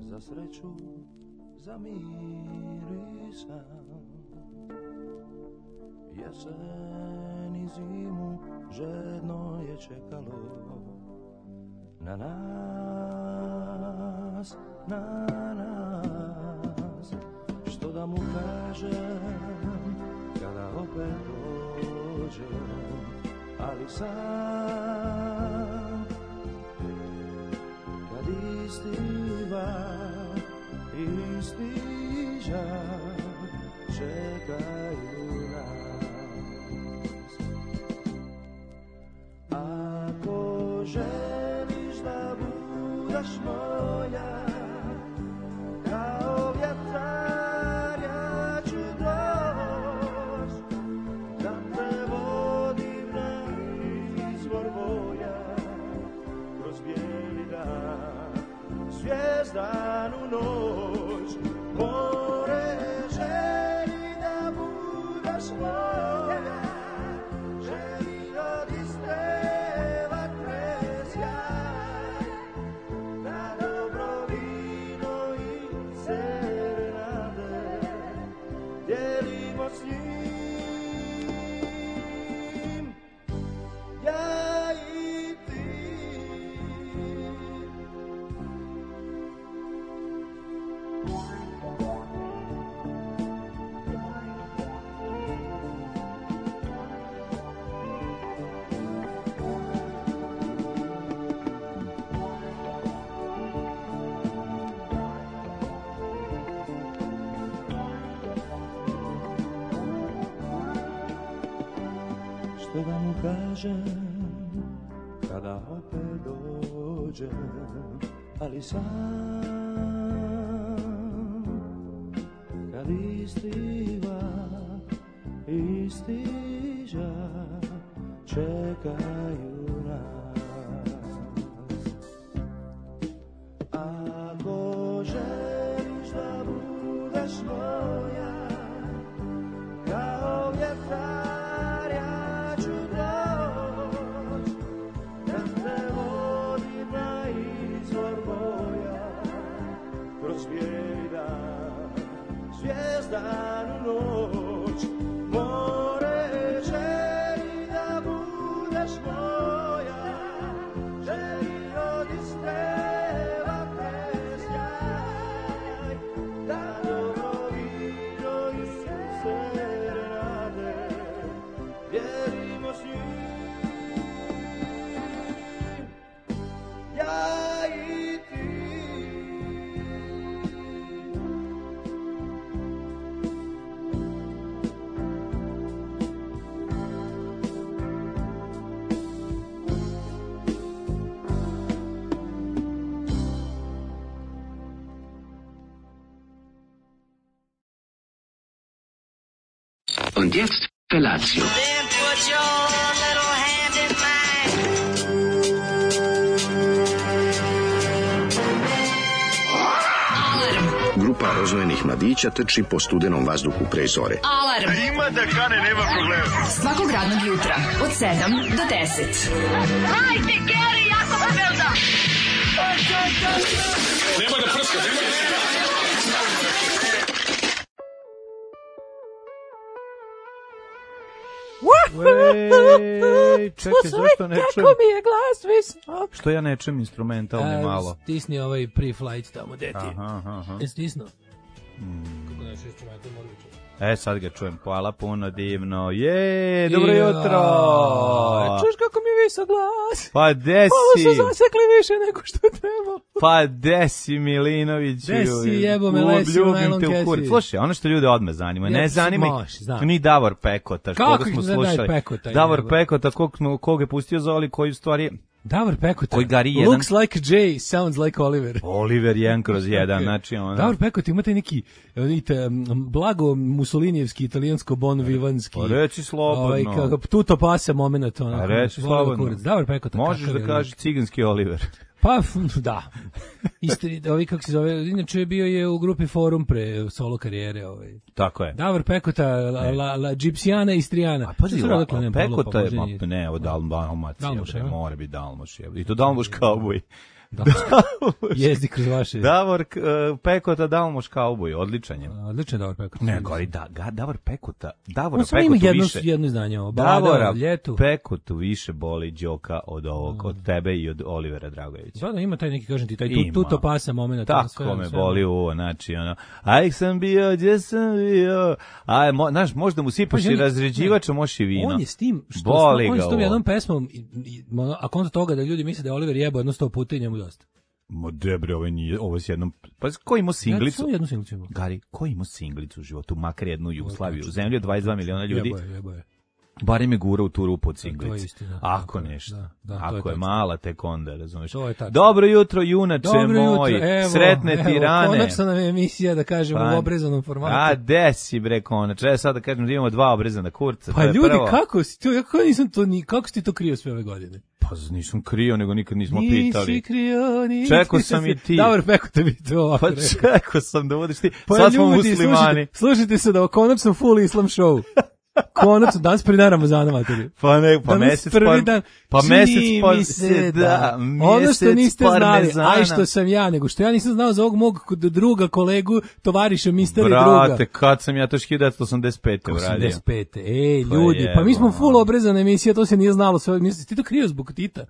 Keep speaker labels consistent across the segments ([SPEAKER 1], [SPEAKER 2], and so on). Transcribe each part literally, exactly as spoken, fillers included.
[SPEAKER 1] za sreću, za mir i san. Jesen i zimu žedno je čekalo na nas, na nas. Što da mu kažem kada opet dođem, ali sam kad istiva isti žar čekaju nas. Ako želiš da budeš moja, kao vjetar ja ću doć, da te vodim na izvor boja, kroz bijeli dan, zvijezdanu noć. More želi da budeš moja, želi od iste vatre sjaj, da dobro vino i serenade dijelimo s njim, ja i ti. Što da mu kažem kada opet dođem, ali sam kad istiva isti žar čekaju nas. Ako želiš da budeš moja, kao vjetar ja ću doć, da te vodim na izvor boja, kroz bijeli dan, zvijezdanu noć. More želi da budeš moja, želi od iste vatre sjaj, da dobro vino i serenade dijelimo s njim, ja i ti.
[SPEAKER 2] Und jetzt Felatio.
[SPEAKER 3] Then put your little hand in mine.
[SPEAKER 2] Grupa rozvojenih mladića trči po studenom vazduhu pre zore.
[SPEAKER 4] Alarm.
[SPEAKER 5] Ima da kane, nema problema.
[SPEAKER 4] Svakog radnog jutra od sedam do deset.
[SPEAKER 3] Hajde, Geri, jako se velda.
[SPEAKER 5] Nema da prska, nema da prska.
[SPEAKER 6] Ej, čekaj, zašto ne čujem?
[SPEAKER 7] Kako mi je glas visok?
[SPEAKER 6] Što ja ne čujem instrumentalni malo?
[SPEAKER 7] Stisni ovaj pre-flight tamo, deti.
[SPEAKER 6] Aha, aha.
[SPEAKER 7] Je stisnuo?
[SPEAKER 6] Mm.
[SPEAKER 7] Kako naš instrumental mora biti čuo?
[SPEAKER 6] E, sad ga čujem. Hvala puno, divno. Je, dobro
[SPEAKER 7] Ja.
[SPEAKER 6] jutro.
[SPEAKER 7] Čuješ kako mi je visok glas?
[SPEAKER 6] Pa de
[SPEAKER 7] Ovo
[SPEAKER 6] si?
[SPEAKER 7] su zasekli više nego što treba.
[SPEAKER 6] Pa de si, Milinoviću?
[SPEAKER 7] De si, jebo me, lesi u najlon
[SPEAKER 6] te u
[SPEAKER 7] kesi.
[SPEAKER 6] kurac. Slušaj, ono što ljude odmah zanima. Ne
[SPEAKER 7] Ja,
[SPEAKER 6] zanima
[SPEAKER 7] može, znam.
[SPEAKER 6] ih ni Davor Pekota.
[SPEAKER 7] Kako
[SPEAKER 6] koga smo
[SPEAKER 7] ih ne daje
[SPEAKER 6] slušali.
[SPEAKER 7] Pekota,
[SPEAKER 6] Davor
[SPEAKER 7] jebo?
[SPEAKER 6] Pekota, kog, smo, kog je pustio Zoli, koji u stvari...
[SPEAKER 7] Davor Pekota.
[SPEAKER 6] Koji gari jedan-
[SPEAKER 7] Looks like Jay, sounds like Oliver.
[SPEAKER 6] Oliver jedan kroz jedan, znači ono...
[SPEAKER 7] Davor Pekota imate neki vidite, blago Mussolinijevski, italijansko bon vivanski.
[SPEAKER 6] Pa reci slobodno.
[SPEAKER 7] Ovaj, kako, tuto pase moment. Ono,
[SPEAKER 6] Pa reci
[SPEAKER 7] volim
[SPEAKER 6] slobodno.
[SPEAKER 7] kurac. Davor Pekota.
[SPEAKER 6] Možeš
[SPEAKER 7] kakav
[SPEAKER 6] da
[SPEAKER 7] je
[SPEAKER 6] kažeš ciganski Oliver.
[SPEAKER 7] Pa, f- da. Istri, ovi kako se zove, inače bio je u grupi Forum pre solo karijere. Ovaj.
[SPEAKER 6] Tako je.
[SPEAKER 7] Davor Pekota, la, la, la Gipsijana Istrijana.
[SPEAKER 6] A pazi,
[SPEAKER 7] Šta
[SPEAKER 6] la,
[SPEAKER 7] odakle nema
[SPEAKER 6] Pekota je,
[SPEAKER 7] poženje?
[SPEAKER 6] ma, ne, ovo Dalmacija,
[SPEAKER 7] Dalmuš,
[SPEAKER 6] bre,
[SPEAKER 7] a?
[SPEAKER 6] mora biti Dalmuš. Je. I to Dalmuš kauboj.
[SPEAKER 7] Jezdi kroz vaše...
[SPEAKER 6] Davor uh, Pekota Dalmoš kauboj, odličan je.
[SPEAKER 7] Odličan Davor Pekota.
[SPEAKER 6] Ne, gori, da, ga, Davor Pekota, Davora
[SPEAKER 7] On samo ima
[SPEAKER 6] Pekotu
[SPEAKER 7] jedno,
[SPEAKER 6] više...
[SPEAKER 7] jedno izdanje ovo.
[SPEAKER 6] Davora
[SPEAKER 7] ljetu.
[SPEAKER 6] Pekotu više boli Đoka od ovog, od tebe i od Olivera Dragojevića.
[SPEAKER 7] Da, da, ima taj neki, kažem ti, taj
[SPEAKER 6] Ima.
[SPEAKER 7] tu, tuto pasa moment.
[SPEAKER 6] Tako
[SPEAKER 7] sve,
[SPEAKER 6] me
[SPEAKER 7] sve,
[SPEAKER 6] boli uvo, znači, ono, aj sam bio, gdje sam bio, aj, mo, znaš, možda mu sipaš
[SPEAKER 7] Pa,
[SPEAKER 6] i
[SPEAKER 7] on je-
[SPEAKER 6] razređivač, a možeš i vino.
[SPEAKER 7] On je s tim, što,
[SPEAKER 6] Boli
[SPEAKER 7] on je
[SPEAKER 6] ga
[SPEAKER 7] s tom
[SPEAKER 6] ovo.
[SPEAKER 7] jednom pesmom, i- i- ono, a konto toga da ljudi misle da je Oliver jebao jedno sto puta i njemu dosta.
[SPEAKER 6] Ma debre, ovo nije, ovo s jednom, pa ko ima
[SPEAKER 7] Ja
[SPEAKER 6] singlicu?
[SPEAKER 7] samo jednu singlicu imao.
[SPEAKER 6] Gari, ko ima singlicu u životu, makar jednu Jugoslaviju, u zemlji od dvadeset dva miliona ljudi,
[SPEAKER 7] Jebo je, jebo je.
[SPEAKER 6] barem je gura u tu rupu od
[SPEAKER 7] To je
[SPEAKER 6] singlice.
[SPEAKER 7] istina.
[SPEAKER 6] Ako
[SPEAKER 7] Tako je,
[SPEAKER 6] nešto,
[SPEAKER 7] da, da, to
[SPEAKER 6] ako
[SPEAKER 7] je
[SPEAKER 6] je,
[SPEAKER 7] tačno.
[SPEAKER 6] mala, tek onda, razumeš.
[SPEAKER 7] To je tačno.
[SPEAKER 6] Dobro jutro, junače
[SPEAKER 7] Dobro
[SPEAKER 6] moj,
[SPEAKER 7] jutro, evo,
[SPEAKER 6] sretne
[SPEAKER 7] evo,
[SPEAKER 6] ti rane.
[SPEAKER 7] konačno nam je emisija, da kažemo,
[SPEAKER 6] Pa,
[SPEAKER 7] u obrezanom formatu.
[SPEAKER 6] A, desi bre, konačno. Ja sad da kažem da imamo dva obrezana kurca.
[SPEAKER 7] Pa
[SPEAKER 6] to je
[SPEAKER 7] ljudi,
[SPEAKER 6] prvo.
[SPEAKER 7] kako si to, kako nisam to, ni, kako si ti to krio sve ove godine?
[SPEAKER 6] Pa nisam krio, nego nikad nismo
[SPEAKER 7] Nisi
[SPEAKER 6] pitali.
[SPEAKER 7] krio, nisi.
[SPEAKER 6] Čekao sam i ti.
[SPEAKER 7] Davor Pekota bi to ovako
[SPEAKER 6] Pa
[SPEAKER 7] rekao.
[SPEAKER 6] čekao sam da budeš ti.
[SPEAKER 7] Pa
[SPEAKER 6] Sad smo
[SPEAKER 7] ljudi,
[SPEAKER 6] muslimani.
[SPEAKER 7] Slušajte, slušajte se da o konačno full islam show. Konačno, danas prvi dan Ramazana, materi.
[SPEAKER 6] Pa ne, pa
[SPEAKER 7] Danas
[SPEAKER 6] mesec
[SPEAKER 7] prvi
[SPEAKER 6] pa,
[SPEAKER 7] dan.
[SPEAKER 6] pa
[SPEAKER 7] Čini
[SPEAKER 6] mesec pa
[SPEAKER 7] mi se
[SPEAKER 6] da,
[SPEAKER 7] ono što
[SPEAKER 6] mjesec
[SPEAKER 7] niste znali,
[SPEAKER 6] parmezana.
[SPEAKER 7] aj što sam ja, nego što ja nisam znao za ovog mog druga, kolegu, tovariša, misteri druga.
[SPEAKER 6] Brate, kad sam ja to hiljadu devetsto osamdeset pete uradio.
[SPEAKER 7] osamdeset pete. Ej,
[SPEAKER 6] Pa
[SPEAKER 7] ljudi, pa mi smo
[SPEAKER 6] jebo.
[SPEAKER 7] full obrezana emisija, to se nije znalo sve. Misliš, ti to krio zbog Tita?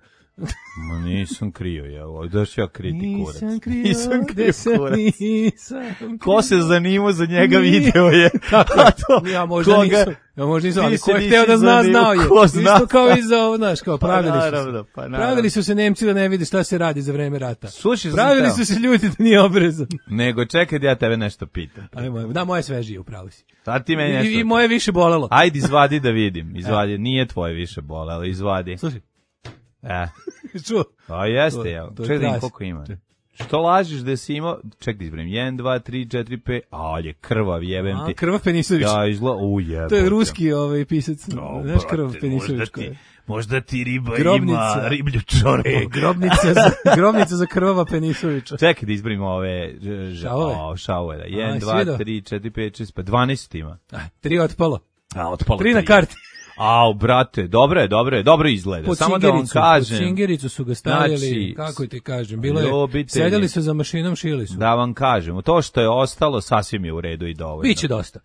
[SPEAKER 6] Ma nisam krio, ja, ovo, daš ja kriti kurac.
[SPEAKER 7] Nisam krio,
[SPEAKER 6] Nisam
[SPEAKER 7] da
[SPEAKER 6] krio
[SPEAKER 7] se
[SPEAKER 6] kurac.
[SPEAKER 7] nisam
[SPEAKER 6] Ko se zanimao za njega
[SPEAKER 7] Nije.
[SPEAKER 6] video je.
[SPEAKER 7] Tako
[SPEAKER 6] A to,
[SPEAKER 7] ja možda
[SPEAKER 6] koga-
[SPEAKER 7] nisam, ja možda nisam,
[SPEAKER 6] Ti
[SPEAKER 7] ali
[SPEAKER 6] se
[SPEAKER 7] ko je
[SPEAKER 6] nisi
[SPEAKER 7] hteo da zna,
[SPEAKER 6] zanimao,
[SPEAKER 7] znao je.
[SPEAKER 6] ko zna.
[SPEAKER 7] Isto kao i za ovo, znaš, kao pravili su
[SPEAKER 6] naravno,
[SPEAKER 7] se.
[SPEAKER 6] pa naravno.
[SPEAKER 7] Pravili su se Nemci da ne vide šta se radi za vreme rata.
[SPEAKER 6] Slušaj, sam
[SPEAKER 7] Pravili
[SPEAKER 6] teo.
[SPEAKER 7] su se ljudi da nije obrezan.
[SPEAKER 6] Nego čekaj da ja tebe nešto pitam.
[SPEAKER 7] Ajmo, da, moje svežije, upravo si.
[SPEAKER 6] Sad ti meni nešto...
[SPEAKER 7] I, I moje više bolelo.
[SPEAKER 6] Ajde, izvadi da vidim. Izvadi, nije tvoje više bole, ali izvadi.
[SPEAKER 7] Slušaj,
[SPEAKER 6] E,
[SPEAKER 7] čuo.
[SPEAKER 6] a jeste,
[SPEAKER 7] To-
[SPEAKER 6] ja.
[SPEAKER 7] to je
[SPEAKER 6] Čekaj da vidim
[SPEAKER 7] krasi.
[SPEAKER 6] koliko ima. Što lažiš da si imao... Čekaj da izbrem. jedan, dva, tri, četiri, pet... A, je krvav, jebem
[SPEAKER 7] A,
[SPEAKER 6] ti.
[SPEAKER 7] Krvav Penisović.
[SPEAKER 6] Da, izgleda... U, jebote.
[SPEAKER 7] To je ruski ovaj pisac.
[SPEAKER 6] O,
[SPEAKER 7] Znaš Krvav
[SPEAKER 6] brate,
[SPEAKER 7] Penisović
[SPEAKER 6] možda
[SPEAKER 7] ko je?
[SPEAKER 6] ti, možda ti riba
[SPEAKER 7] Grobnica.
[SPEAKER 6] ima riblju čoreku.
[SPEAKER 7] Grobnica za, grobnica za Krvava Penisovića.
[SPEAKER 6] Čekaj da izbrim ove... ž- ž-
[SPEAKER 7] Šavove?
[SPEAKER 6] O, šavove, da.
[SPEAKER 7] A,
[SPEAKER 6] jedan,
[SPEAKER 7] jesi
[SPEAKER 6] dva,
[SPEAKER 7] vidio?
[SPEAKER 6] tri, četiri, pet, šest, pa dvanaest ima.
[SPEAKER 7] Ah, tri otpalo.
[SPEAKER 6] A, otpalo
[SPEAKER 7] Tri na karti.
[SPEAKER 6] Au, brate, dobro je, dobro je, dobro izgleda.
[SPEAKER 7] Pod
[SPEAKER 6] Samo da vam
[SPEAKER 7] Cingericu,
[SPEAKER 6] kažem,
[SPEAKER 7] pod Cingericu su ga stavili,
[SPEAKER 6] Znači,
[SPEAKER 7] kako ti kažem, bilo je,
[SPEAKER 6] ljubitelji.
[SPEAKER 7] sedeli su za mašinom, šili su.
[SPEAKER 6] da vam kažem, to što je ostalo sasvim je u redu i dovoljno.
[SPEAKER 7] Biće dosta.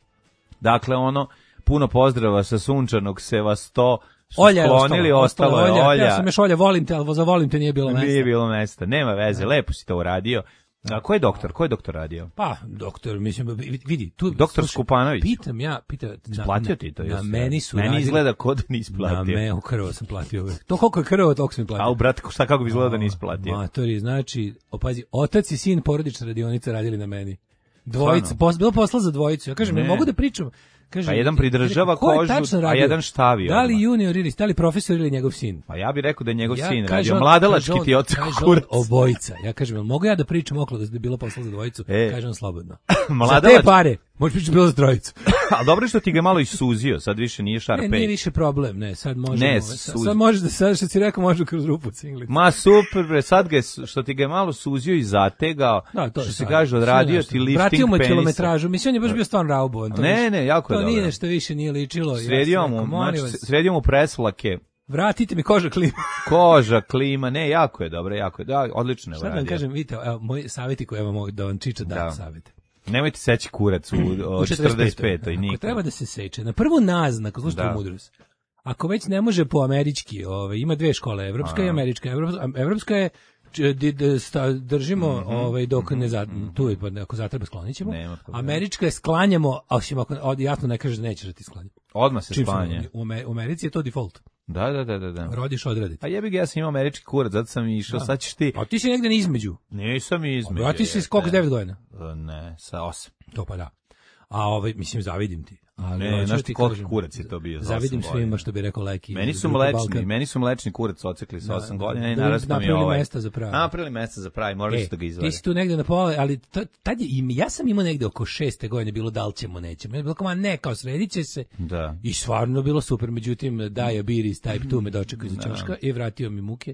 [SPEAKER 6] Dakle, ono, puno pozdrava sa sunčanog Sevasto, su
[SPEAKER 7] Olja je
[SPEAKER 6] sklonili,
[SPEAKER 7] ostalo,
[SPEAKER 6] ostalo je olja.
[SPEAKER 7] Ja sam još olja, volim te, ali za volim te nije bilo mesta.
[SPEAKER 6] Nije bilo mesta, nema veze, lepo si to uradio. A ko je doktor? Ko je doktor radio?
[SPEAKER 7] Pa, doktor, mislim, vidi, tu...
[SPEAKER 6] Doktor
[SPEAKER 7] slušaj,
[SPEAKER 6] Skupanović.
[SPEAKER 7] Pitam ja, pitam... na-
[SPEAKER 6] Platio ti to?
[SPEAKER 7] Na
[SPEAKER 6] jesi?
[SPEAKER 7] meni su
[SPEAKER 6] Meni
[SPEAKER 7] radili-
[SPEAKER 6] izgleda kod da nisi
[SPEAKER 7] Na
[SPEAKER 6] platio.
[SPEAKER 7] me, u krvo sam platio uvek. To koliko je krvo, toliko sam platio.
[SPEAKER 6] A u brate, šta kako bi izgleda da nisi platio?
[SPEAKER 7] Matori, znači, opazi, otac i sin porodična radionica radili na meni. Dvojica,
[SPEAKER 6] Stvarno?
[SPEAKER 7] pos, bilo posla za dvojicu. Ja kažem,
[SPEAKER 6] Ne.
[SPEAKER 7] ne mogu da pričam. Kaže,
[SPEAKER 6] Pa jedan pridržava
[SPEAKER 7] ko je
[SPEAKER 6] kožu,
[SPEAKER 7] tačno
[SPEAKER 6] a
[SPEAKER 7] radio?
[SPEAKER 6] jedan štavi
[SPEAKER 7] Da li
[SPEAKER 6] odmah.
[SPEAKER 7] junior ili, da li profesor ili njegov sin?
[SPEAKER 6] Pa ja bih rekao da je njegov
[SPEAKER 7] Ja,
[SPEAKER 6] sin
[SPEAKER 7] kaže
[SPEAKER 6] radio.
[SPEAKER 7] on-
[SPEAKER 6] Mladalački
[SPEAKER 7] kaže on-
[SPEAKER 6] ti oca
[SPEAKER 7] kaže on,
[SPEAKER 6] kurac.
[SPEAKER 7] obojica. Ja kažem, jel mogu ja da pričam okolo da je bilo posla za dvojicu?
[SPEAKER 6] E.
[SPEAKER 7] Kaže on slobodno.
[SPEAKER 6] Mladalač-
[SPEAKER 7] Za te pare, možeš pričati bilo za trojicu.
[SPEAKER 6] A dobro je što ti ga malo isuzio, sad više nije
[SPEAKER 7] Ne,
[SPEAKER 6] Sharpay.
[SPEAKER 7] nije više problem, ne, sad možemo.
[SPEAKER 6] Ne,
[SPEAKER 7] sad,
[SPEAKER 6] suz-
[SPEAKER 7] sad možeš da, sad što si rekao, može kroz rupu cinglicu.
[SPEAKER 6] Ma super bre, sad ga je, su- što ti ga je malo suzio i zategao,
[SPEAKER 7] Da, to je
[SPEAKER 6] što se
[SPEAKER 7] sad.
[SPEAKER 6] kaže, odradio
[SPEAKER 7] Sve
[SPEAKER 6] ti
[SPEAKER 7] nešto.
[SPEAKER 6] lifting
[SPEAKER 7] Vratio mu je
[SPEAKER 6] penisa.
[SPEAKER 7] kilometražu, mislim, on je baš bio stvarno raubovan. to
[SPEAKER 6] Ne,
[SPEAKER 7] više-
[SPEAKER 6] ne, jako je
[SPEAKER 7] To
[SPEAKER 6] dobro.
[SPEAKER 7] nije nešto više, nije ličilo. ja
[SPEAKER 6] Sredio
[SPEAKER 7] sam
[SPEAKER 6] mu,
[SPEAKER 7] rekao, molim
[SPEAKER 6] znači,
[SPEAKER 7] vas,
[SPEAKER 6] sredio mu presvlake,
[SPEAKER 7] vratite mi koža klima.
[SPEAKER 6] koža, klima, ne, jako je dobro, jako je, da, odlično je
[SPEAKER 7] Šta da vam
[SPEAKER 6] uradio.
[SPEAKER 7] kažem, vidite, evo, moji savjeti koje vam mogu da vam Čiča da,
[SPEAKER 6] Da.
[SPEAKER 7] savjete.
[SPEAKER 6] Nemojte seći kurac u,
[SPEAKER 7] U
[SPEAKER 6] u četrdeset petoj
[SPEAKER 7] Ako
[SPEAKER 6] nikad.
[SPEAKER 7] treba da se seče, na prvu naznaku, slušajte
[SPEAKER 6] Da.
[SPEAKER 7] mudrost. Ako već ne može po američki, ovaj ima dve škole, evropska i američka. Evropska, evropska je č- di- d- sta- držimo ovaj dok ne za, tu je, pa ako zatreba sklonićemo.
[SPEAKER 6] Nema problema.
[SPEAKER 7] Američka je sklanjamo, a osim ako od- jasno ne kažeš da nećeš da ti sklanja.
[SPEAKER 6] Odmah se
[SPEAKER 7] Čim se-
[SPEAKER 6] sklanja.
[SPEAKER 7] U, Ame- u Americi je to default.
[SPEAKER 6] Da, da, da, da, da.
[SPEAKER 7] Rodiš odraditi.
[SPEAKER 6] A jebi ga, ja sam imao američki kurac, zato sam i išao, sad ćeš ti...
[SPEAKER 7] A ti si negde između.
[SPEAKER 6] Nisam između.
[SPEAKER 7] Brati si
[SPEAKER 6] jeste.
[SPEAKER 7] skok s devet godina.
[SPEAKER 6] E, Ne, sa osam.
[SPEAKER 7] To pa da. A ovaj, mislim, zavidim ti. Ali
[SPEAKER 6] Ne,
[SPEAKER 7] hoću
[SPEAKER 6] znaš
[SPEAKER 7] da
[SPEAKER 6] ti
[SPEAKER 7] ti
[SPEAKER 6] koliki
[SPEAKER 7] kažem,
[SPEAKER 6] kurac je to bio za
[SPEAKER 7] Zavidim
[SPEAKER 6] osam
[SPEAKER 7] svima
[SPEAKER 6] godina.
[SPEAKER 7] što bi rekao Leki.
[SPEAKER 6] Meni
[SPEAKER 7] iz
[SPEAKER 6] su
[SPEAKER 7] grupe
[SPEAKER 6] mlečni,
[SPEAKER 7] Balkan.
[SPEAKER 6] meni su mlečni kurac ocekli sa
[SPEAKER 7] Da,
[SPEAKER 6] osam
[SPEAKER 7] da,
[SPEAKER 6] godina i
[SPEAKER 7] da,
[SPEAKER 6] narastao mi je
[SPEAKER 7] napravili
[SPEAKER 6] ovaj.
[SPEAKER 7] mesta za pravi.
[SPEAKER 6] Napravili mesta za pravi, moraš
[SPEAKER 7] E,
[SPEAKER 6] da ga
[SPEAKER 7] ti
[SPEAKER 6] izvadi.
[SPEAKER 7] si tu negde na pola, ali to, tad je, i ja sam imao negde oko šeste godine bilo da li ćemo, nećemo. Ja bilo kao, ma ne, kao sredit će se.
[SPEAKER 6] Da.
[SPEAKER 7] I stvarno bilo super, međutim, diabetes type two me dočekao iza ćoška i vratio mi muke.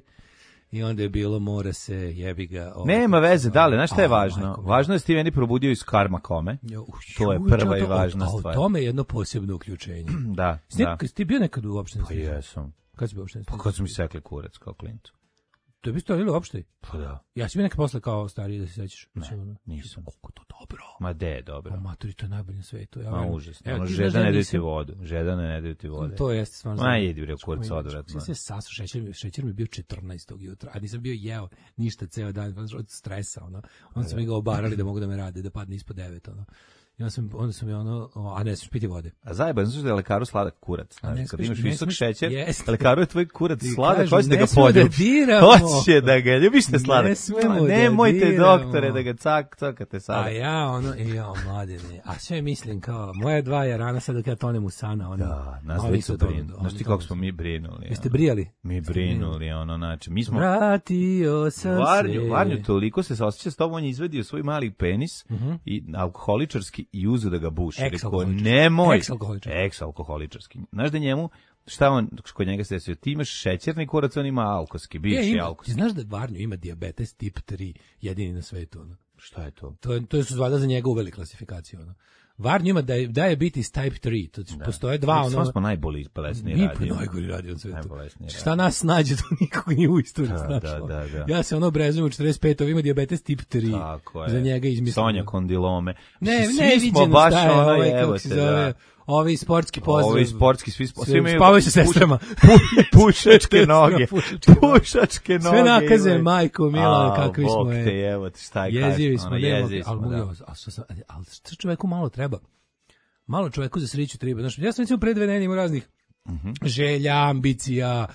[SPEAKER 7] I onda je bilo, mora se, jebi ga. ovaj,
[SPEAKER 6] Nema veze, dale, znaš šta je
[SPEAKER 7] A,
[SPEAKER 6] važno?
[SPEAKER 7] majko mi.
[SPEAKER 6] Važno je da si ti meni probudio iz karma kome.
[SPEAKER 7] Jo,
[SPEAKER 6] To je
[SPEAKER 7] ju,
[SPEAKER 6] prva i
[SPEAKER 7] to-
[SPEAKER 6] važna
[SPEAKER 7] a,
[SPEAKER 6] stvar.
[SPEAKER 7] A u tome je jedno posebno uključenje.
[SPEAKER 6] Da,
[SPEAKER 7] Snip,
[SPEAKER 6] da.
[SPEAKER 7] kad si ti bio nekad u opštini?
[SPEAKER 6] Pa jesam.
[SPEAKER 7] Kad si bio u opštini?
[SPEAKER 6] Pa kad su mi sekli kurac kao klincu.
[SPEAKER 7] To je bi stojilo uopšte.
[SPEAKER 6] Pa da.
[SPEAKER 7] Ja sam nekad posle kao stariji da se sećaš.
[SPEAKER 6] Ne, nisam.
[SPEAKER 7] Koliko to dobro.
[SPEAKER 6] Ma de je dobro.
[SPEAKER 7] O, maturi, to je najbolje na svetu. Ja,
[SPEAKER 6] Ma
[SPEAKER 7] verujem.
[SPEAKER 6] užasno.
[SPEAKER 7] Evo,
[SPEAKER 6] Ono,
[SPEAKER 7] ti
[SPEAKER 6] žeda
[SPEAKER 7] znaš da
[SPEAKER 6] ne daju
[SPEAKER 7] nisam-
[SPEAKER 6] ti vodu. Žeda ne daju ti vode.
[SPEAKER 7] To jeste stvarno.
[SPEAKER 6] Ma jedi bre kurac
[SPEAKER 7] Čekaj,
[SPEAKER 6] odvratno.
[SPEAKER 7] čekaj, se sasu šećer, mi- šećer mi je bio četrnaestog jutra, a nisam bio jeo ništa ceo dan od stresa, ono. Onda su mi ga obarali da mogu da me rade, da padne ispod devet, ono. I onda sam, onda sam ja ono, o, a ne smiješ piti vode.
[SPEAKER 6] A zajebano su da je lekaru sladak kurac.
[SPEAKER 7] A ne
[SPEAKER 6] Znači, kad
[SPEAKER 7] smiješ-
[SPEAKER 6] imaš
[SPEAKER 7] ne
[SPEAKER 6] visok
[SPEAKER 7] smiješ-
[SPEAKER 6] šećer,
[SPEAKER 7] jeste.
[SPEAKER 6] lekaru je tvoj kurac
[SPEAKER 7] Ti
[SPEAKER 6] sladak,
[SPEAKER 7] kažu,
[SPEAKER 6] hoće da
[SPEAKER 7] ne
[SPEAKER 6] ga
[SPEAKER 7] smemo da
[SPEAKER 6] poljubiš.
[SPEAKER 7] diramo.
[SPEAKER 6] Hoće da ga, ljubiš te sladak.
[SPEAKER 7] Ne smemo
[SPEAKER 6] Ma,
[SPEAKER 7] da
[SPEAKER 6] nemojte
[SPEAKER 7] diramo.
[SPEAKER 6] doktore da ga cak, cakate
[SPEAKER 7] A
[SPEAKER 6] sada.
[SPEAKER 7] ja, ono, e, ja, mladine, a sve mislim kao, moja dva je rana sad dok ja tonem u sana, ono.
[SPEAKER 6] Da, nas
[SPEAKER 7] oni
[SPEAKER 6] već
[SPEAKER 7] su
[SPEAKER 6] su
[SPEAKER 7] to-
[SPEAKER 6] brinuli.
[SPEAKER 7] oni
[SPEAKER 6] Znaš ti
[SPEAKER 7] to-
[SPEAKER 6] kako smo mi brinuli.
[SPEAKER 7] Jeste
[SPEAKER 6] ono.
[SPEAKER 7] brijali?
[SPEAKER 6] Mi brinuli, ono, znači, mi smo...
[SPEAKER 7] Vratio sam
[SPEAKER 6] Varnju,
[SPEAKER 7] se.
[SPEAKER 6] Varnju toliko se saosjeća s tobom, on je izvedio svoj mali penis i alkoholičarski i uzu da ga buši. Rekao,
[SPEAKER 7] Ex-alkoholičarski.
[SPEAKER 6] nemoj.
[SPEAKER 7] Ex-alkoholičarski.
[SPEAKER 6] Ex-alkoholičarski. Znaš da njemu, šta on, kod njega se desio, ti imaš šećerni kurac, on ima alkoski,
[SPEAKER 7] E,
[SPEAKER 6] bivši
[SPEAKER 7] ima, ti
[SPEAKER 6] alkoski.
[SPEAKER 7] znaš da Varnju ima dijabetes tip tri, jedini na svetu, ono.
[SPEAKER 6] Šta je to?
[SPEAKER 7] To je, to su valjda za njega uveli klasifikaciju, ono. Varnju ima da je, da je diabetes type tri, to postoje dva, ono.
[SPEAKER 6] Samo smo najbolji bolesni
[SPEAKER 7] Mi
[SPEAKER 6] radio.
[SPEAKER 7] pa najgori radio na svetu.
[SPEAKER 6] Najbolesniji
[SPEAKER 7] Šta nas nađe, to nikog nije u istoriji
[SPEAKER 6] Da,
[SPEAKER 7] snašlo.
[SPEAKER 6] da, da, da.
[SPEAKER 7] Ja se ono obrazujem u četrdeset pet, ovo ima dijabetes tip tri.
[SPEAKER 6] Tako je.
[SPEAKER 7] Za njega izmislio.
[SPEAKER 6] Sonja kondilome.
[SPEAKER 7] Ne,
[SPEAKER 6] Svi
[SPEAKER 7] ne,
[SPEAKER 6] smo
[SPEAKER 7] viđeno
[SPEAKER 6] baš
[SPEAKER 7] šta je,
[SPEAKER 6] ono,
[SPEAKER 7] ovaj,
[SPEAKER 6] evo
[SPEAKER 7] kako se
[SPEAKER 6] te,
[SPEAKER 7] zove,
[SPEAKER 6] da.
[SPEAKER 7] ovi sportski pozdrav.
[SPEAKER 6] Ovi sportski, svi, svi,
[SPEAKER 7] Sve-
[SPEAKER 6] imaju
[SPEAKER 7] spavaju sa
[SPEAKER 6] puš-
[SPEAKER 7] sestrama.
[SPEAKER 6] pušačke noge.
[SPEAKER 7] Pušačke noge.
[SPEAKER 6] Pušačke noge.
[SPEAKER 7] Sve nakaze,
[SPEAKER 6] imaju.
[SPEAKER 7] majko mila,
[SPEAKER 6] A,
[SPEAKER 7] kakvi smo
[SPEAKER 6] Bog
[SPEAKER 7] je.
[SPEAKER 6] te, evo ti, šta je
[SPEAKER 7] Jezivi
[SPEAKER 6] kažeš,
[SPEAKER 7] smo,
[SPEAKER 6] ono,
[SPEAKER 7] nema,
[SPEAKER 6] jezivi
[SPEAKER 7] ali
[SPEAKER 6] smo,
[SPEAKER 7] mogu,
[SPEAKER 6] da.
[SPEAKER 7] a što sam, ali što čoveku malo treba? Malo čoveku za sreću treba. Znaš, ja sam recimo pre dve nedelje imao raznih
[SPEAKER 6] Mhm.
[SPEAKER 7] želja, ambicija,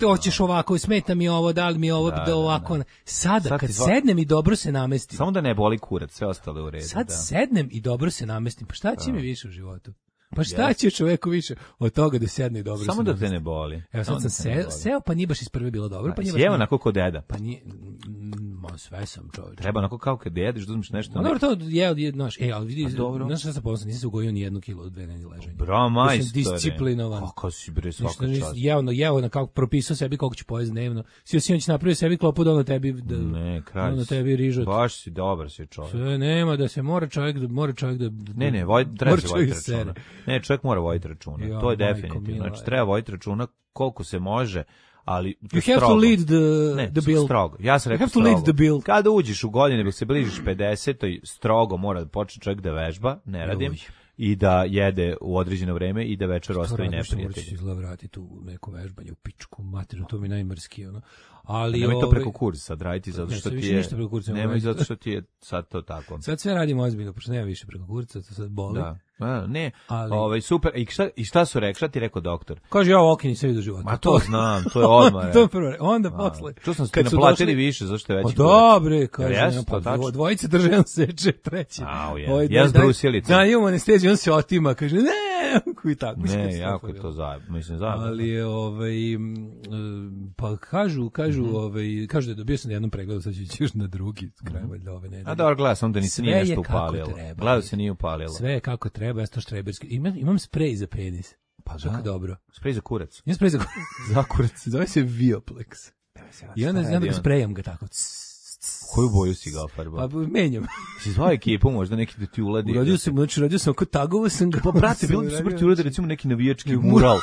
[SPEAKER 7] hoćeš ovako, smeta mi ovo, da li mi ovo,
[SPEAKER 6] Da,
[SPEAKER 7] da,
[SPEAKER 6] da,
[SPEAKER 7] ovako.
[SPEAKER 6] da.
[SPEAKER 7] Sada,
[SPEAKER 6] Sad
[SPEAKER 7] kad
[SPEAKER 6] ti zva-
[SPEAKER 7] sednem i dobro se namestim,
[SPEAKER 6] Samo da ne boli kurac, sve ostalo je u redu.
[SPEAKER 7] sad
[SPEAKER 6] da.
[SPEAKER 7] sednem i dobro se namestim, pa šta će mi više u životu? Pa šta
[SPEAKER 6] Jeste.
[SPEAKER 7] će čoveku više od toga da sedne i dobro
[SPEAKER 6] Samo
[SPEAKER 7] se
[SPEAKER 6] da te
[SPEAKER 7] namesti?
[SPEAKER 6] ne boli.
[SPEAKER 7] Evo
[SPEAKER 6] Samo
[SPEAKER 7] sad
[SPEAKER 6] da
[SPEAKER 7] sam
[SPEAKER 6] te ne
[SPEAKER 7] seo,
[SPEAKER 6] boli.
[SPEAKER 7] seo, pa nije baš iz prve bilo dobro, pa nije baš...
[SPEAKER 6] Sjeo
[SPEAKER 7] nije-
[SPEAKER 6] onako ko deda.
[SPEAKER 7] Pa nije, mm, ma sve sam čovječ.
[SPEAKER 6] Treba onako kao kad jedeš, da uzmeš nešto.
[SPEAKER 7] No, dobro, to je, je znaš, e, ali vidi,
[SPEAKER 6] A dobro.
[SPEAKER 7] znaš šta sam ponosno, nisam se ugojio ni jednu kilo od dve nedelje leženja.
[SPEAKER 6] Bra, majstore.
[SPEAKER 7] Ja sam disciplinovan.
[SPEAKER 6] Kako si bre,
[SPEAKER 7] Ništa
[SPEAKER 6] svaka
[SPEAKER 7] nisam
[SPEAKER 6] čast.
[SPEAKER 7] jeo, no, jeo na kako propisao sebi koliko ću pojesti dnevno. Sio Sinoć napravio sebi klopu da ono tebi da
[SPEAKER 6] Ne, kralj.
[SPEAKER 7] ono
[SPEAKER 6] si.
[SPEAKER 7] tebi rižot.
[SPEAKER 6] Baš si dobar si čovjek.
[SPEAKER 7] Sve nema da se mora čovjek da mora čovjek da, da
[SPEAKER 6] Ne, ne, voj, treba
[SPEAKER 7] mora
[SPEAKER 6] se
[SPEAKER 7] čovjek
[SPEAKER 6] voditi
[SPEAKER 7] da
[SPEAKER 6] računa.
[SPEAKER 7] sere.
[SPEAKER 6] Ne, čovjek mora voditi računa.
[SPEAKER 7] Ja,
[SPEAKER 6] to je
[SPEAKER 7] majko
[SPEAKER 6] definitivno.
[SPEAKER 7] mila,
[SPEAKER 6] Znači,
[SPEAKER 7] je.
[SPEAKER 6] treba voditi računa koliko se može, ali
[SPEAKER 7] You have to
[SPEAKER 6] strogo.
[SPEAKER 7] lead the,
[SPEAKER 6] Ne,
[SPEAKER 7] the bill.
[SPEAKER 6] strogo. Ja sam
[SPEAKER 7] You
[SPEAKER 6] rekao
[SPEAKER 7] have to lead
[SPEAKER 6] strogo.
[SPEAKER 7] the bill.
[SPEAKER 6] Kada uđeš u godine, dok se bližiš pedesetoj, strogo mora da počne čovjek da vežba, ne radim,
[SPEAKER 7] Joj.
[SPEAKER 6] i da jede u određeno vreme i da večer
[SPEAKER 7] To
[SPEAKER 6] ostavi
[SPEAKER 7] radim što morat ću
[SPEAKER 6] neprijatelje.
[SPEAKER 7] izgleda vratiti u neko vežbanje u pičku materinu, to mi je najmrski, ono. Ali,
[SPEAKER 6] Nemoj to
[SPEAKER 7] ovaj,
[SPEAKER 6] preko kursa sad raditi zato
[SPEAKER 7] Ne,
[SPEAKER 6] što
[SPEAKER 7] sad
[SPEAKER 6] ti
[SPEAKER 7] više
[SPEAKER 6] je...
[SPEAKER 7] ništa preko kursa ne mogu
[SPEAKER 6] Nemoj
[SPEAKER 7] raditi.
[SPEAKER 6] zato što ti je sad to tako.
[SPEAKER 7] sad sve radim ozbiljno, pošto nema više preko kurca, to sad boli.
[SPEAKER 6] Da. A, ne,
[SPEAKER 7] Ali-
[SPEAKER 6] ovaj, super. I šta, I šta su rekli? Šta ti rekao doktor?
[SPEAKER 7] Kaže, ja okini sve do života.
[SPEAKER 6] Ma to znam, to je odmah.
[SPEAKER 7] to prvo, onda posle.
[SPEAKER 6] Čuo sam ste
[SPEAKER 7] Kad su
[SPEAKER 6] naplatili
[SPEAKER 7] došli-
[SPEAKER 6] više, zašto je
[SPEAKER 7] Pa
[SPEAKER 6] veći
[SPEAKER 7] dobre, kaže,
[SPEAKER 6] Jel
[SPEAKER 7] ja,
[SPEAKER 6] jesu,
[SPEAKER 7] pa
[SPEAKER 6] to tačno?
[SPEAKER 7] dvo- dvojice drže, on seče, treći.
[SPEAKER 6] Au, je.
[SPEAKER 7] Ovaj,
[SPEAKER 6] Ja s
[SPEAKER 7] daj-
[SPEAKER 6] brusilicom.
[SPEAKER 7] Da, imamo anesteziju, on se otima, kaže, ne, i tako. mislim,
[SPEAKER 6] Ne,
[SPEAKER 7] sve
[SPEAKER 6] jako je
[SPEAKER 7] bilo.
[SPEAKER 6] to zajedno. Mislim, zajedno.
[SPEAKER 7] Ali je, ovaj, m, e, pa kažu, kažu,
[SPEAKER 6] Mhm.
[SPEAKER 7] ovaj, kažu da je dobio sam na jednom pregledu, sad ću ići još na drugi, kraj valjda ove nedelje.
[SPEAKER 6] A dobro, gledao sam da ni se
[SPEAKER 7] Sve
[SPEAKER 6] nije
[SPEAKER 7] je
[SPEAKER 6] nešto
[SPEAKER 7] kako
[SPEAKER 6] upalilo.
[SPEAKER 7] treba.
[SPEAKER 6] Gledao se nije upalilo.
[SPEAKER 7] Sve je kako treba, ja sam to štreberski. Imam, imam sprej za penis.
[SPEAKER 6] Pa
[SPEAKER 7] Čak
[SPEAKER 6] da.
[SPEAKER 7] dobro.
[SPEAKER 6] Sprej za kurac.
[SPEAKER 7] Imam sprej za
[SPEAKER 6] Za kurac.
[SPEAKER 7] Zove se Vioplex. I onda,
[SPEAKER 6] Šta
[SPEAKER 7] onda
[SPEAKER 6] je
[SPEAKER 7] ga
[SPEAKER 6] on?
[SPEAKER 7] sprejam ga tako.
[SPEAKER 6] Koju boju si ga ofarbao?
[SPEAKER 7] Pa menjam.
[SPEAKER 6] Si zvao ekipu, možda neki da ti uladi.
[SPEAKER 7] Uradio sam, znači uradio sam oko tagovo sam ga.
[SPEAKER 6] Pa brate, bilo bi super ti uradi recimo neki navijački mural.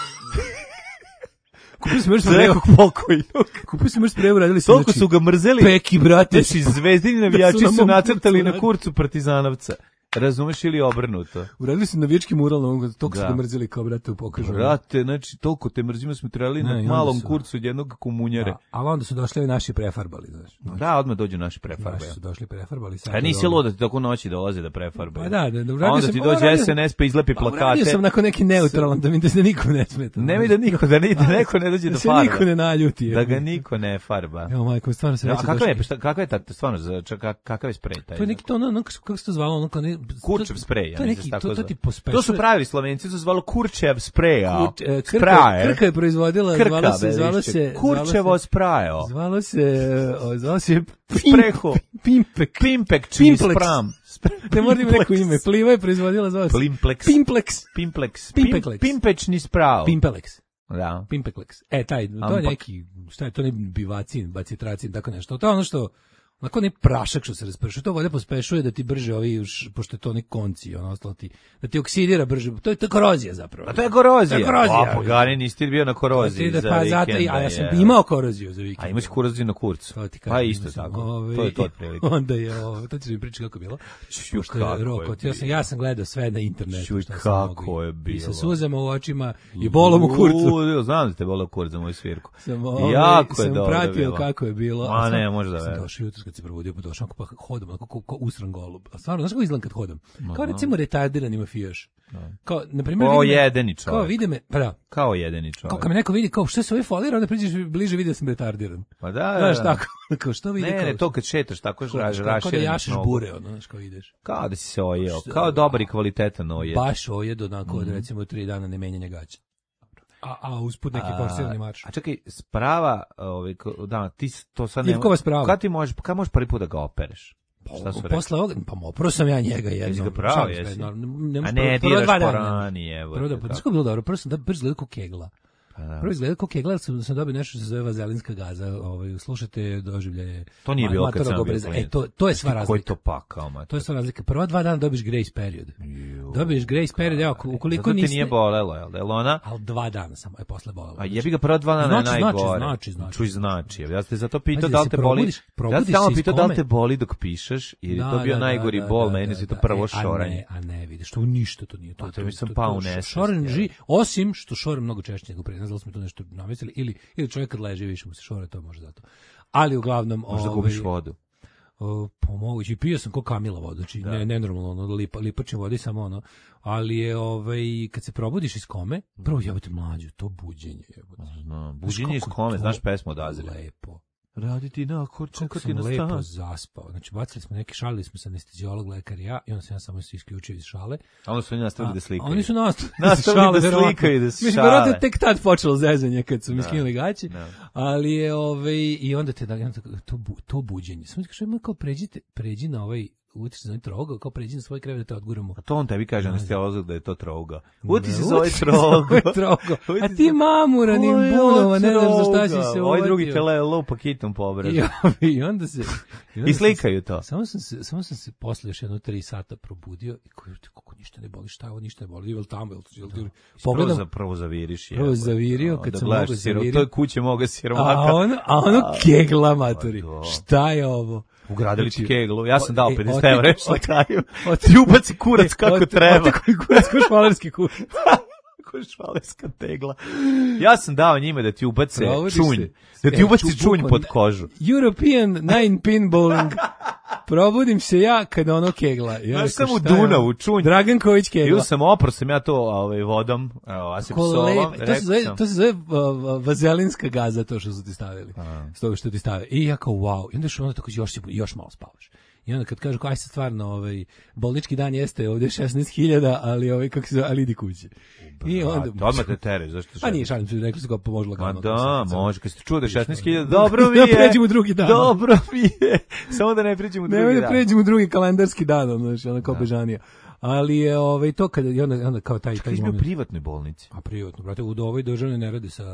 [SPEAKER 7] Kupio sam još
[SPEAKER 6] Za
[SPEAKER 7] sprej.
[SPEAKER 6] nekog pokojnog.
[SPEAKER 7] Kupio sam još sprej, uradili su.
[SPEAKER 6] Toliko su ga mrzeli.
[SPEAKER 7] Peki, brate.
[SPEAKER 6] Znači, zvezdini navijači
[SPEAKER 7] Da su na
[SPEAKER 6] su
[SPEAKER 7] mom
[SPEAKER 6] nacrtali
[SPEAKER 7] kurcu
[SPEAKER 6] na
[SPEAKER 7] radili.
[SPEAKER 6] kurcu Partizanovca. Razumeš ili obrnuto?
[SPEAKER 7] Uradili su navijački mural na ovom, toliko su
[SPEAKER 6] Da.
[SPEAKER 7] ga mrzeli kao, brate, pokažu.
[SPEAKER 6] Brate, znači, toliko te mrzimo smo trebali
[SPEAKER 7] Ne, i
[SPEAKER 6] na
[SPEAKER 7] onda
[SPEAKER 6] malom
[SPEAKER 7] su-
[SPEAKER 6] kurcu od jednog komunjere.
[SPEAKER 7] Da, ali onda su došli ovi naši prefarbali, znaš.
[SPEAKER 6] Da, odmah dođu naši prefarbe.
[SPEAKER 7] Naši su došli prefarbali. sad
[SPEAKER 6] A nisi
[SPEAKER 7] dobro.
[SPEAKER 6] lud da ti tako noći dolaze da prefarbe.
[SPEAKER 7] Pa da, da, da,
[SPEAKER 6] A
[SPEAKER 7] uradio
[SPEAKER 6] onda
[SPEAKER 7] sam-
[SPEAKER 6] ti
[SPEAKER 7] pa
[SPEAKER 6] dođe
[SPEAKER 7] uradio-
[SPEAKER 6] S N S pa izlepi
[SPEAKER 7] Pa uradio
[SPEAKER 6] plakate.
[SPEAKER 7] sam nakon neki neutralan, da mi da se nikom ne smeta.
[SPEAKER 6] Nemoj da niko, da, ni, da neko ne dođe
[SPEAKER 7] da
[SPEAKER 6] do
[SPEAKER 7] se
[SPEAKER 6] farba.
[SPEAKER 7] niko ne naljuti.
[SPEAKER 6] Da ga niko ne farba.
[SPEAKER 7] Evo, majko, stvarno se
[SPEAKER 6] A
[SPEAKER 7] već
[SPEAKER 6] kakav je, šta, kakav je ta, stvarno, za, ča- ka- kakav je sprej taj?
[SPEAKER 7] To je neki to ono, ono kako se to zvalo, ono kao ne
[SPEAKER 6] Kurčev sprej, ja
[SPEAKER 7] to je
[SPEAKER 6] mislim
[SPEAKER 7] neki,
[SPEAKER 6] da se
[SPEAKER 7] to,
[SPEAKER 6] tako
[SPEAKER 7] to ti
[SPEAKER 6] zove.
[SPEAKER 7] pospešuje.
[SPEAKER 6] To su pravili Slovenci, to se zvalo Kurčev sprejao.
[SPEAKER 7] Kurč, e, Krka,
[SPEAKER 6] Spraje.
[SPEAKER 7] Krka je proizvodila,
[SPEAKER 6] Krka,
[SPEAKER 7] zvalo se,
[SPEAKER 6] be,
[SPEAKER 7] zvalo
[SPEAKER 6] više.
[SPEAKER 7] se,
[SPEAKER 6] Kurčevo sprajao.
[SPEAKER 7] zvalo se, o, zvalo se
[SPEAKER 6] Spreho.
[SPEAKER 7] Pimpek.
[SPEAKER 6] Pimpek, čiji
[SPEAKER 7] Pimplex.
[SPEAKER 6] spram.
[SPEAKER 7] Ne moram im neko ime. Pliva je proizvodila, zvalo se
[SPEAKER 6] Pimplex.
[SPEAKER 7] Pimplex.
[SPEAKER 6] Pimplex.
[SPEAKER 7] Pimpeklex.
[SPEAKER 6] Pimpečni sprao.
[SPEAKER 7] Pimpelex.
[SPEAKER 6] Da.
[SPEAKER 7] Pimpeklex. E, taj, to je
[SPEAKER 6] Ampak.
[SPEAKER 7] neki, šta je, to ne bivacin, bacitracin, tako nešto. To je ono što, Onako ne prašak što se raspršuje, to valjda pospešuje da ti brže ovi, pošto je to neki konci, ono ostalo ti, da ti oksidira brže, to je to korozija zapravo.
[SPEAKER 6] A to je korozija.
[SPEAKER 7] To je korozija.
[SPEAKER 6] A, pogani, nisi ti bio na koroziji
[SPEAKER 7] da,
[SPEAKER 6] za
[SPEAKER 7] pa,
[SPEAKER 6] vikend.
[SPEAKER 7] Zato, a ja sam je. imao koroziju za vikend.
[SPEAKER 6] A imaš koroziju na kurcu. Pa isto tako,
[SPEAKER 7] ove,
[SPEAKER 6] to je to otprilike.
[SPEAKER 7] Onda je, ovo, to ću mi pričati kako je bilo.
[SPEAKER 6] Ču, kako
[SPEAKER 7] rok,
[SPEAKER 6] je
[SPEAKER 7] ja, sam, ja sam gledao sve na internetu.
[SPEAKER 6] Čuj, kako je bilo.
[SPEAKER 7] I sa suzama u očima i bolom u kurcu.
[SPEAKER 6] U, znam da te bolo u kurcu za moju svirku.
[SPEAKER 7] Sam, ove,
[SPEAKER 6] jako
[SPEAKER 7] sam
[SPEAKER 6] je dobro
[SPEAKER 7] pratio
[SPEAKER 6] bilo.
[SPEAKER 7] kako je bilo.
[SPEAKER 6] A ne, može da
[SPEAKER 7] sam došao jutros kad se probudio, pa došao pa hodam, onako ko, ko usran golub. A stvarno, znaš kako izgledam kad hodam? Kao recimo retardirani mafijaš. Kao, na primjer,
[SPEAKER 6] kao jedeni čovjek.
[SPEAKER 7] Kao vide me, pa da.
[SPEAKER 6] Kao jedeni čovjek.
[SPEAKER 7] Kao kad me neko vidi, kao što se ovaj folira, onda priđeš bliže vidi da sam retardiran.
[SPEAKER 6] Pa da, da.
[SPEAKER 7] Znaš tako, kao što vidi.
[SPEAKER 6] Ne,
[SPEAKER 7] kao,
[SPEAKER 6] ne, to kad šetaš, tako raš,
[SPEAKER 7] raširaš. Kao da jašeš
[SPEAKER 6] nogu.
[SPEAKER 7] bure, ono, znaš, kao ideš.
[SPEAKER 6] Kao da si se ojeo, kao dobar i kvalitetan ojed.
[SPEAKER 7] Baš ojed, onako, od recimo tri dana ne menjanja gaća. A, a usput neki forsirani marš.
[SPEAKER 6] A čekaj, sprava, ovaj, da, ti to sad ne...
[SPEAKER 7] Ivkova sprava.
[SPEAKER 6] Kad ti možeš, kad možeš prvi put da ga opereš? Šta su
[SPEAKER 7] posle ovoga, pa oprao sam ja njega jednom.
[SPEAKER 6] Jesi ga pravo, jesi?
[SPEAKER 7] Ne,
[SPEAKER 6] a ne, diraš po rani, evo.
[SPEAKER 7] Prvo da, pa znaš kako bilo dobro, prvo sam da brzo gledao ko kegla. Da. Prvo izgleda kao kegla, sam, sam dobio nešto što se zove vazelinska gaza, ovaj, slušajte doživljaje.
[SPEAKER 6] To nije bilo kad sam bio
[SPEAKER 7] e, to, to je sva razlika.
[SPEAKER 6] Koji to pakao, mater?
[SPEAKER 7] To je sva razlika. Prva dva dana dobiš grace period. Dobiš grace period, evo, ukoliko niste...
[SPEAKER 6] Zato ti nije bolelo, jel da je ona?
[SPEAKER 7] Ali dva dana samo je posle bolelo.
[SPEAKER 6] A jebi ga prva dva dana
[SPEAKER 7] znači,
[SPEAKER 6] najgore.
[SPEAKER 7] Znači, znači.
[SPEAKER 6] Čuj, znači. Ja te zato pitao da li te boli. Ja te tamo pitao da li te boli dok pišeš, jer je to bio najgori bol, meni se to prvo šoranje.
[SPEAKER 7] A ne, vidiš, to ništa to nije.
[SPEAKER 6] To mi sam pao u nesvest.
[SPEAKER 7] Šoren, osim što šore mnogo češće nego pre, ne znam da smo to nešto namislili, ili, ili čovjek kad leži više mu se šore, to može zato. Ali uglavnom...
[SPEAKER 6] Možda
[SPEAKER 7] ovaj,
[SPEAKER 6] gubiš vodu.
[SPEAKER 7] O, pomogući, i pio sam ko Kamila vodu, znači da. ne, nenormalno, ono, lipa, lipačne vodi samo ono, ali je, ovaj, kad se probudiš iz kome, prvo jebote mlađu, to buđenje, jebote.
[SPEAKER 6] No, buđenje iz kome, znaš pesmu od Azira?
[SPEAKER 7] Lepo.
[SPEAKER 6] Raditi na kor, čekati na stan.
[SPEAKER 7] Lepo zaspao. Znači, bacili smo neki, šalili smo se anesteziolog, lekar i ja, i onda sam ja samo se isključio iz šale.
[SPEAKER 6] A onda su oni nastavili da slikaju.
[SPEAKER 7] Oni su nastavili,
[SPEAKER 6] nastavili da slikaju, da se šale.
[SPEAKER 7] Mislim, verovatno tek tad počelo zezanje kad su mi skinuli gaće, ali je, ovaj, i onda te, da, to, to buđenje. Samo ti kažem, kao pređite, pređi na ovaj, uti se za ovaj trouga, kao pređi na svoj krevet da te odguramo.
[SPEAKER 6] A to on tebi kaže anesteziolog da je to trouga. Uti se za ovaj trouga.
[SPEAKER 7] A ti mamuranim bunova, ne znaš za šta si se uvatio.
[SPEAKER 6] Ovaj drugi te lupa kitom po obradu.
[SPEAKER 7] I onda se...
[SPEAKER 6] I slikaju to.
[SPEAKER 7] Samo sam se, samo sam se posle još jedno tri sata probudio i kako ništa ne boli, šta je ovo, ništa ne boli, ili tamo, ili pogledam.
[SPEAKER 6] Prvo zaviriš.
[SPEAKER 7] Prvo zavirio, kad sam mogo zavirio.
[SPEAKER 6] To je kuće moga siromaka.
[SPEAKER 7] A ono, a ono kegla, maturi. Šta je ovo?
[SPEAKER 6] Ugradili ti keglu, ja sam dao pedeset evra na kraju. Ti ubaci kurac kako treba.
[SPEAKER 7] Kurac ko švalerski kurac.
[SPEAKER 6] Ko švalerska tegla. Ja sam dao njima da ti ubace čunj. Da ti ubaci čunj pod kožu.
[SPEAKER 7] European nine pin bowling. Probudim se ja kada ono kegla.
[SPEAKER 6] Ja sam u Dunavu, čunj.
[SPEAKER 7] Dragan Ković kegla.
[SPEAKER 6] Ju sam opro sam ja to ovaj, vodom, asepsolom.
[SPEAKER 7] To se zove, to se zove uh, vazelinska gaza, to što su ti stavili. S toga što ti stave. I ja kao wow. I onda što onda tako još, još malo spavaš. I onda kad kažu, aj se stvarno, ovaj, bolnički dan jeste ovdje šesnaest hiljada, ali, ovaj, kako se zove, ali idi kući. I onda...
[SPEAKER 6] Odmah te tereš, zašto
[SPEAKER 7] šest? A nije, šalim se, rekli su kao pomožu lagano.
[SPEAKER 6] Ma da, može, kad ste čuo da je šesnaest hiljada, dobro mi je.
[SPEAKER 7] Da pređemo u drugi dan.
[SPEAKER 6] Dobro mi je. Samo da ne pređemo u drugi dan.
[SPEAKER 7] Ne da pređemo u drugi kalendarski dan, znači, ono kao bežanija. Ali je ovaj to kad i onda onda kao taj taj
[SPEAKER 6] moment. Ti u privatnoj bolnici.
[SPEAKER 7] A privatno, brate, u ovoj državnoj ne rade sa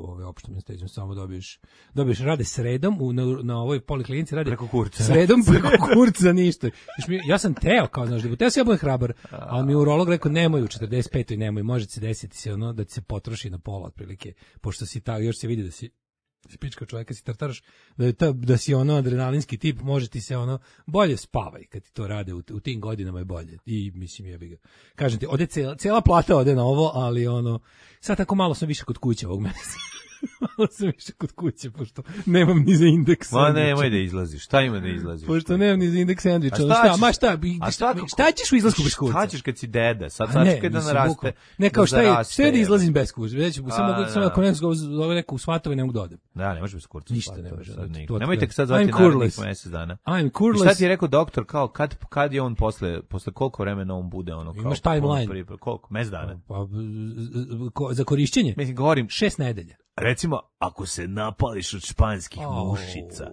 [SPEAKER 7] ove opštom anestezijom, samo dobiješ dobiješ rade sredom u na, na ovoj poliklinici rade
[SPEAKER 6] preko kurca.
[SPEAKER 7] Sredom preko kurca ništa. Ja sam teo kao znaš, da teo se ja budem hrabar, ali mi urolog rekao nemoj u četrdeset petoj nemoj, može se desiti se ono da ti se potroši na pola otprilike, pošto si ta još se vidi da si si pička čovjeka, si tartaraš, da, je ta, da si ono adrenalinski tip, može ti se ono, bolje spavaj kad ti to rade, u, u tim godinama je bolje. I mislim, jebi ga. Kažem ti, ode cela, cela plata ode na ovo, ali ono, sad tako malo sam više kod kuće ovog meseca. Malo sam više kod kuće, pošto nemam ni za indeks.
[SPEAKER 6] Ma nemoj da izlaziš, šta ima da izlaziš?
[SPEAKER 7] Pošto nemam ni za indeks sandviča. Šta, šta, ma šta,
[SPEAKER 6] a šta,
[SPEAKER 7] šta ćeš u izlasku bez kurca?
[SPEAKER 6] Šta ćeš kad si deda, sad sačekaj da naraste.
[SPEAKER 7] Ne, kao šta je, sve da izlazim bez kurca. Već, samo mogu, samo ako ne zove neko u svatove, ne mogu da odem.
[SPEAKER 6] Da, ne možeš bez kurca.
[SPEAKER 7] Ništa ne može.
[SPEAKER 6] Nemojte sad zvati narednih mjesec dana.
[SPEAKER 7] I'm curless.
[SPEAKER 6] Šta ti je rekao doktor, kao, kad, kad je on posle, posle koliko vremena on bude ono kao...
[SPEAKER 7] Imaš timeline.
[SPEAKER 6] Koliko, mes dana?
[SPEAKER 7] Pa, za korišćenje?
[SPEAKER 6] Mislim, govorim...
[SPEAKER 7] Šest nedelja.
[SPEAKER 6] Recimo, ako se napališ od španskih oh. mušica,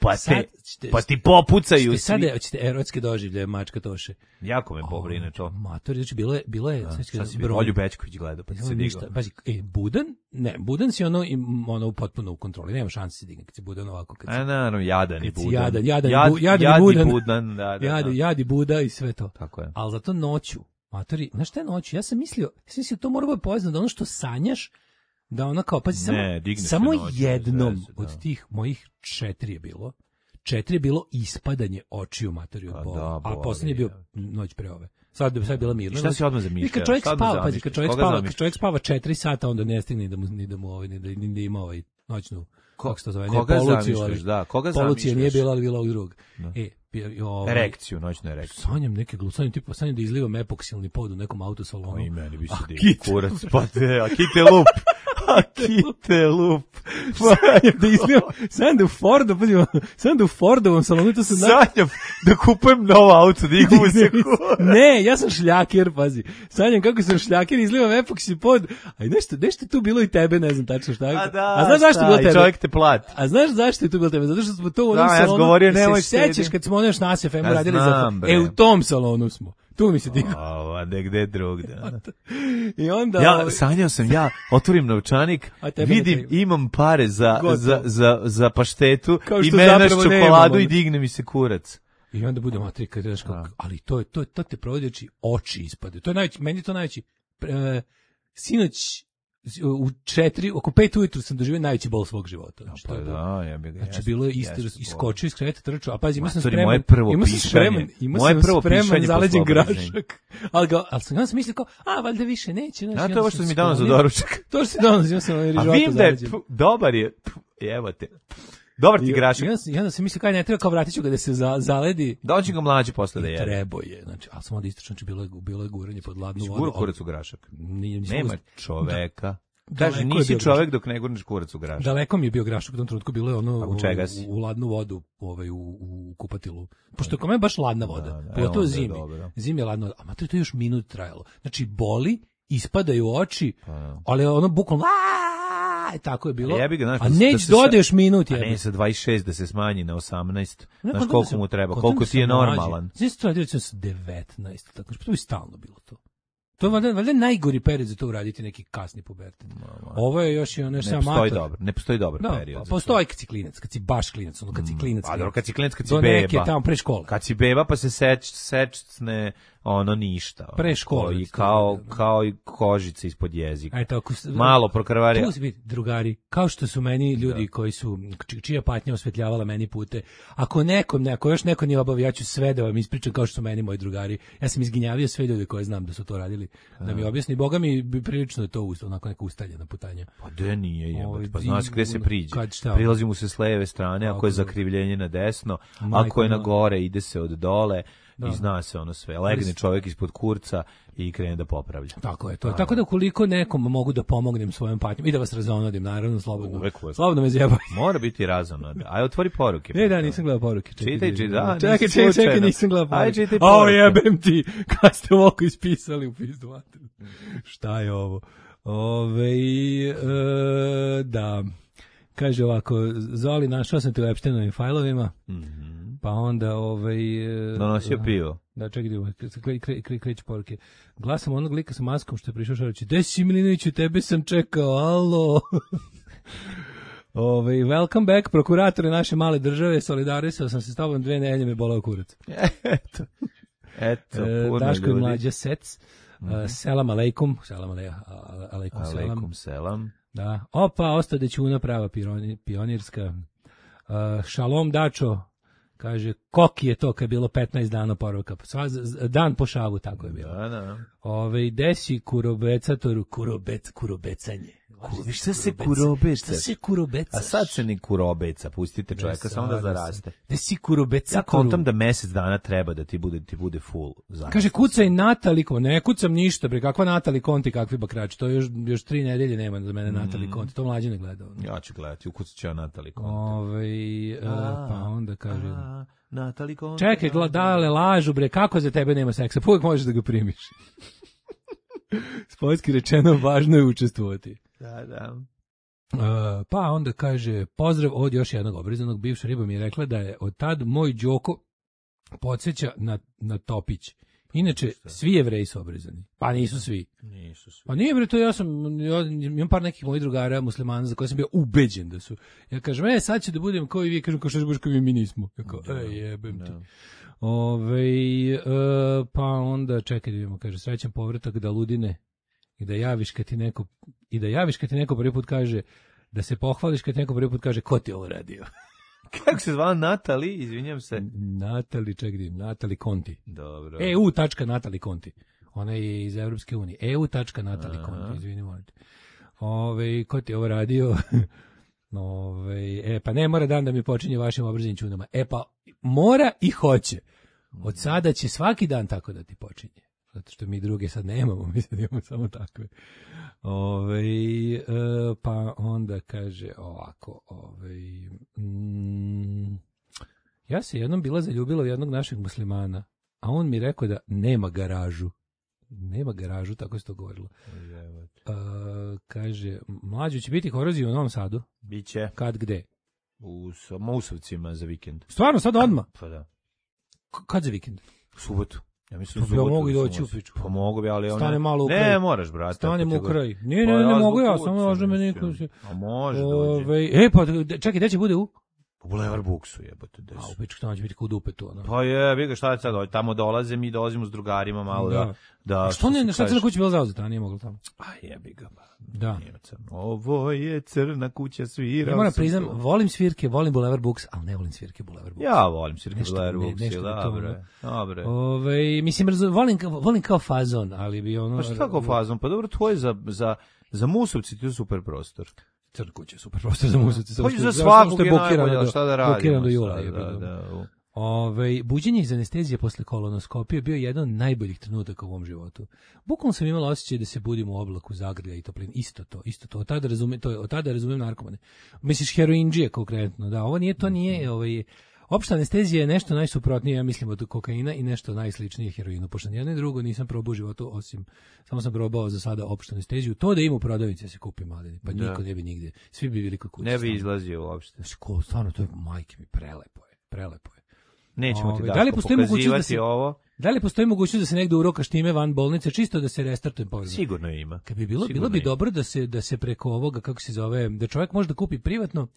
[SPEAKER 6] Pa, te, ćete, pa ti popucaju svi.
[SPEAKER 7] Sada hoćete erotske doživlje, mačka Toše.
[SPEAKER 6] Jako me pobrine to.
[SPEAKER 7] Matori, znači bilo je, bilo je,
[SPEAKER 6] da,
[SPEAKER 7] znači
[SPEAKER 6] šta si bilo, Olju Bećković gledao, pa ti se digao.
[SPEAKER 7] Pazi, e, Budan, ne, Budan si ono, ono potpuno u kontroli, nema šanse se digne kad se Budan ovako. Kad se,
[SPEAKER 6] a naravno, jadan i Budan.
[SPEAKER 7] Jadan, jadan,
[SPEAKER 6] Jad,
[SPEAKER 7] bu, jadan
[SPEAKER 6] jad
[SPEAKER 7] i Budan.
[SPEAKER 6] Budan, da, da,
[SPEAKER 7] Jad,
[SPEAKER 6] da.
[SPEAKER 7] jad i Buda i sve to.
[SPEAKER 6] Tako je.
[SPEAKER 7] Ali zato noću, matori, znaš šta je noću? Ja sam mislio, ja sam mislio, to mora biti povezano da ono što sanjaš, da ona kao, pazi, samo,
[SPEAKER 6] ne,
[SPEAKER 7] samo
[SPEAKER 6] noću,
[SPEAKER 7] jednom
[SPEAKER 6] zvezde,
[SPEAKER 7] od tih mojih četiri je bilo, četiri je bilo ispadanje očiju materi od bola, da, a posljednji je bio noć pre ove. Sad, sad je bila mirna.
[SPEAKER 6] Šta si odmah zamišljao?
[SPEAKER 7] Kad čovjek spava, pazi, kad čovjek spava, kad čovjek spava četiri sata, onda ne stigne ni da mu, ni da mu ovaj, ni da, ni da ima ovaj noćnu,
[SPEAKER 6] Ko,
[SPEAKER 7] kako se to zove,
[SPEAKER 6] ne,
[SPEAKER 7] koga poluciju,
[SPEAKER 6] ali, da, koga
[SPEAKER 7] polucija nije bila, ali bila ovog drugog.
[SPEAKER 6] Da.
[SPEAKER 7] E, ovaj,
[SPEAKER 6] erekciju, noćnu erekciju.
[SPEAKER 7] Sanjam neke glusanjem, tipa sanjam da izlivam epoksilni pod u nekom autosalonu.
[SPEAKER 6] O, i meni bi se digao kurac, pa te, a kite lup. A kite lup.
[SPEAKER 7] Sanjam da izlivam, sanjam da u Fordu, sanjam da u Fordovom salonu, to se
[SPEAKER 6] sanjam da kupujem novo auto, da ih se kurac.
[SPEAKER 7] Ne, ja sam šljakir, pazi. Sanjam kako sam šljakir, izlivam epoksi pod, a nešto, nešto tu bilo i tebe, ne znam tačno šta.
[SPEAKER 6] A da,
[SPEAKER 7] a znaš zašto je bilo tebe?
[SPEAKER 6] Čovjek te plati.
[SPEAKER 7] A znaš zašto je tu bilo tebe? Zato što smo to u onom
[SPEAKER 6] da,
[SPEAKER 7] salonu.
[SPEAKER 6] Ja sam govorio, nemoj
[SPEAKER 7] se sećaš kad smo ono još nas F M
[SPEAKER 6] ja
[SPEAKER 7] radili
[SPEAKER 6] znam,
[SPEAKER 7] za... E, u tom salonu smo. Tu mi se digao.
[SPEAKER 6] A negde drugde.
[SPEAKER 7] I onda...
[SPEAKER 6] Ja sanjao sam, ja otvorim novčanik, vidim, imam pare za, za, za, za paštetu i menaš čokoladu i digne mi se kurac.
[SPEAKER 7] I onda bude matri, kad daš kako, ali to je, to, to te provodići oči ispade. To je najveći, meni je to najveći. E, sinoć, u četiri, oko pet ujutru sam doživio najveći bol svog života. Znači,
[SPEAKER 6] pa da, ja bih ga.
[SPEAKER 7] Znači, bilo je isto, iskočio iz kreveta, trčao, a pazi, imao sam
[SPEAKER 6] Matori,
[SPEAKER 7] spreman,
[SPEAKER 6] moje prvo
[SPEAKER 7] imao sam spreman, imao sam
[SPEAKER 6] prvo
[SPEAKER 7] spreman zaleđen grašak, ali, ga, ali sam, ja sam mislio kao, a, valjda više neće. Znači,
[SPEAKER 6] ja, to je ovo što mi dano za doručak.
[SPEAKER 7] To što si dano, imao sam rižota zaleđen.
[SPEAKER 6] A vidim da je, dobar je, evo te. Dobar ti grašak.
[SPEAKER 7] Ja, ja onda sam mislio kaj ne treba, kao vratit ću ga da se za, zaledi.
[SPEAKER 6] Dođi ga mlađi posle da jede.
[SPEAKER 7] Treba je, znači, ali sam onda istračno, znači bilo je, bilo je guranje pod ladnu vodu.
[SPEAKER 6] Guro kurac u grašak.
[SPEAKER 7] Nije,
[SPEAKER 6] nema čoveka. Kaže, nisi čovek dok ne gurneš kurac u grašak.
[SPEAKER 7] Daleko mi je bio grašak u tom trenutku, bilo je ono
[SPEAKER 6] u,
[SPEAKER 7] u, u ladnu vodu, ovaj, u, u kupatilu. Pošto kome je baš ladna voda, da, da, pogotovo zimi. Zimi je ladna voda, a mater, to je još minut trajalo. Znači, boli, ispadaju oči, pa, ali ono bukvalno, aaa, tako je bilo.
[SPEAKER 6] A, ga, znaš,
[SPEAKER 7] a neći da odeš minut.
[SPEAKER 6] A ne sa dvadeset šest da se smanji na osamnaest, znaš koliko mu treba, koliko ti je normalan.
[SPEAKER 7] Znači, to je sa devetnaest, tako što bi stalno bilo to. To je valjda, valjda najgori period za to uraditi neki kasni pubertet. Ovo je još i ono još
[SPEAKER 6] ne postoji dobro, ne postoji dobar
[SPEAKER 7] da,
[SPEAKER 6] period.
[SPEAKER 7] Postoji kad si klinac, kad si baš klinac, ono kad si klinac.
[SPEAKER 6] A dobro, kad si klinac, kad si
[SPEAKER 7] beba.
[SPEAKER 6] Do
[SPEAKER 7] neke tamo pre škole.
[SPEAKER 6] Kad si beba pa se seč, sečne ono ništa.
[SPEAKER 7] Pre škole.
[SPEAKER 6] I kao, kao i kožice ispod jezika.
[SPEAKER 7] Eto, ako,
[SPEAKER 6] malo prokrvari.
[SPEAKER 7] Tu si biti, drugari, kao što su meni ljudi da. koji su, čija patnja osvetljavala meni pute, ako nekom, ne, ako još neko nije obavio, ja ću sve da vam ispričam kao što su meni moji drugari. Ja sam izginjavio sve ljude koje znam da su to radili, da, da mi objasni. Boga mi bi prilično je to onako neka ustaljena putanja.
[SPEAKER 6] Pa de nije jebati, pa znaš gde se priđe. Prilazi mu se s leve strane, ako je zakrivljenje na desno, ako je na gore, ide se od dole. Da. I zna se ono sve. Legne čovjek ispod kurca i krene da popravlja.
[SPEAKER 7] Tako je to. A, tako da koliko nekom mogu da pomognem svojom patnjom i da vas razonodim, naravno, slobodno.
[SPEAKER 6] Uvek,
[SPEAKER 7] slobodno me zjebajte.
[SPEAKER 6] Mora biti razonod. Aj, otvori poruke.
[SPEAKER 7] Ne, da, nisam gledao poruke.
[SPEAKER 6] Čekaj, čitaj, čitaj, da,
[SPEAKER 7] čekaj, čekaj, čekaj, nisam gledao poruke.
[SPEAKER 6] Aj, čitaj poruke.
[SPEAKER 7] O, jebem ti, kad ste ovako ispisali u pizdu materiju. Šta je ovo? Ove, e, da... Kaže ovako, Zoli, našao sam te u Epsteinovim fajlovima,
[SPEAKER 6] mm-hmm.
[SPEAKER 7] pa onda ovaj...
[SPEAKER 6] donosio pivo.
[SPEAKER 7] Da, čekaj, kre, kre, kre, kreću poruke. Glasam onog lika sa maskom što je prišao šaraći, Desi Milinoviću, tebe sam čekao, alo. Ove, welcome back, prokuratore naše male države, solidarisao sam se s tobom, dve nedelje me bolao kurac.
[SPEAKER 6] Eto, eto,
[SPEAKER 7] e, Daško i mlađa Sec, mm-hmm. uh, selam aleikum, selam aleikum, aleikum,
[SPEAKER 6] aleikum selam.
[SPEAKER 7] Da. Opa, ostade čuna prava pionirska. Uh, šalom Dačo, kaže, koki je to kad je bilo petnaest dana poruka. Sva, dan po šavu, tako je bilo.
[SPEAKER 6] Da, da.
[SPEAKER 7] Ove, desi kurobecatoru, kurobec, kurobecanje.
[SPEAKER 6] Viš, šta se kurobeca?
[SPEAKER 7] Šta se kurobeca?
[SPEAKER 6] A sad se ni kurobeca, pustite čovjeka, samo da zaraste.
[SPEAKER 7] Da si kurobeca.
[SPEAKER 6] Ja kontam da mesec dana treba da ti bude, ti bude full. Zavisno.
[SPEAKER 7] Kaže, kucaj Natali Konti. Ne kucam ništa, bre, kakva Natali Konti, kakvi bakrači. To još, još tri nedelje nema za mene mm. Natali Konti. To mlađe ne gleda.
[SPEAKER 6] Ja ću gledati, ukucat ću ja Natali Konti.
[SPEAKER 7] Ove, a, pa onda kaže...
[SPEAKER 6] A, Natali Konti.
[SPEAKER 7] Čekaj, gledale, lažu, bre, kako za tebe nema seksa? Pa uvijek možeš da ga primiš. Spojski rečeno, važno je učestvovati.
[SPEAKER 6] Da, da.
[SPEAKER 7] Uh, pa onda kaže, pozdrav od još jednog obrizanog, bivša riba mi je rekla da je od tad moj Đoko podsjeća na, na Topić. Inače, svi Jevreji su obrizani. Pa nisu svi.
[SPEAKER 6] Nisu svi.
[SPEAKER 7] Pa nije bre, to ja sam, ja imam par nekih mojih drugara muslimana za koje sam bio ubeđen da su. Ja kažem, e, sad ću da budem kao i vi, kažem, kao što budeš kao i mi nismo. Ja kao, e, jebem ti. Ove, e, pa onda, čekaj da vidimo, kaže, srećan povratak da ludine i da javiš kad ti neko, i da javiš kad ti neko prvi put kaže, da se pohvališ kad ti neko prvi put kaže, ko ti ovo radio?
[SPEAKER 6] Kako se zvala Natali, izvinjam se.
[SPEAKER 7] Natali, čekaj, Natali Conti.
[SPEAKER 6] Dobro.
[SPEAKER 7] e u tačka Natali Conti. Ona je iz Evropske unije. e u tačka Natali Conti, izvini, molite. Ove, ko ti ovo radio? Ove, e, pa ne mora dan da mi počinje vašim obraženim čudama. E, pa mora i hoće. Od sada će svaki dan tako da ti počinje. Zato što mi druge sad nemamo, mi sad imamo samo takve. Ove, e, pa onda kaže ovako, ove, mm, ja se jednom bila zaljubila u jednog našeg muslimana, a on mi rekao da nema garažu. Nema garažu, tako se to govorilo. E, kaže, mlađo će biti korozija u Novom Sadu?
[SPEAKER 6] Biće.
[SPEAKER 7] Kad, gde?
[SPEAKER 6] U Musovcima za vikend.
[SPEAKER 7] Stvarno, sad odmah?
[SPEAKER 6] Pa da.
[SPEAKER 7] K- kad za vikend?
[SPEAKER 6] U subotu. Ja mislim,
[SPEAKER 7] pa ja mogu i doći u pičku.
[SPEAKER 6] Pa mogu bi, ali ona...
[SPEAKER 7] Stane malo u kraj.
[SPEAKER 6] Ne, moraš, brate.
[SPEAKER 7] Stane u kraj. Ne, ne, ne, ne mogu ja, samo možda me niko...
[SPEAKER 6] A može
[SPEAKER 7] dođe. E, pa, čekaj, gde će bude u?
[SPEAKER 6] U Bulevar Buksu, jebote, des.
[SPEAKER 7] A, u pičku, tamo će biti kod dupetu, ono.
[SPEAKER 6] Pa je, vi ga šta je sad, tamo dolaze, mi dolazimo s drugarima malo da... da, da
[SPEAKER 7] a što ne, šta crna kuća bila zauzeta, a nije mogla tamo?
[SPEAKER 6] A jebi ga, ba.
[SPEAKER 7] Da.
[SPEAKER 6] Ovo je crna kuća svira.
[SPEAKER 7] Ja moram priznam, volim svirke, volim Bulevar Buks, ali ne volim svirke Bulevar Buks.
[SPEAKER 6] Ja volim svirke Bulevar Buks, ne, dobro. Dobro.
[SPEAKER 7] Ove, mislim, volim, volim kao fazon, ali bi ono...
[SPEAKER 6] Pa šta kao fazon? Pa dobro, to je za, za, za Musovci, to je super prostor.
[SPEAKER 7] Crna kuća, super prostor za Musovci.
[SPEAKER 6] Hoće za svakog je najbolje, šta da radimo.
[SPEAKER 7] Blokiran do jula. Da, da. Ove, buđenje iz anestezije posle kolonoskopije bio jedan od najboljih trenutaka u ovom životu. Bukvalno sam imala osjećaj da se budim u oblaku zagrlja i toplin. Isto to, isto to. Od tada razumem, to je, od tada razumem narkomane. Misliš heroindžije konkretno, da. Ovo nije, to nije, ovaj, opšta anestezija je nešto najsuprotnije, ja mislim, od kokaina i nešto najsličnije heroinu. Pošto jedno i drugo nisam probao u životu, osim, samo sam probao za sada opštu anesteziju. To da ima u prodavnici, ja se kupim, ali pa da. Niko ne bi nigde. Svi bi bili kod kuće.
[SPEAKER 6] Ne bi izlazio uopšte.
[SPEAKER 7] Stvarno, to je, majke mi, prelepo je, prelepo je.
[SPEAKER 6] Nećemo ti da li pokazivati da se, ovo.
[SPEAKER 7] Da li postoji mogućnost da se negde urokaš time van bolnice, čisto da se restartuje povreda?
[SPEAKER 6] Sigurno ima.
[SPEAKER 7] Kad bi bilo, bilo bi ima. Dobro da se, da se preko ovoga, kako se zove, da čovjek može da kupi privatno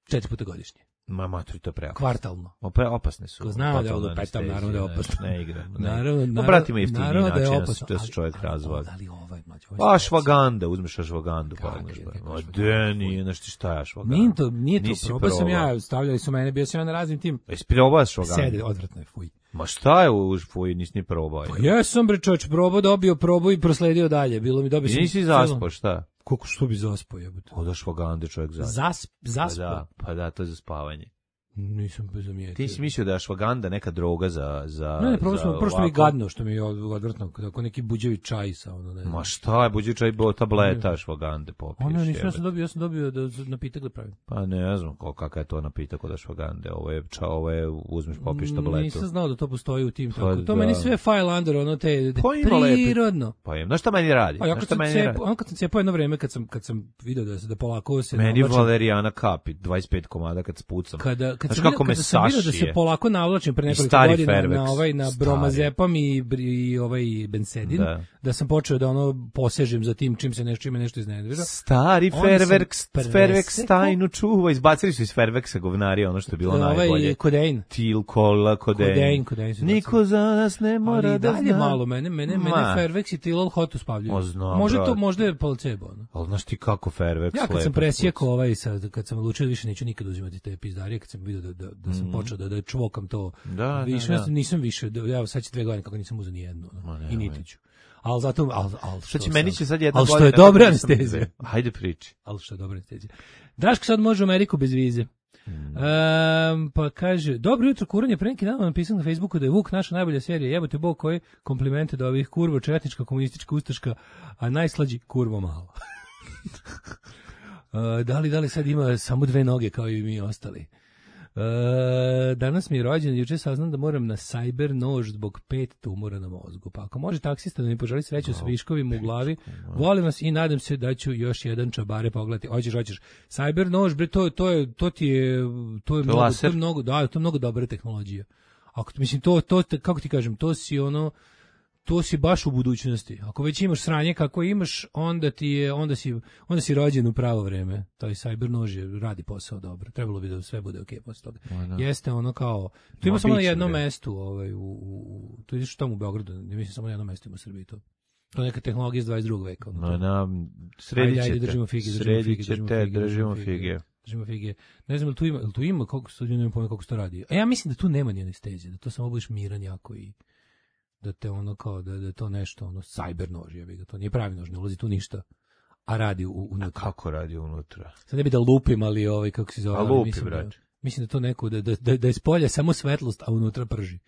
[SPEAKER 7] četiri puta godišnje.
[SPEAKER 6] Ma matri, to je preopasno.
[SPEAKER 7] Kvartalno.
[SPEAKER 6] Opre, opasne su.
[SPEAKER 7] Ko znamo da je ovo petam, naravno da je opasno.
[SPEAKER 6] Ne, ne igra. Ne.
[SPEAKER 7] Naravno,
[SPEAKER 6] no, brati jeftiniji
[SPEAKER 7] naravno da je
[SPEAKER 6] opasno. Da se čovjek razvali.
[SPEAKER 7] Ali ovaj, mlađe.
[SPEAKER 6] Pa ašvaganda, uzmeš ašvagandu. Pa a de, nije, nešto šta je ašvaganda.
[SPEAKER 7] Nije to, nije to, probao sam ja, stavljali su mene, bio sam ja na raznim tim.
[SPEAKER 6] Jesi probao ašvagandu?
[SPEAKER 7] Sede, odvratno je, fuj.
[SPEAKER 6] Ma šta je u fuj, nisi ni probao?
[SPEAKER 7] Pa jesam bre čoč, probao, dobio probu i prosledio dalje. Bilo mi dobio sam.
[SPEAKER 6] Nisi zaspao, šta?
[SPEAKER 7] Kako što bi zaspao, jebote?
[SPEAKER 6] Od ašvagande čovjek zaspa.
[SPEAKER 7] Zasp, zaspao.
[SPEAKER 6] Pa da, pa da, to je za spavanje.
[SPEAKER 7] Nisam zamijetio.
[SPEAKER 6] Ti si mislio da je ašvaganda neka droga za za
[SPEAKER 7] Ne, ne, prvo smo prosto mi gadno što mi je odvrtno, kako neki buđevi čaj sa ono, ne znam.
[SPEAKER 6] Ma šta je buđevi čaj, bo tableta ašvagande popiješ.
[SPEAKER 7] Ono nisam ja sam dobio, ja sam dobio da napitak da pravim.
[SPEAKER 6] Pa ne znam kakav je to napitak od ašvagande. Ovo je ča, ovo je uzmeš popiješ tabletu.
[SPEAKER 7] Nisam znao da to postoji u tim tako. Pa, to da. Meni sve file under ono te
[SPEAKER 6] pa
[SPEAKER 7] prirodno.
[SPEAKER 6] Pa je, znaš šta meni radi?
[SPEAKER 7] Pa ja kad sam cepao, on kad sam cepao jedno vreme kad sam kad sam video da se da polako se
[SPEAKER 6] meni Valerijana kapi dvadeset pet komada kad spucam.
[SPEAKER 7] Kada kad sam kako me vidio da se polako navlačim pre nekoliko godina Fairvex, na ovaj na bromazepam i, i ovaj bensedin, da. da sam počeo da ono posežem za tim čim se nešto čime nešto iznenadira.
[SPEAKER 6] Stari Fairvex, Fairvex tajnu čuva, izbacili su iz Fairvexa govnari ono što je bilo
[SPEAKER 7] ovaj
[SPEAKER 6] najbolje.
[SPEAKER 7] Kodein.
[SPEAKER 6] Til, kola, kodein.
[SPEAKER 7] Kodein, kodein
[SPEAKER 6] Niko za nas ne mora
[SPEAKER 7] ali
[SPEAKER 6] da
[SPEAKER 7] zna. Ali malo mene, mene, mene Fairvex i Tilol hot uspavljuju. Može to, možda je placebo. No?
[SPEAKER 6] Ali znaš ti kako Fairvex
[SPEAKER 7] ja kad sam presjekao ovaj sad, kad sam odlučio više neću nikad uzimati te pizdarije, kad sam vidio da, da, da sam mm. počeo da, da čvokam to.
[SPEAKER 6] Da,
[SPEAKER 7] više,
[SPEAKER 6] da, da.
[SPEAKER 7] Nisam više, ja sad će dve godine kako nisam uzeo ni jednu. I niti ću. Al zato, al, al
[SPEAKER 6] što će meni će sad jedna
[SPEAKER 7] godina. Al što je dobra anestezija.
[SPEAKER 6] Hajde priči.
[SPEAKER 7] Al što je dobra anestezija. Daško sad može u Ameriku bez vize. Mm. Um, pa kaže, dobro jutro, kuranje, pre neki dan vam napisao na Facebooku da je Vuk naša najbolja serija, jebote bog koji komplimente da ovih kurva, četnička, komunistička, ustaška, a najslađi kurvo malo. uh, da li, da li sad ima samo dve noge kao i mi ostali? E, danas mi je rođen, juče saznam da moram na cyber nož zbog pet tumora na mozgu. Pa ako može taksista da mi poželi sreću s viškovima u glavi, volim vas i nadam se da ću još jedan čabare pogledati. Hoćeš, hoćeš. Cyber nož, bre, to, to, je, to ti je, to je, mnogo, to je mnogo, da, to je mnogo dobra tehnologija. Ako, mislim, to, to, kako ti kažem, to si ono, to si baš u budućnosti. Ako već imaš sranje kako imaš, onda ti je, onda si, onda si rođen u pravo vreme. Taj cyber nož je, radi posao dobro. Trebalo bi da sve bude okej okay posle toga. No, jeste ono kao, tu ima samo na jednom mestu, ovaj, u, u, tu ideš tamo u Beogradu, ne mislim samo na jednom mestu ima u Srbiji to. To je neka tehnologija iz dvadeset drugog veka. Ono,
[SPEAKER 6] no, na, sredit ćete,
[SPEAKER 7] držimo fige,
[SPEAKER 6] sredit ćete, držimo fige.
[SPEAKER 7] Držimo fige. Ne znam, tu ima, tu ima, koliko se ne pojma kako se to radi. A ja mislim da tu nema ni anestezije, da to samo budeš miran jako i da te ono kao, da, da to nešto, ono, cyber nož, ja bih, to nije pravi nož, ne ulazi tu ništa, a radi u, unutra.
[SPEAKER 6] A kako radi unutra?
[SPEAKER 7] Sad ne bi da lupim, ali ovaj, kako se zove,
[SPEAKER 6] a lupi,
[SPEAKER 7] mislim,
[SPEAKER 6] brać.
[SPEAKER 7] Da, mislim da to neko, da, da, da je s polja samo svetlost, a unutra prži.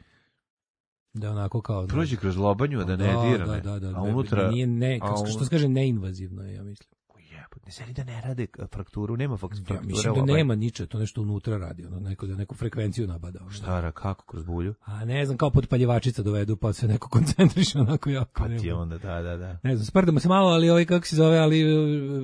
[SPEAKER 7] Da onako kao...
[SPEAKER 6] Prođi kroz lobanju, da ne dira me,
[SPEAKER 7] da, da, da,
[SPEAKER 6] a unutra...
[SPEAKER 7] Nije ne, kako, što se kaže, neinvazivno je, ja mislim.
[SPEAKER 6] Ne želi da ne rade frakturu, nema frakture.
[SPEAKER 7] Ja, mislim da nema niče, to nešto unutra radi, ono, neko da neku frekvenciju nabada. Ono.
[SPEAKER 6] Štara, kako, kroz bulju?
[SPEAKER 7] A ne znam, kao podpaljivačica dovedu, pa se neko koncentriše onako jako.
[SPEAKER 6] Pa ti onda, da, da, da.
[SPEAKER 7] Ne znam, sprdamo se malo, ali ovaj, kako se zove, ali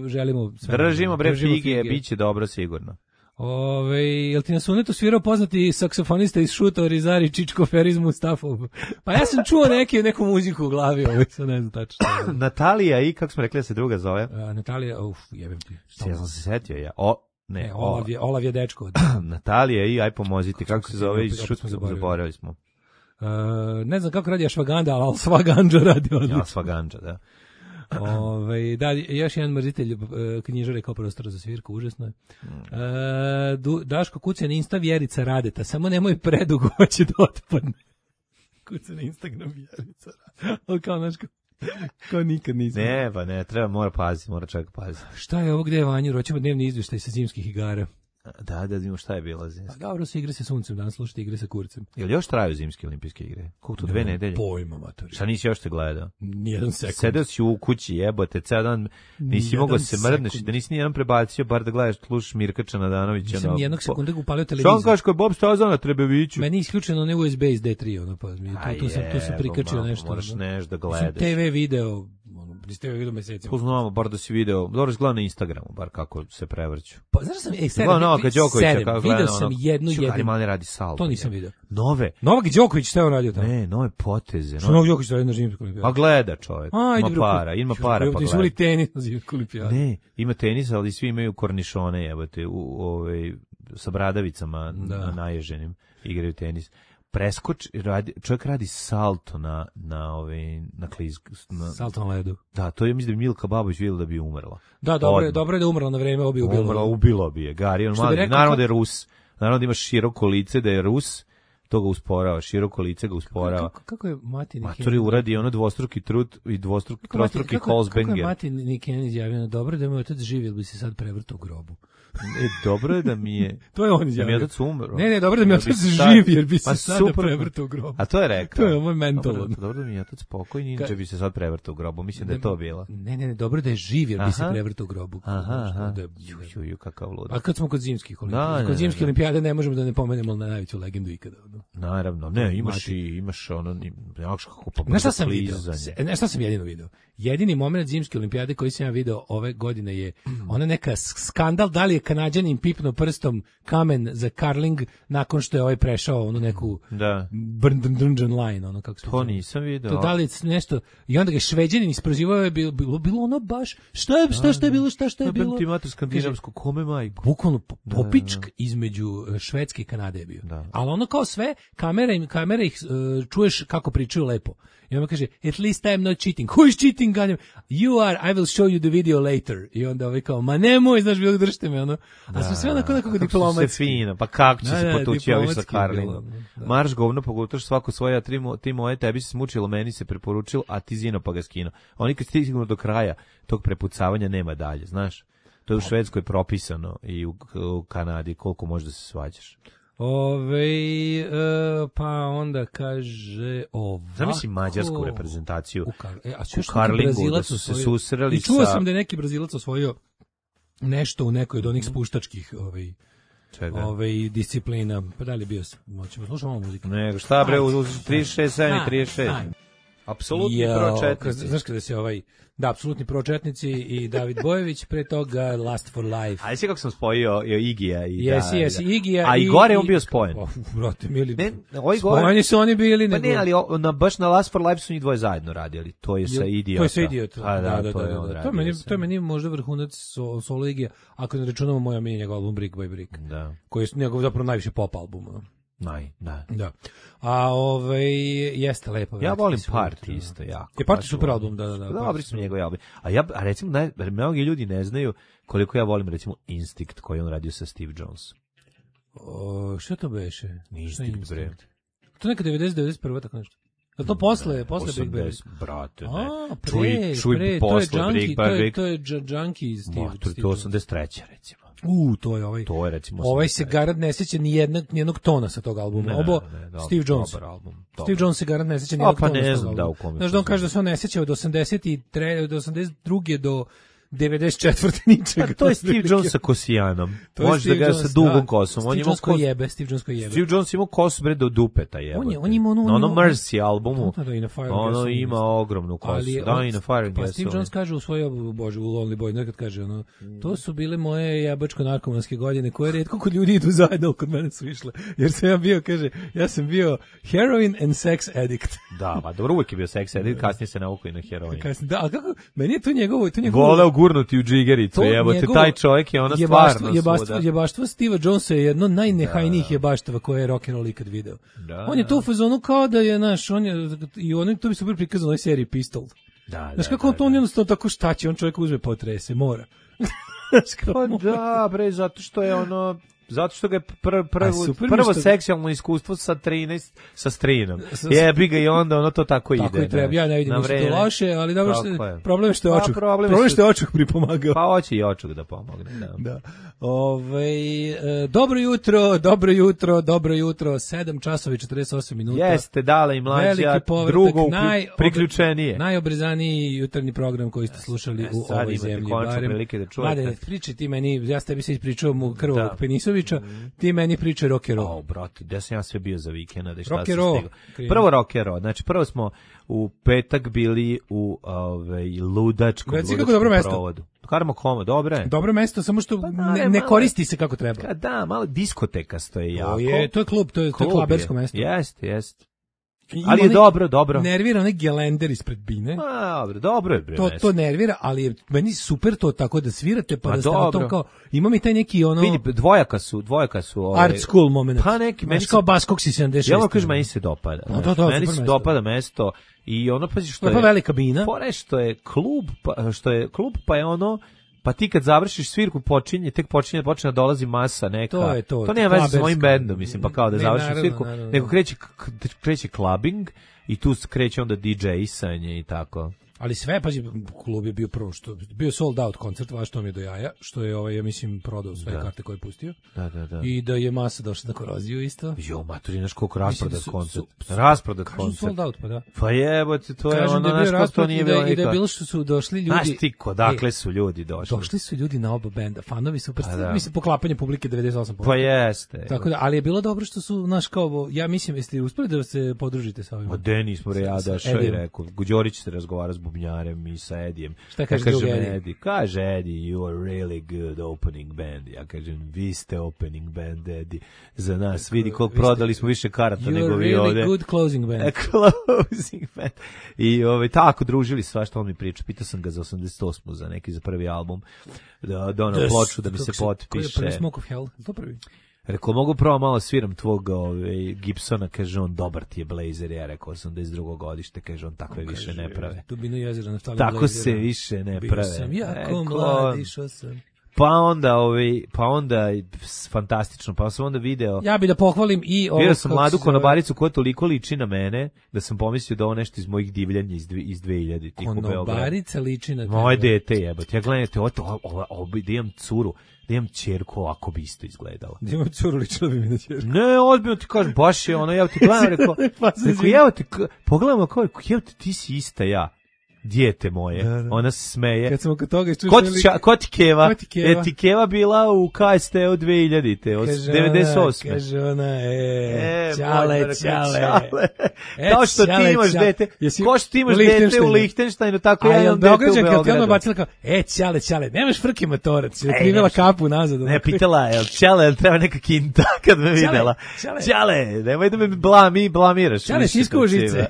[SPEAKER 7] želimo... Sve
[SPEAKER 6] držimo, bre, fige, fige, bit će dobro sigurno.
[SPEAKER 7] Ove, jel ti na sunetu svirao poznati saksofonista iz Šuta, Rizari, Čičko, Feriz, Mustafov? Pa ja sam čuo neki, neku muziku u glavi, ovaj, sad ne znam tačno.
[SPEAKER 6] Natalija i, kako smo rekli da se druga zove?
[SPEAKER 7] A, Natalija, uf, jebem ti.
[SPEAKER 6] Ja sam se setio, ja. O, ne,
[SPEAKER 7] ne Olav, je, Olav je dečko.
[SPEAKER 6] Natalija i, aj pomozite, kako se zove iz Šuta, zaboravili smo.
[SPEAKER 7] Uh, ne znam kako radi Ašvaganda, ali Svagandža radi odlično.
[SPEAKER 6] Ja, Svagandža, da.
[SPEAKER 7] Ove, da, još jedan mrzitelj uh, knjižare kao prostora za svirku, užasno je. Uh, du, Daško kuca na Insta Vjerica Radeta, samo nemoj predugo, hoće da otpadne. Kuca na Instagram Vjerica Radeta. Ali kao, znaš, kao, kao nikad nisam.
[SPEAKER 6] Ne, pa ne, treba, mora paziti, mora čak paziti.
[SPEAKER 7] Šta je ovo, gde je Vanju? Roćemo dnevni izvještaj sa zimskih igara.
[SPEAKER 6] Da, da vidimo šta je bilo zimski.
[SPEAKER 7] Pa dobro se igre sa suncem, danas slušate igre sa kurcem.
[SPEAKER 6] Jel još traju zimske olimpijske igre? Koliko to, dve
[SPEAKER 7] ne,
[SPEAKER 6] nedelje?
[SPEAKER 7] Pojma, matori.
[SPEAKER 6] Šta nisi još te gledao?
[SPEAKER 7] Nijedan sekund.
[SPEAKER 6] Sedeo si u kući, jebote, ceo dan nisi mogao se mrdneš, da nisi nijedan prebacio, bar da gledaš, slušaš Mirka Nadanovića.
[SPEAKER 7] Nisam no, nijednog sekunda upalio televiziju.
[SPEAKER 6] Što on kaže, ko je Bob Stazan na Trebeviću?
[SPEAKER 7] Meni je isključeno ne U S B iz D tri, ono, pa, tu, tu, sam, tu sam prikačio nešto.
[SPEAKER 6] Moraš nešto da gledaš.
[SPEAKER 7] Te ve video, iz te ve video mesecima.
[SPEAKER 6] Poznamo, bar da si video, dobro si gledao na Instagramu, bar kako se prevrću.
[SPEAKER 7] Pa, znaš sam, ej, sedem, video sam jednu, jednu.
[SPEAKER 6] Ali mali radi salto.
[SPEAKER 7] To nisam video.
[SPEAKER 6] Nove.
[SPEAKER 7] Novak Đoković, šta je on radio tamo?
[SPEAKER 6] Ne, nove poteze.
[SPEAKER 7] Što Novak Đoković radi na zimsku olimpijadu?
[SPEAKER 6] Pa gleda čovjek. A, ima para, ima para pa gleda.
[SPEAKER 7] Ti su tenis na zimsku olimpijadu.
[SPEAKER 6] Ne, ima tenis, ali svi imaju kornišone, jebote, u ovaj sa bradavicama da. Naježenim igraju tenis. Preskoč, radi, čovjek radi salto na na ovaj na kliz na
[SPEAKER 7] salto na ledu.
[SPEAKER 6] Da, to je mislim da bi Milka Babović videla da bi umrla.
[SPEAKER 7] Da, dobro je, dobro je da umrla na vreme, obi ubilo.
[SPEAKER 6] Umrla, ubilo bi je. Gari, on mali, rekao, naravno da je Rus. Naravno da ima široko lice, da je Rus, to ga usporava, široko lice ga usporava.
[SPEAKER 7] Kako, kako je Mati Niken?
[SPEAKER 6] Matori uradi ono dvostruki trud i dvostruki, trostruki Holzbenger.
[SPEAKER 7] Kako je Mati Niken izjavio, dobro da je moj otac živ, ili bi se sad prevrtao u grobu.
[SPEAKER 6] E, dobro je da mi je...
[SPEAKER 7] to je on izjavio.
[SPEAKER 6] Da mi je otac umro.
[SPEAKER 7] Ne, ne, dobro da mi je otac živ, jer bi se pa sada super, prevrtao u grobu.
[SPEAKER 6] A to je rekao.
[SPEAKER 7] To je moj mental.
[SPEAKER 6] Dobro, dobro da mi je otac pokojni, inače bi se sad prevrtao u grobu. Mislim da je to bilo.
[SPEAKER 7] Ne, ne, ne, dobro da je živ, jer bi se prevrtao u grobu.
[SPEAKER 6] Aha, aha. Ju, ju, ju, kakav lud.
[SPEAKER 7] A kad smo kod zimskih olimpijada, kod zimskih olimpijada ne možemo da ne pomenemo na najveću legendu ikada.
[SPEAKER 6] Naravno, ne, imaš i imaš ono, nemaš kako pa
[SPEAKER 7] znaš šta sam video? Ne, šta sam jedino video? Jedini moment zimske olimpijade koji sam ja video ove godine je ona neka skandal, da li je Kanađanin pipno prstom kamen za curling nakon što je ovaj prešao onu neku
[SPEAKER 6] da.
[SPEAKER 7] Brndrndrndžan line, ono kako se
[SPEAKER 6] to nisam video.
[SPEAKER 7] To da li nešto, i onda ga Šveđanin isprozivao je bilo, bilo, bilo ono baš, šta je, šta, šta je bilo, šta, šta je bilo?
[SPEAKER 6] Ti mater skandinavsku, kome majku?
[SPEAKER 7] Bukvalno popičk između Švedske i Kanade je bio. Da. Ali ono kao sve, kamera, kamera ih uh, čuješ kako pričaju lepo. I on kaže, at least I'm not cheating. Who is cheating? You are, I will show you the video later. I onda ovaj kao, ma nemoj, znaš, bilo držite me, ono. A smo sve onako nekako diplomatski.
[SPEAKER 6] Sve fino, pa kako će da, se potući ovi sa Karlingom? Marš govno, pogotoš svako svoje, a tri, ti moje, tebi se smučilo, meni se preporučilo, a ti zino pa ga skino. Oni kad stignu do kraja tog prepucavanja nema dalje, znaš. To je u Švedskoj propisano i u, u Kanadi koliko možeš da se svađaš.
[SPEAKER 7] Ove, e, pa onda kaže ovako...
[SPEAKER 6] Zamisli mađarsku reprezentaciju
[SPEAKER 7] u, kar, e, a
[SPEAKER 6] u Karlingu da su se susreli sa...
[SPEAKER 7] I čuo sam da je neki Brazilac osvojio nešto u nekoj od onih spuštačkih... Ovaj, Ove, ovaj, disciplina, pa da li je bio, moćemo slušati malo muziku?
[SPEAKER 6] Nego, šta bre, u trideset šest sedam i trideset šest. Apsolutni pročetnici.
[SPEAKER 7] Znaš kada se ovaj, da, apsolutni pročetnici i David Bojević, pre toga Last for Life.
[SPEAKER 6] A jesi kako sam spojio Igija i
[SPEAKER 7] jesi,
[SPEAKER 6] da,
[SPEAKER 7] jesi,
[SPEAKER 6] da.
[SPEAKER 7] Igija
[SPEAKER 6] a i gore je on bio spojen.
[SPEAKER 7] Oh, brate, mili,
[SPEAKER 6] ne, ovaj gore,
[SPEAKER 7] spojeni su oni bili.
[SPEAKER 6] Pa
[SPEAKER 7] nego...
[SPEAKER 6] ne, ali o, na, baš na Last for Life su njih dvoje zajedno radili. To je sa Idiota.
[SPEAKER 7] To je sa Idiota.
[SPEAKER 6] Pa, da,
[SPEAKER 7] da, da,
[SPEAKER 6] to
[SPEAKER 7] da,
[SPEAKER 6] je on
[SPEAKER 7] da,
[SPEAKER 6] radio.
[SPEAKER 7] To meni, to je meni možda vrhunac so, solo Igija, ako ne računamo moja meni njegov album Brick by Brick.
[SPEAKER 6] Da.
[SPEAKER 7] Koji je njegov zapravo najviše pop album.
[SPEAKER 6] Naj, da.
[SPEAKER 7] Da. A ovaj jeste lepo.
[SPEAKER 6] Ja volim Party isto jako.
[SPEAKER 7] Je Party super album, da, da, da.
[SPEAKER 6] Dobri su njegovi albumi. A ja a recimo naj, mnogi ljudi ne znaju koliko ja volim recimo Instinct koji on radio sa Steve Jones.
[SPEAKER 7] O, šta to beše?
[SPEAKER 6] Instinct, bre.
[SPEAKER 7] To neka devedeset devedeset prva tako nešto. Da to posle, posle Big Bang.
[SPEAKER 6] Brate, ne.
[SPEAKER 7] A, pre,
[SPEAKER 6] čuj, čuj
[SPEAKER 7] pre,
[SPEAKER 6] posle
[SPEAKER 7] to je Junkie,
[SPEAKER 6] Big
[SPEAKER 7] to je,
[SPEAKER 6] Bang.
[SPEAKER 7] to je Junkie Steve.
[SPEAKER 6] Ma, to je osamdeset treća recimo.
[SPEAKER 7] U, to je ovaj.
[SPEAKER 6] To je recimo.
[SPEAKER 7] Ovaj se garant ne seća ni jednog ni jednog tona sa tog albuma.
[SPEAKER 6] Ne,
[SPEAKER 7] Obo
[SPEAKER 6] ne, ne,
[SPEAKER 7] Steve Jones.
[SPEAKER 6] Dobar album. Dobar.
[SPEAKER 7] Steve Jones se garant ne seća ni
[SPEAKER 6] A,
[SPEAKER 7] jednog
[SPEAKER 6] pa
[SPEAKER 7] tona.
[SPEAKER 6] ne znam da u kome.
[SPEAKER 7] Znaš da on kaže da se on ne seća od osamdeset tri od osamdeset druge do devedeset četvrte ničega.
[SPEAKER 6] A to je Steve Jones sa kosijanom. Može da ga sa dugom kosom.
[SPEAKER 7] Steve Jones koji jebe, Steve Jones koji jebe.
[SPEAKER 6] Steve Jones ima kosu bre do dupeta jebote.
[SPEAKER 7] On je, on ima ono,
[SPEAKER 6] na onom Mercy albumu.
[SPEAKER 7] Da, da,
[SPEAKER 6] ono ima ogromnu kosu.
[SPEAKER 7] Ali,
[SPEAKER 6] da, i na Fire
[SPEAKER 7] pa Steve Jones kaže u svojoj, bože, u Lonely Boy, nekad kaže ono, to su bile moje jebačko-narkomanske godine, koje retko kod ljudi idu zajedno, kod mene su išle. Jer sam ja bio, kaže, ja sam bio heroin and sex addict.
[SPEAKER 6] Da, pa dobro, uvijek je bio sex addict, kasnije se naukao i na heroin.
[SPEAKER 7] Kasnije, da, a kako, meni je to njegovo, to njegovo...
[SPEAKER 6] Voleo gurnuti u džigericu, jebote, taj čovjek je ono stvarno
[SPEAKER 7] jebaštvo, jebaštvo Steva Jonesa je jedno najnehajnijih jebaštava koje je rock and roll ikad video.
[SPEAKER 6] Da,
[SPEAKER 7] on je to u fazonu kao da je naš, on je, i on to bi super prikazano u ovoj seriji Pistol.
[SPEAKER 6] Da,
[SPEAKER 7] znaš
[SPEAKER 6] da,
[SPEAKER 7] kako
[SPEAKER 6] da,
[SPEAKER 7] on
[SPEAKER 6] da.
[SPEAKER 7] jednostavno tako šta će, on čovjek uzme potrese, mora.
[SPEAKER 6] Pa da, bre, zato što je ono... Zato što ga je pr, prvo, prvo što... seksualno iskustvo sa trinaest sa strinom. Jebi ga i onda ono to tako ide.
[SPEAKER 7] Tako i treba, ja ne vidim ništa to loše, ali dobro što je. Problem je što je
[SPEAKER 6] pa,
[SPEAKER 7] očuk.
[SPEAKER 6] Problem,
[SPEAKER 7] problem što je očuk pripomagao.
[SPEAKER 6] Pa hoće i očuk da pomogne, da.
[SPEAKER 7] Da. Ovaj e, dobro jutro, dobro jutro, dobro jutro, sedam časova i četrdeset osam minuta.
[SPEAKER 6] Jeste, Dale i Mlađa, drugo naj, priključenije.
[SPEAKER 7] Najobrezaniji jutarnji program koji ste slušali e, u ovoj zemlji. Barem,
[SPEAKER 6] da
[SPEAKER 7] Mlade, priči ti meni, ja s tebi se ispričao mu krvog Penisovića, mm. ti meni priče rock and roll.
[SPEAKER 6] O, brate, gde sam ja sve bio za vikenda, da šta se stigao. Prvo rock and roll, znači prvo smo u petak bili u ovaj ludačkom, ludačkom provodu. Karamo koma, dobro je.
[SPEAKER 7] Dobro mesto, samo što pa, da, ne, ne koristi se kako treba.
[SPEAKER 6] Ka, da, malo diskoteka stoje jako.
[SPEAKER 7] To je, to je klub, to je, klub to je klabersko je. Mesto.
[SPEAKER 6] Jeste, jeste. Ali je dobro, dobro.
[SPEAKER 7] Nervira onaj gelender ispred bine.
[SPEAKER 6] A, dobro, dobro je bre.
[SPEAKER 7] To to nervira, ali je meni super to tako da svirate pa, pa da ste na tom kao ima mi taj neki ono
[SPEAKER 6] vidi dvojaka su, dvojaka su
[SPEAKER 7] ovaj art school moment.
[SPEAKER 6] Pa neki
[SPEAKER 7] meni kao Baskoksi sedamdeset šest.
[SPEAKER 6] Ja vam kažem meni se dopada.
[SPEAKER 7] No, to, to,
[SPEAKER 6] meni se
[SPEAKER 7] mesto.
[SPEAKER 6] dopada mesto i ono pazi što je
[SPEAKER 7] pa velika bina.
[SPEAKER 6] Fore što je klub, pa, što je klub pa je ono pa ti kad završiš svirku počinje, tek počinje, počne da dolazi masa neka.
[SPEAKER 7] To je to.
[SPEAKER 6] To nema veze sa mojim bendom, mislim, pa kao da ne, završiš
[SPEAKER 7] naravno,
[SPEAKER 6] svirku,
[SPEAKER 7] naravno,
[SPEAKER 6] nego kreće, kreće clubbing i tu kreće onda D J-sanje i tako.
[SPEAKER 7] Ali sve, pazi, klub je bio prvo što bio sold out koncert, vaš to mi je do jaja, što je ovaj ja mislim prodao sve da. Karte koje je pustio.
[SPEAKER 6] Da, da, da.
[SPEAKER 7] I da je masa došla na koroziju isto.
[SPEAKER 6] Jo, maturi, znaš koliko rasprodat da koncert. Rasprodat koncert.
[SPEAKER 7] Sold out, pa da.
[SPEAKER 6] Pa jebote, to je ono, znaš kako to nije bilo.
[SPEAKER 7] I da je bilo što su došli ljudi.
[SPEAKER 6] Znaš ti kodakle su ljudi došli.
[SPEAKER 7] Došli su ljudi na oba benda, fanovi su pa da. Mislim poklapanje publike devedeset osam posto.
[SPEAKER 6] Pa jeste.
[SPEAKER 7] Tako da, ali je bilo dobro što su naš kao ja mislim jeste uspeli da se podružite sa ovim.
[SPEAKER 6] Ma Denis smo ja došao i rekao, Đorić se razgovara s bubnjarem i sa Edijem.
[SPEAKER 7] Šta kaže drugi
[SPEAKER 6] Edi? Kaže Edi, you are really good opening band. Ja kažem, vi ste opening band, Edi. Za nas, vidi koliko prodali smo više karata nego vi
[SPEAKER 7] really
[SPEAKER 6] ovde.
[SPEAKER 7] You are really good closing band.
[SPEAKER 6] A closing band. I ovaj, tako družili sva što on mi priča. Pitao sam ga za osamdeset osmu za neki za prvi album. Da, da ono ploču da mi se potpiše.
[SPEAKER 7] Koji je prvi Smoke of Hell? To prvi?
[SPEAKER 6] Rekao, mogu pravo malo sviram tvog ove, Gibsona, kaže on, dobar ti je Blazer, ja rekao, osamdeset drugo godište, kaže on, takve on više kaže, ne prave.
[SPEAKER 7] Dubinu jezera, nastavljam
[SPEAKER 6] Tako
[SPEAKER 7] Blazera.
[SPEAKER 6] se više ne
[SPEAKER 7] Bio
[SPEAKER 6] prave.
[SPEAKER 7] sam jako
[SPEAKER 6] rekao,
[SPEAKER 7] mlad, išao sam.
[SPEAKER 6] Pa onda, ovaj, pa onda, fantastično, pa sam onda video...
[SPEAKER 7] Ja bih da pohvalim i ovo...
[SPEAKER 6] Vidio sam mladu konobaricu koja toliko liči na mene, da sam pomislio da ovo nešto iz mojih divljanja iz, dve, iz dve hiljade.
[SPEAKER 7] Konobarica liči na tebe.
[SPEAKER 6] Moje dete jebate, ja gledajte, ovo, ovo, ovo, ovo, da imam curu, da imam ćerku, ovako bi isto izgledala.
[SPEAKER 7] Da imam curu, ličila bi mi na ćerku.
[SPEAKER 6] Ne, odbijno ti kažem, baš je ono, ja ti gledam, rekao, rekao, evo te, pogledamo kao, evo te, ti si ista ja. dijete moje. Da, da. Ona se smeje.
[SPEAKER 7] Kad smo kod toga iščušali...
[SPEAKER 6] Ko ti, ča, ko ti Keva?
[SPEAKER 7] Ko ti Keva?
[SPEAKER 6] E, ti Keva bila u K S T-u dve hiljadite, od devedeset osme.
[SPEAKER 7] Kaže ona, e,
[SPEAKER 6] e
[SPEAKER 7] čale,
[SPEAKER 6] čale.
[SPEAKER 7] čale.
[SPEAKER 6] E, kao što čale, ti imaš čale. Dete, Jesi kao što ti imaš dete u Lihtenštajnu, tako ja imam dete u Beogradu. Kad ti ona bacila kao, e, čale, čale, nemaš frke motorac, je krivela kapu nazad. Ne, pitala, jel čale, jel treba neka kinta kad me videla. Čale, čale, nemoj da me blami, blamiraš.
[SPEAKER 7] Čale, si iskuo žice.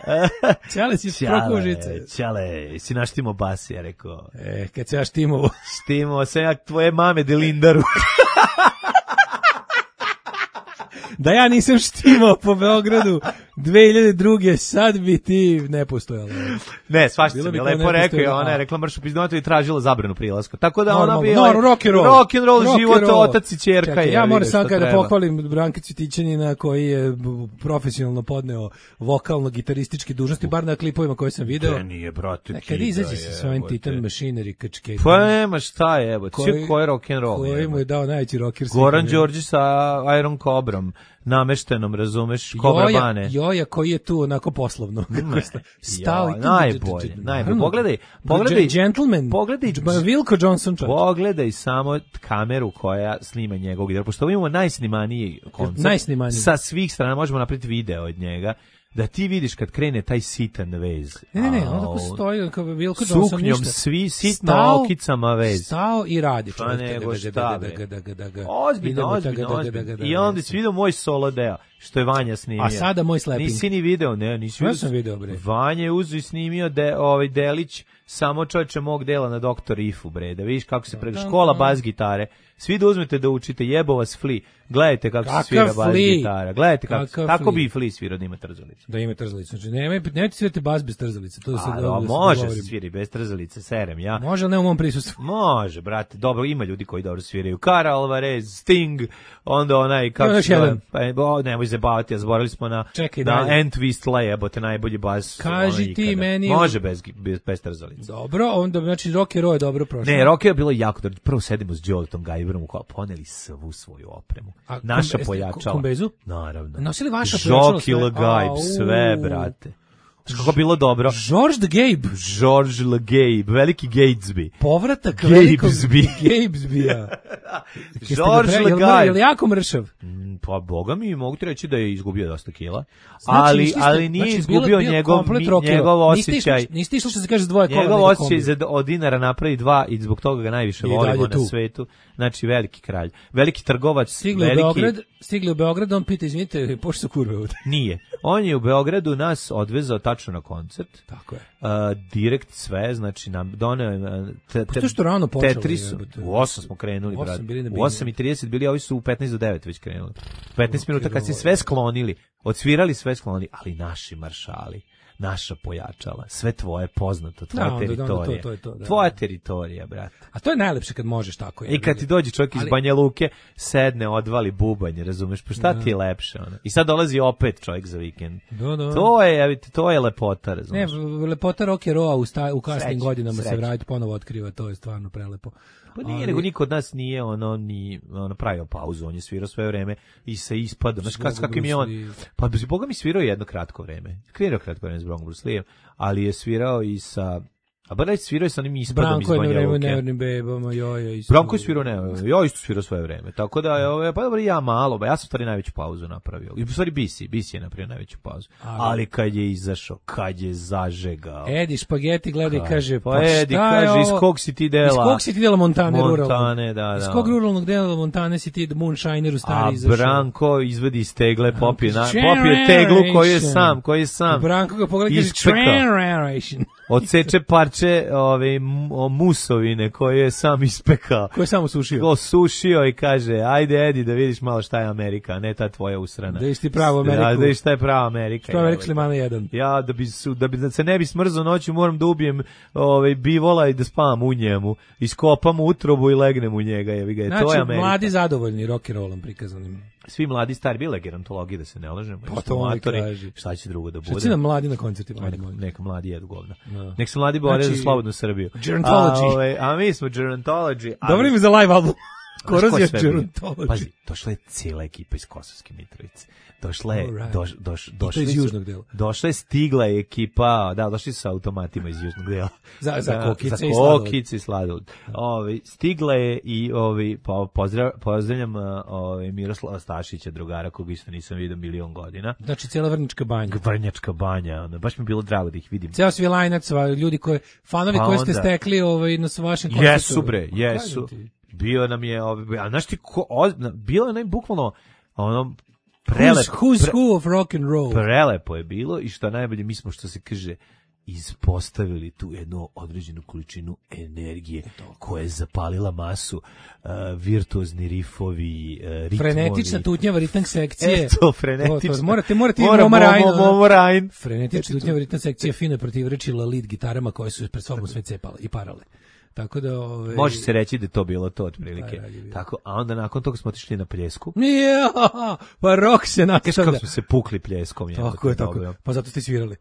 [SPEAKER 7] Čale, si prokuo žice.
[SPEAKER 6] Čale, si naštimo bas, ja rekao.
[SPEAKER 7] E, kad se ja štimovo.
[SPEAKER 6] Štimovo, sam ja tvoje mame Delindaru.
[SPEAKER 7] Da ja nisam štimao po Beogradu dve hiljade druge sad bi ti ne postojalo.
[SPEAKER 6] Ne, svašta sam je lepo rekao i ona je rekla mršu pizdonotu i tražila zabranu prilaska. Tako da
[SPEAKER 7] Normalno,
[SPEAKER 6] ona bi... No,
[SPEAKER 7] rock and roll.
[SPEAKER 6] Rock and roll, rock
[SPEAKER 7] život,
[SPEAKER 6] roll. Otac i ćerka.
[SPEAKER 7] Čekaj, ja moram sad kada pohvalim Branka Cvitićanina koji je profesionalno podneo vokalno-gitarističke dužnosti, bar na klipovima koje sam video.
[SPEAKER 6] Ne, nije, brate.
[SPEAKER 7] Ne, kad izađe sa svojim Titan Machinery kačke.
[SPEAKER 6] Pa nema šta je, evo. Koji, koji rock and roll?
[SPEAKER 7] Koji mu je dao najveći rocker.
[SPEAKER 6] Goran Đorđić sa Iron Cobrom. Nameštenom, razumeš, Kobra Bane.
[SPEAKER 7] Joja koji je tu onako poslovno. Stao i
[SPEAKER 6] najbolje, najbolje. Pogledaj, pogledaj,
[SPEAKER 7] gentleman,
[SPEAKER 6] pogledaj,
[SPEAKER 7] Wilko Johnson.
[SPEAKER 6] Pogledaj samo kameru koja snima njegovog gitara, pošto imamo najsnimaniji koncert.
[SPEAKER 7] Najsnimaniji.
[SPEAKER 6] Sa svih strana možemo napraviti video od njega. Da ti vidiš kad krene taj sitan vez.
[SPEAKER 7] Ne, ne, ne, on tako stoji kao Wilko Johnson.
[SPEAKER 6] Suknjom svi sitno okicama vez.
[SPEAKER 7] Stao i radi.
[SPEAKER 6] Pa nego šta bre. Ozbiljno, ozbiljno, ozbiljno. I onda si vidio moj solo deo, što je Vanja snimio.
[SPEAKER 7] A sada moj slapping.
[SPEAKER 6] Nisi ni video, ne, nisi
[SPEAKER 7] vidio. Ja sam video bre.
[SPEAKER 6] Vanja je uzeo i snimio de, ovaj delić samo čovječe mog dela na Doktor Ifu bre. Da vidiš kako se prega škola bas gitare. Svi da uzmete da učite, jebo vas Fli. Gledajte kako se svira bas gitara. Gledajte kako, kako bi Fli svirao da ima trzalicu.
[SPEAKER 7] Da ima trzalicu. Znači, nemoj, nemojte svirati bas bez trzalice. To da se,
[SPEAKER 6] A,
[SPEAKER 7] da,
[SPEAKER 6] može se, se sviri bez trzalice, serem ja.
[SPEAKER 7] Može, ali ne u mom prisustvu.
[SPEAKER 6] Može, brate. Dobro, ima ljudi koji dobro sviraju. Kara Alvarez, Sting, onda onaj, kako se
[SPEAKER 7] zove,
[SPEAKER 6] pa, nemoj se baviti, ja zaboravili smo na,
[SPEAKER 7] Čekaj,
[SPEAKER 6] na Entwist Lejebote, najbolji bas.
[SPEAKER 7] Kaži ti ikada. Meni...
[SPEAKER 6] Može bez, bez, bez trzalice.
[SPEAKER 7] Dobro, onda, znači, Rock and Roll je dobro prošlo.
[SPEAKER 6] Ne, Rock je bilo jako dobro. Prvo sedimo s Đoletom Gajberom, poneli svu svoju opremu. A, naša kom, pojačala.
[SPEAKER 7] Kombezu?
[SPEAKER 6] Naravno.
[SPEAKER 7] Nosili vaša pojačala
[SPEAKER 6] sve? Žoki Gajb, sve, brate. Kako bilo dobro.
[SPEAKER 7] George the Gabe.
[SPEAKER 6] George the Gabe, veliki Gatesby.
[SPEAKER 7] Povratak velikog
[SPEAKER 6] Gatesby-a.
[SPEAKER 7] George the Gabe. Je li jako mršav?
[SPEAKER 6] Pa boga mi mogu ti reći da je izgubio dosta kila. Znači, ali, ste, ali nije znači, izgubio bio, njegov, njegov osjećaj.
[SPEAKER 7] Niste išli što se kaže dvoje kola.
[SPEAKER 6] Njegov osjećaj za, od dinara napravi dva i zbog toga ga najviše volimo na svetu. Znači veliki kralj. Veliki trgovac.
[SPEAKER 7] Stigli
[SPEAKER 6] veliki...
[SPEAKER 7] u Beograd, stigli u Beograd, on pita, izvinite, pošto su kurve ovdje?
[SPEAKER 6] Nije. On je u Beogradu nas odvezao tačno na koncert.
[SPEAKER 7] Tako je.
[SPEAKER 6] Uh, direkt sve, znači nam doneo te,
[SPEAKER 7] te, te, što rano počelo,
[SPEAKER 6] Tetrisu. U osam smo krenuli, brat. U osam i trideset bili, ovi su u petnaest do devet već krenuli. petnaest minuta kad se sve sklonili, odsvirali sve sklonili, ali naši maršali, naša pojačala, sve tvoje poznato, tvoja da, teritorija. To, to, to, da, tvoja teritorija, brate.
[SPEAKER 7] A to je najlepše kad možeš tako.
[SPEAKER 6] I kad ti dođe čovjek iz ali... Banja Luke, sedne, odvali bubanj, razumeš, pa šta da. Ti je lepše? Ono? I sad dolazi opet čovjek za vikend.
[SPEAKER 7] Da, da.
[SPEAKER 6] To je, to je lepota, razumeš.
[SPEAKER 7] Ne, lepota rock and rolla u, sta, u kasnim godinama sreći. Se vrati ponovo otkriva, to je stvarno prelepo.
[SPEAKER 6] Pa nije, ali... nego niko od nas nije ono, ni, ono pravio pauzu, on je svirao sve vreme i se ispadao. Znaš, s kakvim je on, pa Boga mi svirao jedno kratko vreme, svirao kratko vreme s Bronco Bruce Lee, ali je svirao i sa, a Barać svirao je sa onim ispadom iz Banja Luke.
[SPEAKER 7] Branko je na nevernim bebama, joja isto.
[SPEAKER 6] Branko je svirao, ne, ja isto svirao sve vreme, tako da je ove, pa dobro ja malo, ba, ja sam stvari najveću pauzu napravio. I u stvari Bisi, Bisi je napravio najveću pauzu. Ali, ali kad je izašao, kad je zažegao.
[SPEAKER 7] Edi Špageti gleda i kaže,
[SPEAKER 6] pa, pa Edi kaže, iz kog si ti dela?
[SPEAKER 7] Iz kog si ti dela Montane,
[SPEAKER 6] Montane
[SPEAKER 7] ruralno?
[SPEAKER 6] da, da.
[SPEAKER 7] Iz kog ruralnog dela Montane si ti Moonshineru stari
[SPEAKER 6] a
[SPEAKER 7] izašao?
[SPEAKER 6] A Branko izvedi iz tegle, popije, na, popije teglu koji je sam, koji je sam.
[SPEAKER 7] Branko ga pogleda i kaže,
[SPEAKER 6] odseče parče ove musovine koje je sam ispekao.
[SPEAKER 7] Koje je sam osušio.
[SPEAKER 6] Osušio i kaže, ajde Edi da vidiš malo šta je Amerika, a ne ta tvoja usrana.
[SPEAKER 7] Da isti pravo Ameriku.
[SPEAKER 6] Da, da vidiš šta je prava Amerika.
[SPEAKER 7] Što je rekli Mana jedan.
[SPEAKER 6] Ja, da bi, su, da bi da se ne bi smrzao noću, moram da ubijem ovaj, bivola i da spavam u njemu. Iskopam utrobu i legnem u njega. Je, ga, je,
[SPEAKER 7] znači,
[SPEAKER 6] to je Amerika.
[SPEAKER 7] Mladi zadovoljni rock and rollom prikazanim.
[SPEAKER 6] Svi mladi stari, bile gerontologije da se ne lažemo.
[SPEAKER 7] Pa to oni kaže.
[SPEAKER 6] Šta će drugo da bude?
[SPEAKER 7] Šta će nam mladi na koncertima?
[SPEAKER 6] Neka, neka mladi jedu govna. No. Nek se mladi bore znači, za slobodnu Srbiju.
[SPEAKER 7] Gerontology.
[SPEAKER 6] A, ove, a mi smo Gerontology.
[SPEAKER 7] Dobro ime za live album. Korozija gerontology.
[SPEAKER 6] Pazi, došla je cijela ekipa iz Kosovske Mitrovice. Došla je,
[SPEAKER 7] right.
[SPEAKER 6] doš, doš, došla
[SPEAKER 7] iz južnog dela.
[SPEAKER 6] Došla je, stigla je ekipa, da, došli su sa automatima iz južnog dela.
[SPEAKER 7] Za, za kokice
[SPEAKER 6] za
[SPEAKER 7] i sladoled.
[SPEAKER 6] kokice i sladoled. Ovi, stigla je i ovi, po, pozdrav, pozdravljam ovi, Miroslava Stašića, drugara, koga isto nisam vidio milion godina.
[SPEAKER 7] Znači, cijela Vrnjačka banja.
[SPEAKER 6] Vrnjačka banja, ono, baš mi je bilo drago da ih vidim.
[SPEAKER 7] Ceo Svilajnac, ljudi koji, fanovi
[SPEAKER 6] pa
[SPEAKER 7] koje ste
[SPEAKER 6] onda,
[SPEAKER 7] stekli ovaj, na vašem koncertu.
[SPEAKER 6] Jesu bre, jesu. Bio nam je, ovi, a znaš ti, ko, o, bilo je nam bukvalno, ono, prelepo.
[SPEAKER 7] Who's, who's
[SPEAKER 6] pre,
[SPEAKER 7] who of rock and roll.
[SPEAKER 6] Prelepo je bilo i što najbolje, mi smo, što se kaže, ispostavili tu jednu određenu količinu energije koja je zapalila masu, uh, virtuozni rifovi, uh, ritmovi.
[SPEAKER 7] Frenetična tutnjava ritam sekcije.
[SPEAKER 6] Eto, frenetična.
[SPEAKER 7] To, to, morate, morate
[SPEAKER 6] Mora,
[SPEAKER 7] Moma Rajn.
[SPEAKER 6] Momo Rajn.
[SPEAKER 7] Frenetična tutnjava ritam sekcije fino protivrečila lead gitarama koje su pred sobom sve cepale i parale. Tako da, ove,
[SPEAKER 6] može se reći da je to bilo to otprilike.
[SPEAKER 7] Da, da,
[SPEAKER 6] tako, a onda nakon toga smo otišli na Pljesku.
[SPEAKER 7] Ja, pa rok se nakon
[SPEAKER 6] kako smo se pukli Pljeskom.
[SPEAKER 7] Tako je, tako je. Pa zato ste svirali.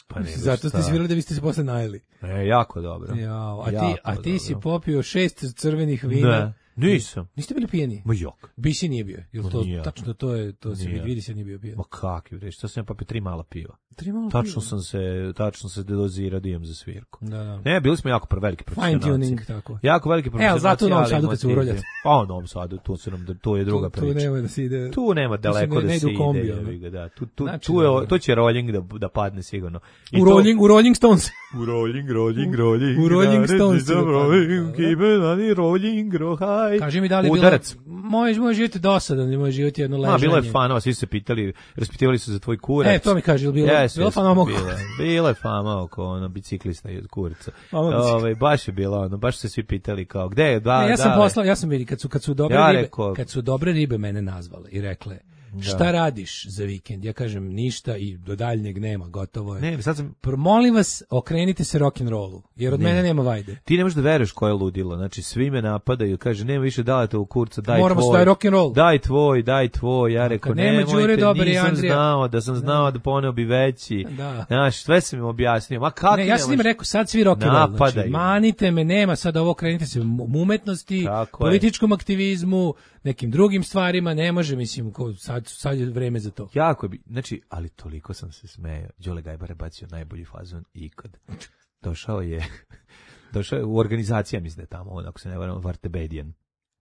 [SPEAKER 6] Pa ne,
[SPEAKER 7] zato ste svirali da vi ste se posle najeli.
[SPEAKER 6] E, jako dobro.
[SPEAKER 7] Ja, a
[SPEAKER 6] jako
[SPEAKER 7] ti, a ti
[SPEAKER 6] dobro.
[SPEAKER 7] Si popio šest crvenih vina.
[SPEAKER 6] Ne. Nisam.
[SPEAKER 7] Niste bili pijeni?
[SPEAKER 6] Ma jok.
[SPEAKER 7] Bisi nije bio. Jel to
[SPEAKER 6] nije.
[SPEAKER 7] Tačno to je, to se vidi se nije bio pijen.
[SPEAKER 6] Ma kakvi bre, šta sam popio tri mala piva.
[SPEAKER 7] Tri mala
[SPEAKER 6] tačno
[SPEAKER 7] piva.
[SPEAKER 6] sam se, tačno se dozirao da idem za svirku.
[SPEAKER 7] Da, da.
[SPEAKER 6] Ne, bili smo jako prvi veliki profesionalci.
[SPEAKER 7] Fine tuning tako.
[SPEAKER 6] Jako veliki profesionalci.
[SPEAKER 7] E, zato u Novom Sadu kad se uroljate.
[SPEAKER 6] Pa u Novom Sadu, tu se nam to je druga
[SPEAKER 7] tu,
[SPEAKER 6] priča.
[SPEAKER 7] Tu nema da se ide.
[SPEAKER 6] Tu nema daleko
[SPEAKER 7] ne,
[SPEAKER 6] da
[SPEAKER 7] ne
[SPEAKER 6] se ide.
[SPEAKER 7] Kombi,
[SPEAKER 6] ide da. Tu tu
[SPEAKER 7] znači,
[SPEAKER 6] tu je to će rolling da da padne sigurno.
[SPEAKER 7] I u to, rolling, u Rolling Stones.
[SPEAKER 6] U rolling, rolling, rolling.
[SPEAKER 7] U Rolling Stones.
[SPEAKER 6] Keep it rolling, grow high.
[SPEAKER 7] Kaži mi da li bilo moj moj život je dosadan, moj život je jedno ležanje.
[SPEAKER 6] Ma bilo je fanova, svi su se pitali, raspitivali su za tvoj kurac.
[SPEAKER 7] E, to mi kaže, bilo yes, bilo yes, fanova oko.
[SPEAKER 6] Bilo je fama oko ono biciklista i od kurca. Ovaj baš je bilo ono, baš se svi pitali kao gde je da.
[SPEAKER 7] Ne, ja sam
[SPEAKER 6] da,
[SPEAKER 7] poslao, ja sam vidi kad su kad su dobre
[SPEAKER 6] ja
[SPEAKER 7] ribe,
[SPEAKER 6] reko,
[SPEAKER 7] kad su dobre ribe mene nazvale i rekle da. Šta radiš za vikend? Ja kažem ništa i do daljnjeg nema, gotovo je.
[SPEAKER 6] Ne, sad sam
[SPEAKER 7] molim vas, okrenite se rock and rollu, jer od ne. mene nema vajde.
[SPEAKER 6] Ti ne možeš da veruješ ko je ludilo. Znači svi me napadaju, kaže nema više dalete u kurca, daj
[SPEAKER 7] Moramo
[SPEAKER 6] tvoj.
[SPEAKER 7] Moramo rock and roll.
[SPEAKER 6] Daj tvoj, daj tvoj. Ja rekao
[SPEAKER 7] nema Đure dobar i
[SPEAKER 6] nisam
[SPEAKER 7] Andrija.
[SPEAKER 6] znao, da sam znao da poneo bi veći.
[SPEAKER 7] Da.
[SPEAKER 6] Znaš, sve sam im objasnio. Ma kako
[SPEAKER 7] ne, ja sam im rekao sad svi rock and roll. Znači, manite me, nema sad ovo, krenite se u umetnosti, tako političkom je. Aktivizmu, nekim drugim stvarima, ne može, mislim, ko, sad, sad je vreme za to.
[SPEAKER 6] Jako bi, znači, ali toliko sam se smejao. Đole Gajbar je bacio najbolji fazon ikad. Došao je, došao je u organizacija, mislim da je tamo, on, ako se ne varam, Vartebedijan.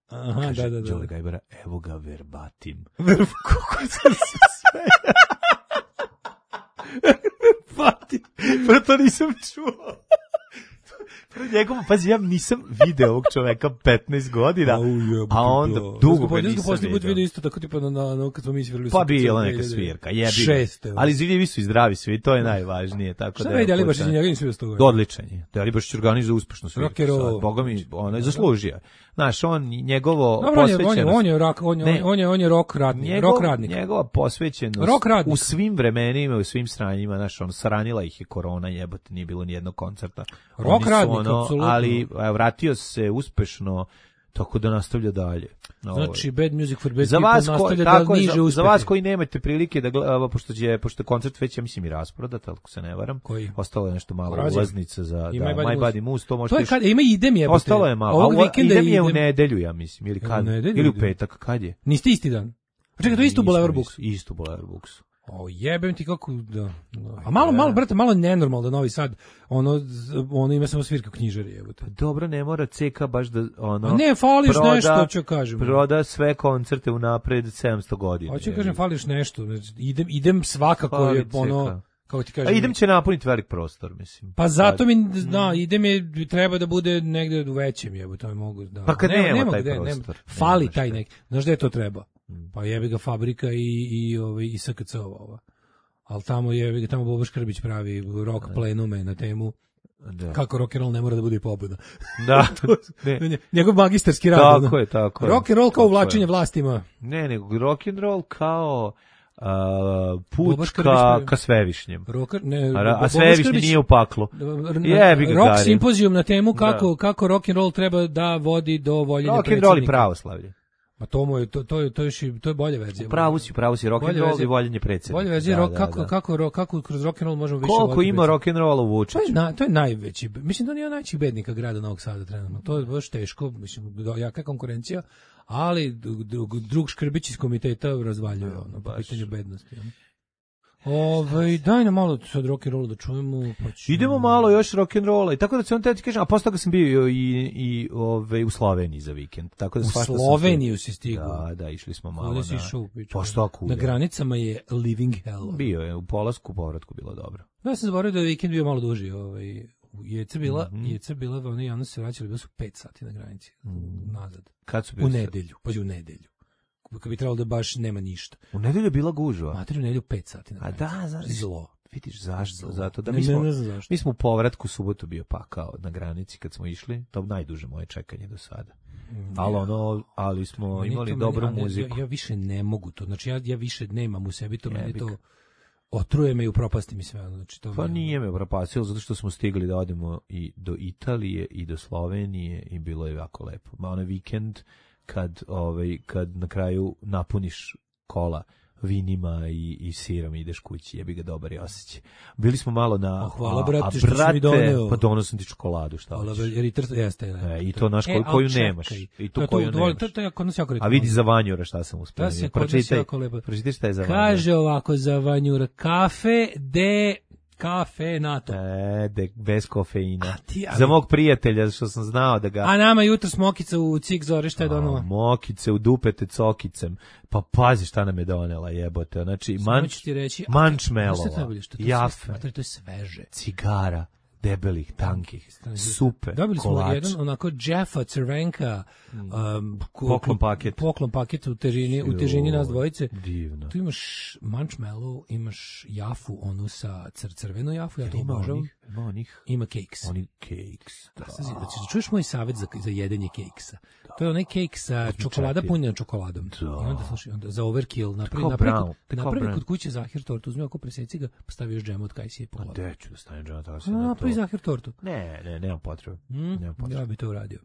[SPEAKER 7] Aha,
[SPEAKER 6] kaže,
[SPEAKER 7] da, da, da.
[SPEAKER 6] Đole Gajbara, evo ga verbatim. Kako sam se smejao. Verbatim. Pa to nisam čuo. Njegov, pazi, ja nisam video ovog čoveka petnaest godina, a, uje, a onda dugo ga nisam
[SPEAKER 7] vidio. video isto tako tipa na, na, na kad smo mi svirali.
[SPEAKER 6] Pa bila neka svirka, jebi.
[SPEAKER 7] Šeste.
[SPEAKER 6] Ali živi su i zdravi svi, to je najvažnije. Tako
[SPEAKER 7] šta
[SPEAKER 6] da
[SPEAKER 7] je Delibašić, njega nisam vidio s toga?
[SPEAKER 6] Odličan je. Delibašić organizuje uspešno svirku. Boga mi, on je zaslužio. Znaš, on, njegovo
[SPEAKER 7] dobro,
[SPEAKER 6] posvećenost...
[SPEAKER 7] On je, on je, rock, on je, ne, on je, on je rock radnik.
[SPEAKER 6] Njegov,
[SPEAKER 7] rock radnik.
[SPEAKER 6] Njegova posvećenost
[SPEAKER 7] rock radnik.
[SPEAKER 6] U svim vremenima, u svim stranjima, znaš, on saranila ih je korona, jebote, nije bilo ni jednog koncerta.
[SPEAKER 7] Rock radnik,
[SPEAKER 6] ono,
[SPEAKER 7] apsolutno.
[SPEAKER 6] Ali vratio se uspešno, tako da nastavlja dalje.
[SPEAKER 7] Znači, Bad Music for Bad
[SPEAKER 6] za
[SPEAKER 7] People
[SPEAKER 6] vas
[SPEAKER 7] nastavlja
[SPEAKER 6] tako,
[SPEAKER 7] da niže
[SPEAKER 6] za,
[SPEAKER 7] uspehe.
[SPEAKER 6] za vas koji nemate prilike da gleda, pošto je, pošto je koncert već, ja mislim, i rasprodat, ako se ne varam.
[SPEAKER 7] Koji?
[SPEAKER 6] Ostalo je nešto malo
[SPEAKER 7] Razim.
[SPEAKER 6] ulaznica za da,
[SPEAKER 7] My
[SPEAKER 6] My Body Moose. To,
[SPEAKER 7] to je kad, ima idem jebote.
[SPEAKER 6] Ostalo je malo.
[SPEAKER 7] Ovog vikenda
[SPEAKER 6] idem je
[SPEAKER 7] idem.
[SPEAKER 6] u nedelju, ja mislim, ili kad? Ili u petak, kad je?
[SPEAKER 7] Niste isti dan? Čekaj, to je isto u Boulevard Booksu.
[SPEAKER 6] Isto u Boulevard Booksu.
[SPEAKER 7] O jebem ti kako da. A malo malo brate, malo nenormalno da Novi Sad ono ono ima samo svirka knjižari, jebote.
[SPEAKER 6] Pa dobro, ne mora C K baš da ono.
[SPEAKER 7] A ne fališ proda, nešto, ću kažem.
[SPEAKER 6] Proda sve koncerte unapred sedamsto godina.
[SPEAKER 7] Hoću kažem fališ nešto, idem idem svakako Fali je ono kako ti kažem.
[SPEAKER 6] A idem će napuniti velik prostor, mislim.
[SPEAKER 7] Pa zato mi da idem je treba da bude negde u većem, jebote, to mogu da.
[SPEAKER 6] Pa kad nema, nema, nema taj
[SPEAKER 7] gde,
[SPEAKER 6] prostor.
[SPEAKER 7] Nema, fali nema taj neki. Znaš da je to treba? Pa jebi ga fabrika i i ovaj i S K C ova. Al tamo je tamo Bobo Škrbić pravi rock plenume na temu da. Kako rock and roll ne mora da bude i pobuda.
[SPEAKER 6] Da.
[SPEAKER 7] ne. Njegov magistarski rad.
[SPEAKER 6] Tako je, tako je.
[SPEAKER 7] Rock and roll kao uvlačenje vlastima.
[SPEAKER 6] Ne, nego rock and roll kao Uh, put ka, ka Svevišnjem.
[SPEAKER 7] Rocker, ne,
[SPEAKER 6] a, a Svevišnji nije u paklu. Jebi ga,
[SPEAKER 7] rock simpozijum na temu kako, kako rock and roll treba da vodi do voljenja
[SPEAKER 6] rock
[SPEAKER 7] predsjednika.
[SPEAKER 6] Rock and roll i pravoslavlje.
[SPEAKER 7] Ma to mu je to to je to je to je bolja verzija.
[SPEAKER 6] U pravu si, pravu si rock and roll i voljenje predsjednika.
[SPEAKER 7] Bolja verzija rock, kako kako kako kroz rock and roll možemo više
[SPEAKER 6] koliko ima rock and rolla u Vučiću.
[SPEAKER 7] To je na, to je najveći. Mislim da nije najveći bednika grada Novog Sada trenutno. To je baš teško, mislim jaka konkurencija. ali drug, drug Škrbić iz komiteta razvaljuje ono, po pitanju bednosti. Ono. Ove, daj nam malo sad rock and roll da čujemo. Pa ću...
[SPEAKER 6] Idemo malo još rock and rolla. I tako da se on ti kažem, a posle toga sam bio i i ove u Sloveniji za vikend. Tako da
[SPEAKER 7] u Sloveniju si stigao.
[SPEAKER 6] Da, da, išli smo malo
[SPEAKER 7] na. Pa
[SPEAKER 6] što
[SPEAKER 7] na granicama je living hell.
[SPEAKER 6] Bio je u polasku, povratku bilo dobro.
[SPEAKER 7] Ja sam zaboravio da je vikend bio malo duži, ovaj Jeca bila, mm-hmm. Jeca bila, oni javno se vraćali, bilo su pet sati na granici, mm. nazad.
[SPEAKER 6] Kad su bili?
[SPEAKER 7] U nedelju, pađi u nedelju. Kad bi trebalo da baš nema ništa.
[SPEAKER 6] U nedelju je bila gužva.
[SPEAKER 7] Mater, u nedelju pet sati na granici.
[SPEAKER 6] A da, zašto?
[SPEAKER 7] Zlo.
[SPEAKER 6] Vidiš zašto? Zlo. Zato da mi smo,
[SPEAKER 7] ne, ne
[SPEAKER 6] mi smo u povratku subotu bio pakao na granici kad smo išli. To je najduže moje čekanje do sada. Ali ono, ali smo meni imali dobru meni, muziku.
[SPEAKER 7] Ja, ja više ne mogu to. Znači ja, ja više nemam u sebi to, meni to otruje me i upropasti mi sve. Znači, to
[SPEAKER 6] pa
[SPEAKER 7] mi...
[SPEAKER 6] nije me upropastilo, zato što smo stigli da odemo i do Italije i do Slovenije i bilo je jako lepo. Ma onaj vikend kad, ovaj, kad na kraju napuniš kola vinima i, i sirom ideš kući, jebi ga dobar je osjećaj. Bili smo malo na...
[SPEAKER 7] Oh, hvala, brate, a, a, što si mi doneo.
[SPEAKER 6] Pa donosim ti čokoladu, šta
[SPEAKER 7] hvala, hoćeš. Jer i trt, jeste,
[SPEAKER 6] e, I to naš koju,
[SPEAKER 7] e,
[SPEAKER 6] koju
[SPEAKER 7] čekaj.
[SPEAKER 6] nemaš. I to,
[SPEAKER 7] to
[SPEAKER 6] koju
[SPEAKER 7] to,
[SPEAKER 6] nemaš.
[SPEAKER 7] To, to, to, to, to,
[SPEAKER 6] a vidi za Vanjura šta sam uspio.
[SPEAKER 7] Pročitaj,
[SPEAKER 6] pročitaj šta je za Vanjura.
[SPEAKER 7] Kaže ovako za Vanjura, kafe de... Kafe NATO.
[SPEAKER 6] E, de, bez kofeina.
[SPEAKER 7] Ti, ali...
[SPEAKER 6] Za mog prijatelja, što sam znao da ga...
[SPEAKER 7] A nama jutro smokica u cik zore, šta je donala?
[SPEAKER 6] Mokice u dupete cokicem. Pa pazi šta nam je donela, jebote. Znači, manč, mančmelova, jafe,
[SPEAKER 7] to je sveže.
[SPEAKER 6] Cigara, debelih, tankih, supe,
[SPEAKER 7] dobili smo
[SPEAKER 6] kolač.
[SPEAKER 7] jedan onako Jeffa Crvenka um,
[SPEAKER 6] poklon paket.
[SPEAKER 7] Poklon paket u težini, u težini nas dvojice.
[SPEAKER 6] Divno.
[SPEAKER 7] Tu imaš marshmallow, imaš jafu, onu sa cr crvenu jafu, ja to obožavam.
[SPEAKER 6] Ima onih.
[SPEAKER 7] Ima cakes.
[SPEAKER 6] Oni cakes.
[SPEAKER 7] Da. Znači, da čuješ moj savjet za, za jedenje cakesa. Da. To je onaj cake sa čokolada punjena čokoladom. Da. I onda, slušaj, onda za overkill napravi, napravi, napravi kod kuće zahir tortu, uzmi oko preseci ga, staviš džem od kajsije po glavu.
[SPEAKER 6] A gde ću da stavim džem od kajsije?
[SPEAKER 7] Napravi zahir tortu.
[SPEAKER 6] Ne, ne, nemam potrebe.
[SPEAKER 7] Mm,
[SPEAKER 6] nemam potrebe.
[SPEAKER 7] Ja bi to uradio.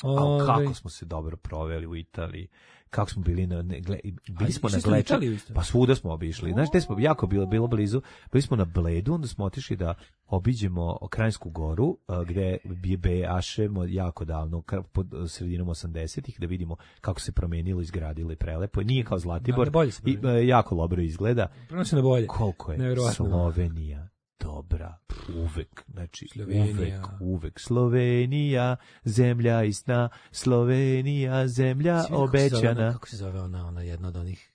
[SPEAKER 6] A kako smo se dobro proveli u Italiji. Kako smo bili na ne, gle, bili smo na Gleča, pa svuda smo obišli. Znaš, gde smo jako bilo bilo blizu. Bili smo na Bledu, onda smo otišli da obiđemo Krajinsku goru, gde bi bejašemo jako davno, pod sredinom osamdesetih, da vidimo kako se promenilo, izgradilo i prelepo. Nije kao Zlatibor, i, jako dobro izgleda.
[SPEAKER 7] Prenosi na bolje.
[SPEAKER 6] Koliko je Slovenija dobra, uvek, znači Slovenija. uvek, uvek. Slovenija, zemlja i sna, Slovenija, zemlja svi obećana.
[SPEAKER 7] Ona, kako se zove ona, ona jedna od onih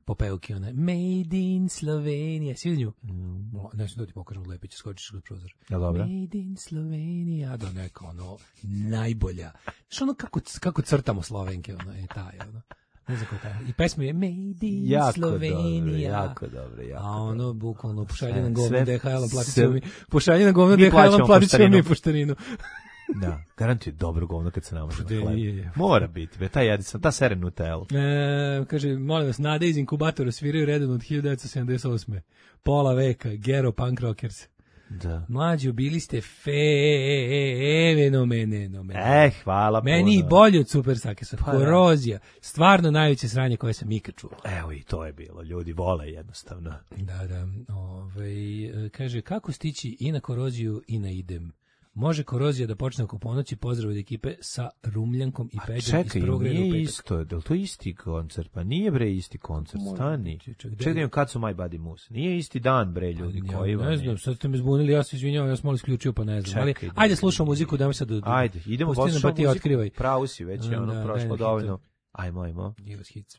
[SPEAKER 7] popevki, ona Made in Slovenija, svi nju? Mm. Ne znam da ti pokažem Lepića, skočiš kod prozor.
[SPEAKER 6] Ja, dobro.
[SPEAKER 7] Made in Slovenija, da neka ono, najbolja. Znaš ono kako, kako crtamo Slovenke, ono, je taj, ono. Ne znam kako je. I pesma je Made in
[SPEAKER 6] jako
[SPEAKER 7] Slovenija.
[SPEAKER 6] Dobro, jako dobro, jako
[SPEAKER 7] a ono,
[SPEAKER 6] dobro.
[SPEAKER 7] bukvalno, pošalje na govno D H L-a, platit ćemo mi, pošalje na govno D H L-a, platit ćemo mi poštarinu.
[SPEAKER 6] Da, garantuje dobro govno kad se namaže na hleb. Mora biti, be, ta jedi sam, ta seren Nutella.
[SPEAKER 7] E, kaže, molim vas, Nade iz inkubatora sviraju redom od hiljadu devetsto sedamdeset osme. Pola veka, Gero Punk Rockers.
[SPEAKER 6] Da.
[SPEAKER 7] Mlađi, bili ste fenomeneno.
[SPEAKER 6] Eh, hvala puno.
[SPEAKER 7] Meni i bolje od Super Sakesa. Pa, korozija. Stvarno najveće sranje koje sam ikad čuo.
[SPEAKER 6] Evo i to je bilo. Ljudi vole jednostavno.
[SPEAKER 7] Da, da. Ove, kaže, kako stići i na koroziju i na idem? Može korozija da počne oko ponoći, pozdrav od ekipe sa Rumljankom i Peđom iz prvog reda u petak.
[SPEAKER 6] Čekaj, nije isto, je li to isti koncert? Pa nije bre isti koncert, stani. Čekaj, kad su My Buddy Moose? Nije isti dan bre, ljudi,
[SPEAKER 7] ja,
[SPEAKER 6] koji vam
[SPEAKER 7] ne znam, sad ste me zbunili, ja se izvinjavam, ja sam malo isključio, pa ne znam. Čekaj, ali, da, ajde slušamo muziku, dajmo sad do...
[SPEAKER 6] Ajde, idemo poslušamo muziku, otkrivaj. Pravo si, već je ono
[SPEAKER 7] da,
[SPEAKER 6] prošlo dovoljno. Ajmo, ajmo.
[SPEAKER 7] Give us hits.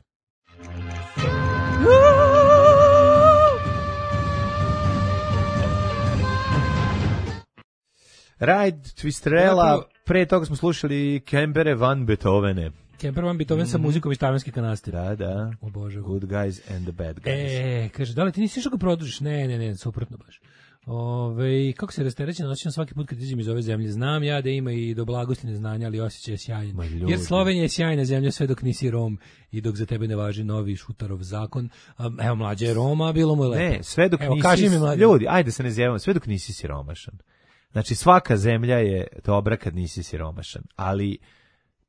[SPEAKER 6] Ride Twisterella, pre toga smo slušali Kempere van Beethovene.
[SPEAKER 7] Kemper van Beethoven mm-hmm. sa muzikom iz Tavernske kanaste.
[SPEAKER 6] Da, da.
[SPEAKER 7] O Bože.
[SPEAKER 6] Good guys and the bad guys.
[SPEAKER 7] E, kaže, da li ti nisi što ga produžiš? Ne, ne, ne, suprotno baš. Ove, kako se rasterećeno osjećam svaki put kad izađem iz ove zemlje. Znam ja da ima i do blagosti neznanja, ali osjećaj je sjajan. Jer Slovenija je sjajna zemlja sve dok nisi Rom i dok za tebe ne važi novi Šutarov zakon. Um, evo, mlađe je Roma, bilo mu je lepo.
[SPEAKER 6] Ne, sve dok
[SPEAKER 7] evo,
[SPEAKER 6] nisi...
[SPEAKER 7] Kaži mi, mlađe.
[SPEAKER 6] Ljudi, ajde se ne zjevamo, sve dok nisi siromašan. Znači, svaka zemlja je dobra kad nisi siromašan, ali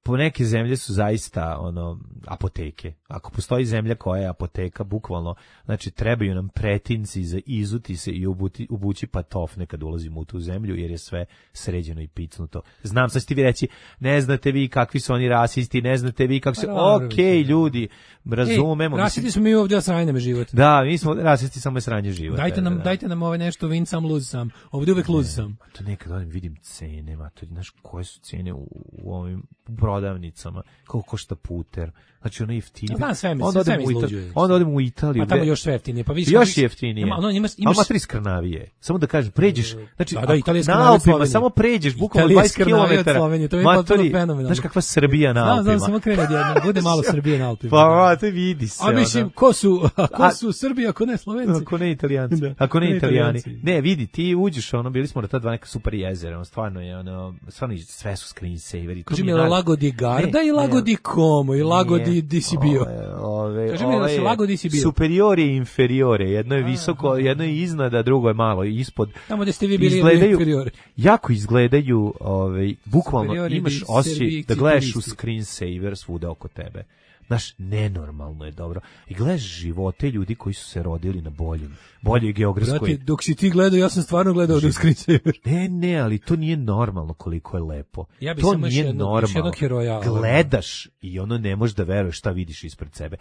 [SPEAKER 6] po neke zemlje su zaista ono apoteke. Ako postoji zemlja koja je apoteka, bukvalno, znači trebaju nam pretinci za izuti se i obuti, obući patofne kad ulazimo u tu zemlju, jer je sve sređeno i picnuto. Znam, sad ćete vi reći, ne znate vi kakvi su oni rasisti, ne znate vi kako se, okej, okay, ljudi, razumemo.
[SPEAKER 7] Ej, rasisti smo mi ovdje, a sranje me život.
[SPEAKER 6] Da, mi smo rasisti, samo je sranje život.
[SPEAKER 7] Dajte nam,
[SPEAKER 6] da.
[SPEAKER 7] dajte nam ove nešto, win sam, lose sam. Ovdje uvek lose sam.
[SPEAKER 6] To nekad odim, vidim cene, ma, to, znaš, koje su cene u, u ovim prodavnicama, koliko košta puter, znači ono jeftinije.
[SPEAKER 7] Znam, sve mi,
[SPEAKER 6] onda
[SPEAKER 7] sve
[SPEAKER 6] odem
[SPEAKER 7] mi
[SPEAKER 6] izluđuje. Onda odem u Italiju.
[SPEAKER 7] Pa tamo još sve jeftinije. Pa vidiš,
[SPEAKER 6] još jeftinije.
[SPEAKER 7] Ima, ono, imaš,
[SPEAKER 6] imaš... A matri skrnavije. Samo da kažeš, pređeš, znači,
[SPEAKER 7] da, da,
[SPEAKER 6] na Alpima, samo pređeš, bukvalno dvadeset kilometara.
[SPEAKER 7] To je potpuno fenomenalno.
[SPEAKER 6] Znaš kakva Srbija na Alpima.
[SPEAKER 7] Znam, znam, samo krene odjedno, bude malo Srbije na Alpima.
[SPEAKER 6] Pa, to vidi se.
[SPEAKER 7] A mislim, ko su, ko su Srbi, ako ne Slovenci?
[SPEAKER 6] Ako ne Italijanci. Ako ne Italijani. Ne, vidi, ti uđeš, ono, bili smo na ta dva neka super jezera, ono, stvarno je, ono, stvarno sve su screensaveri.
[SPEAKER 7] Kaži mi, Lago di Garda i Lago di Como i Lago di di si bio.
[SPEAKER 6] Ove,
[SPEAKER 7] Kaži mi da se Lago di si bio.
[SPEAKER 6] Superiore i inferiore, jedno je visoko, jedno je iznad, a drugo je malo ispod.
[SPEAKER 7] Tamo gde ste vi bili inferiore.
[SPEAKER 6] Jako izgledaju, ovaj, bukvalno imaš osjećaj da gledaš u screensaver svuda oko tebe. Znaš, nenormalno je dobro. I gledaš živote ljudi koji su se rodili na boljim, boljoj geografskoj.
[SPEAKER 7] Brate, dok si ti gledao, ja sam stvarno gledao do screensaver.
[SPEAKER 6] Ne, ne, ali to nije normalno koliko je lepo.
[SPEAKER 7] Ja
[SPEAKER 6] to nije jedno, normalno. Heroja, gledaš i ono ne možeš da veruješ šta vidiš ispred sebe.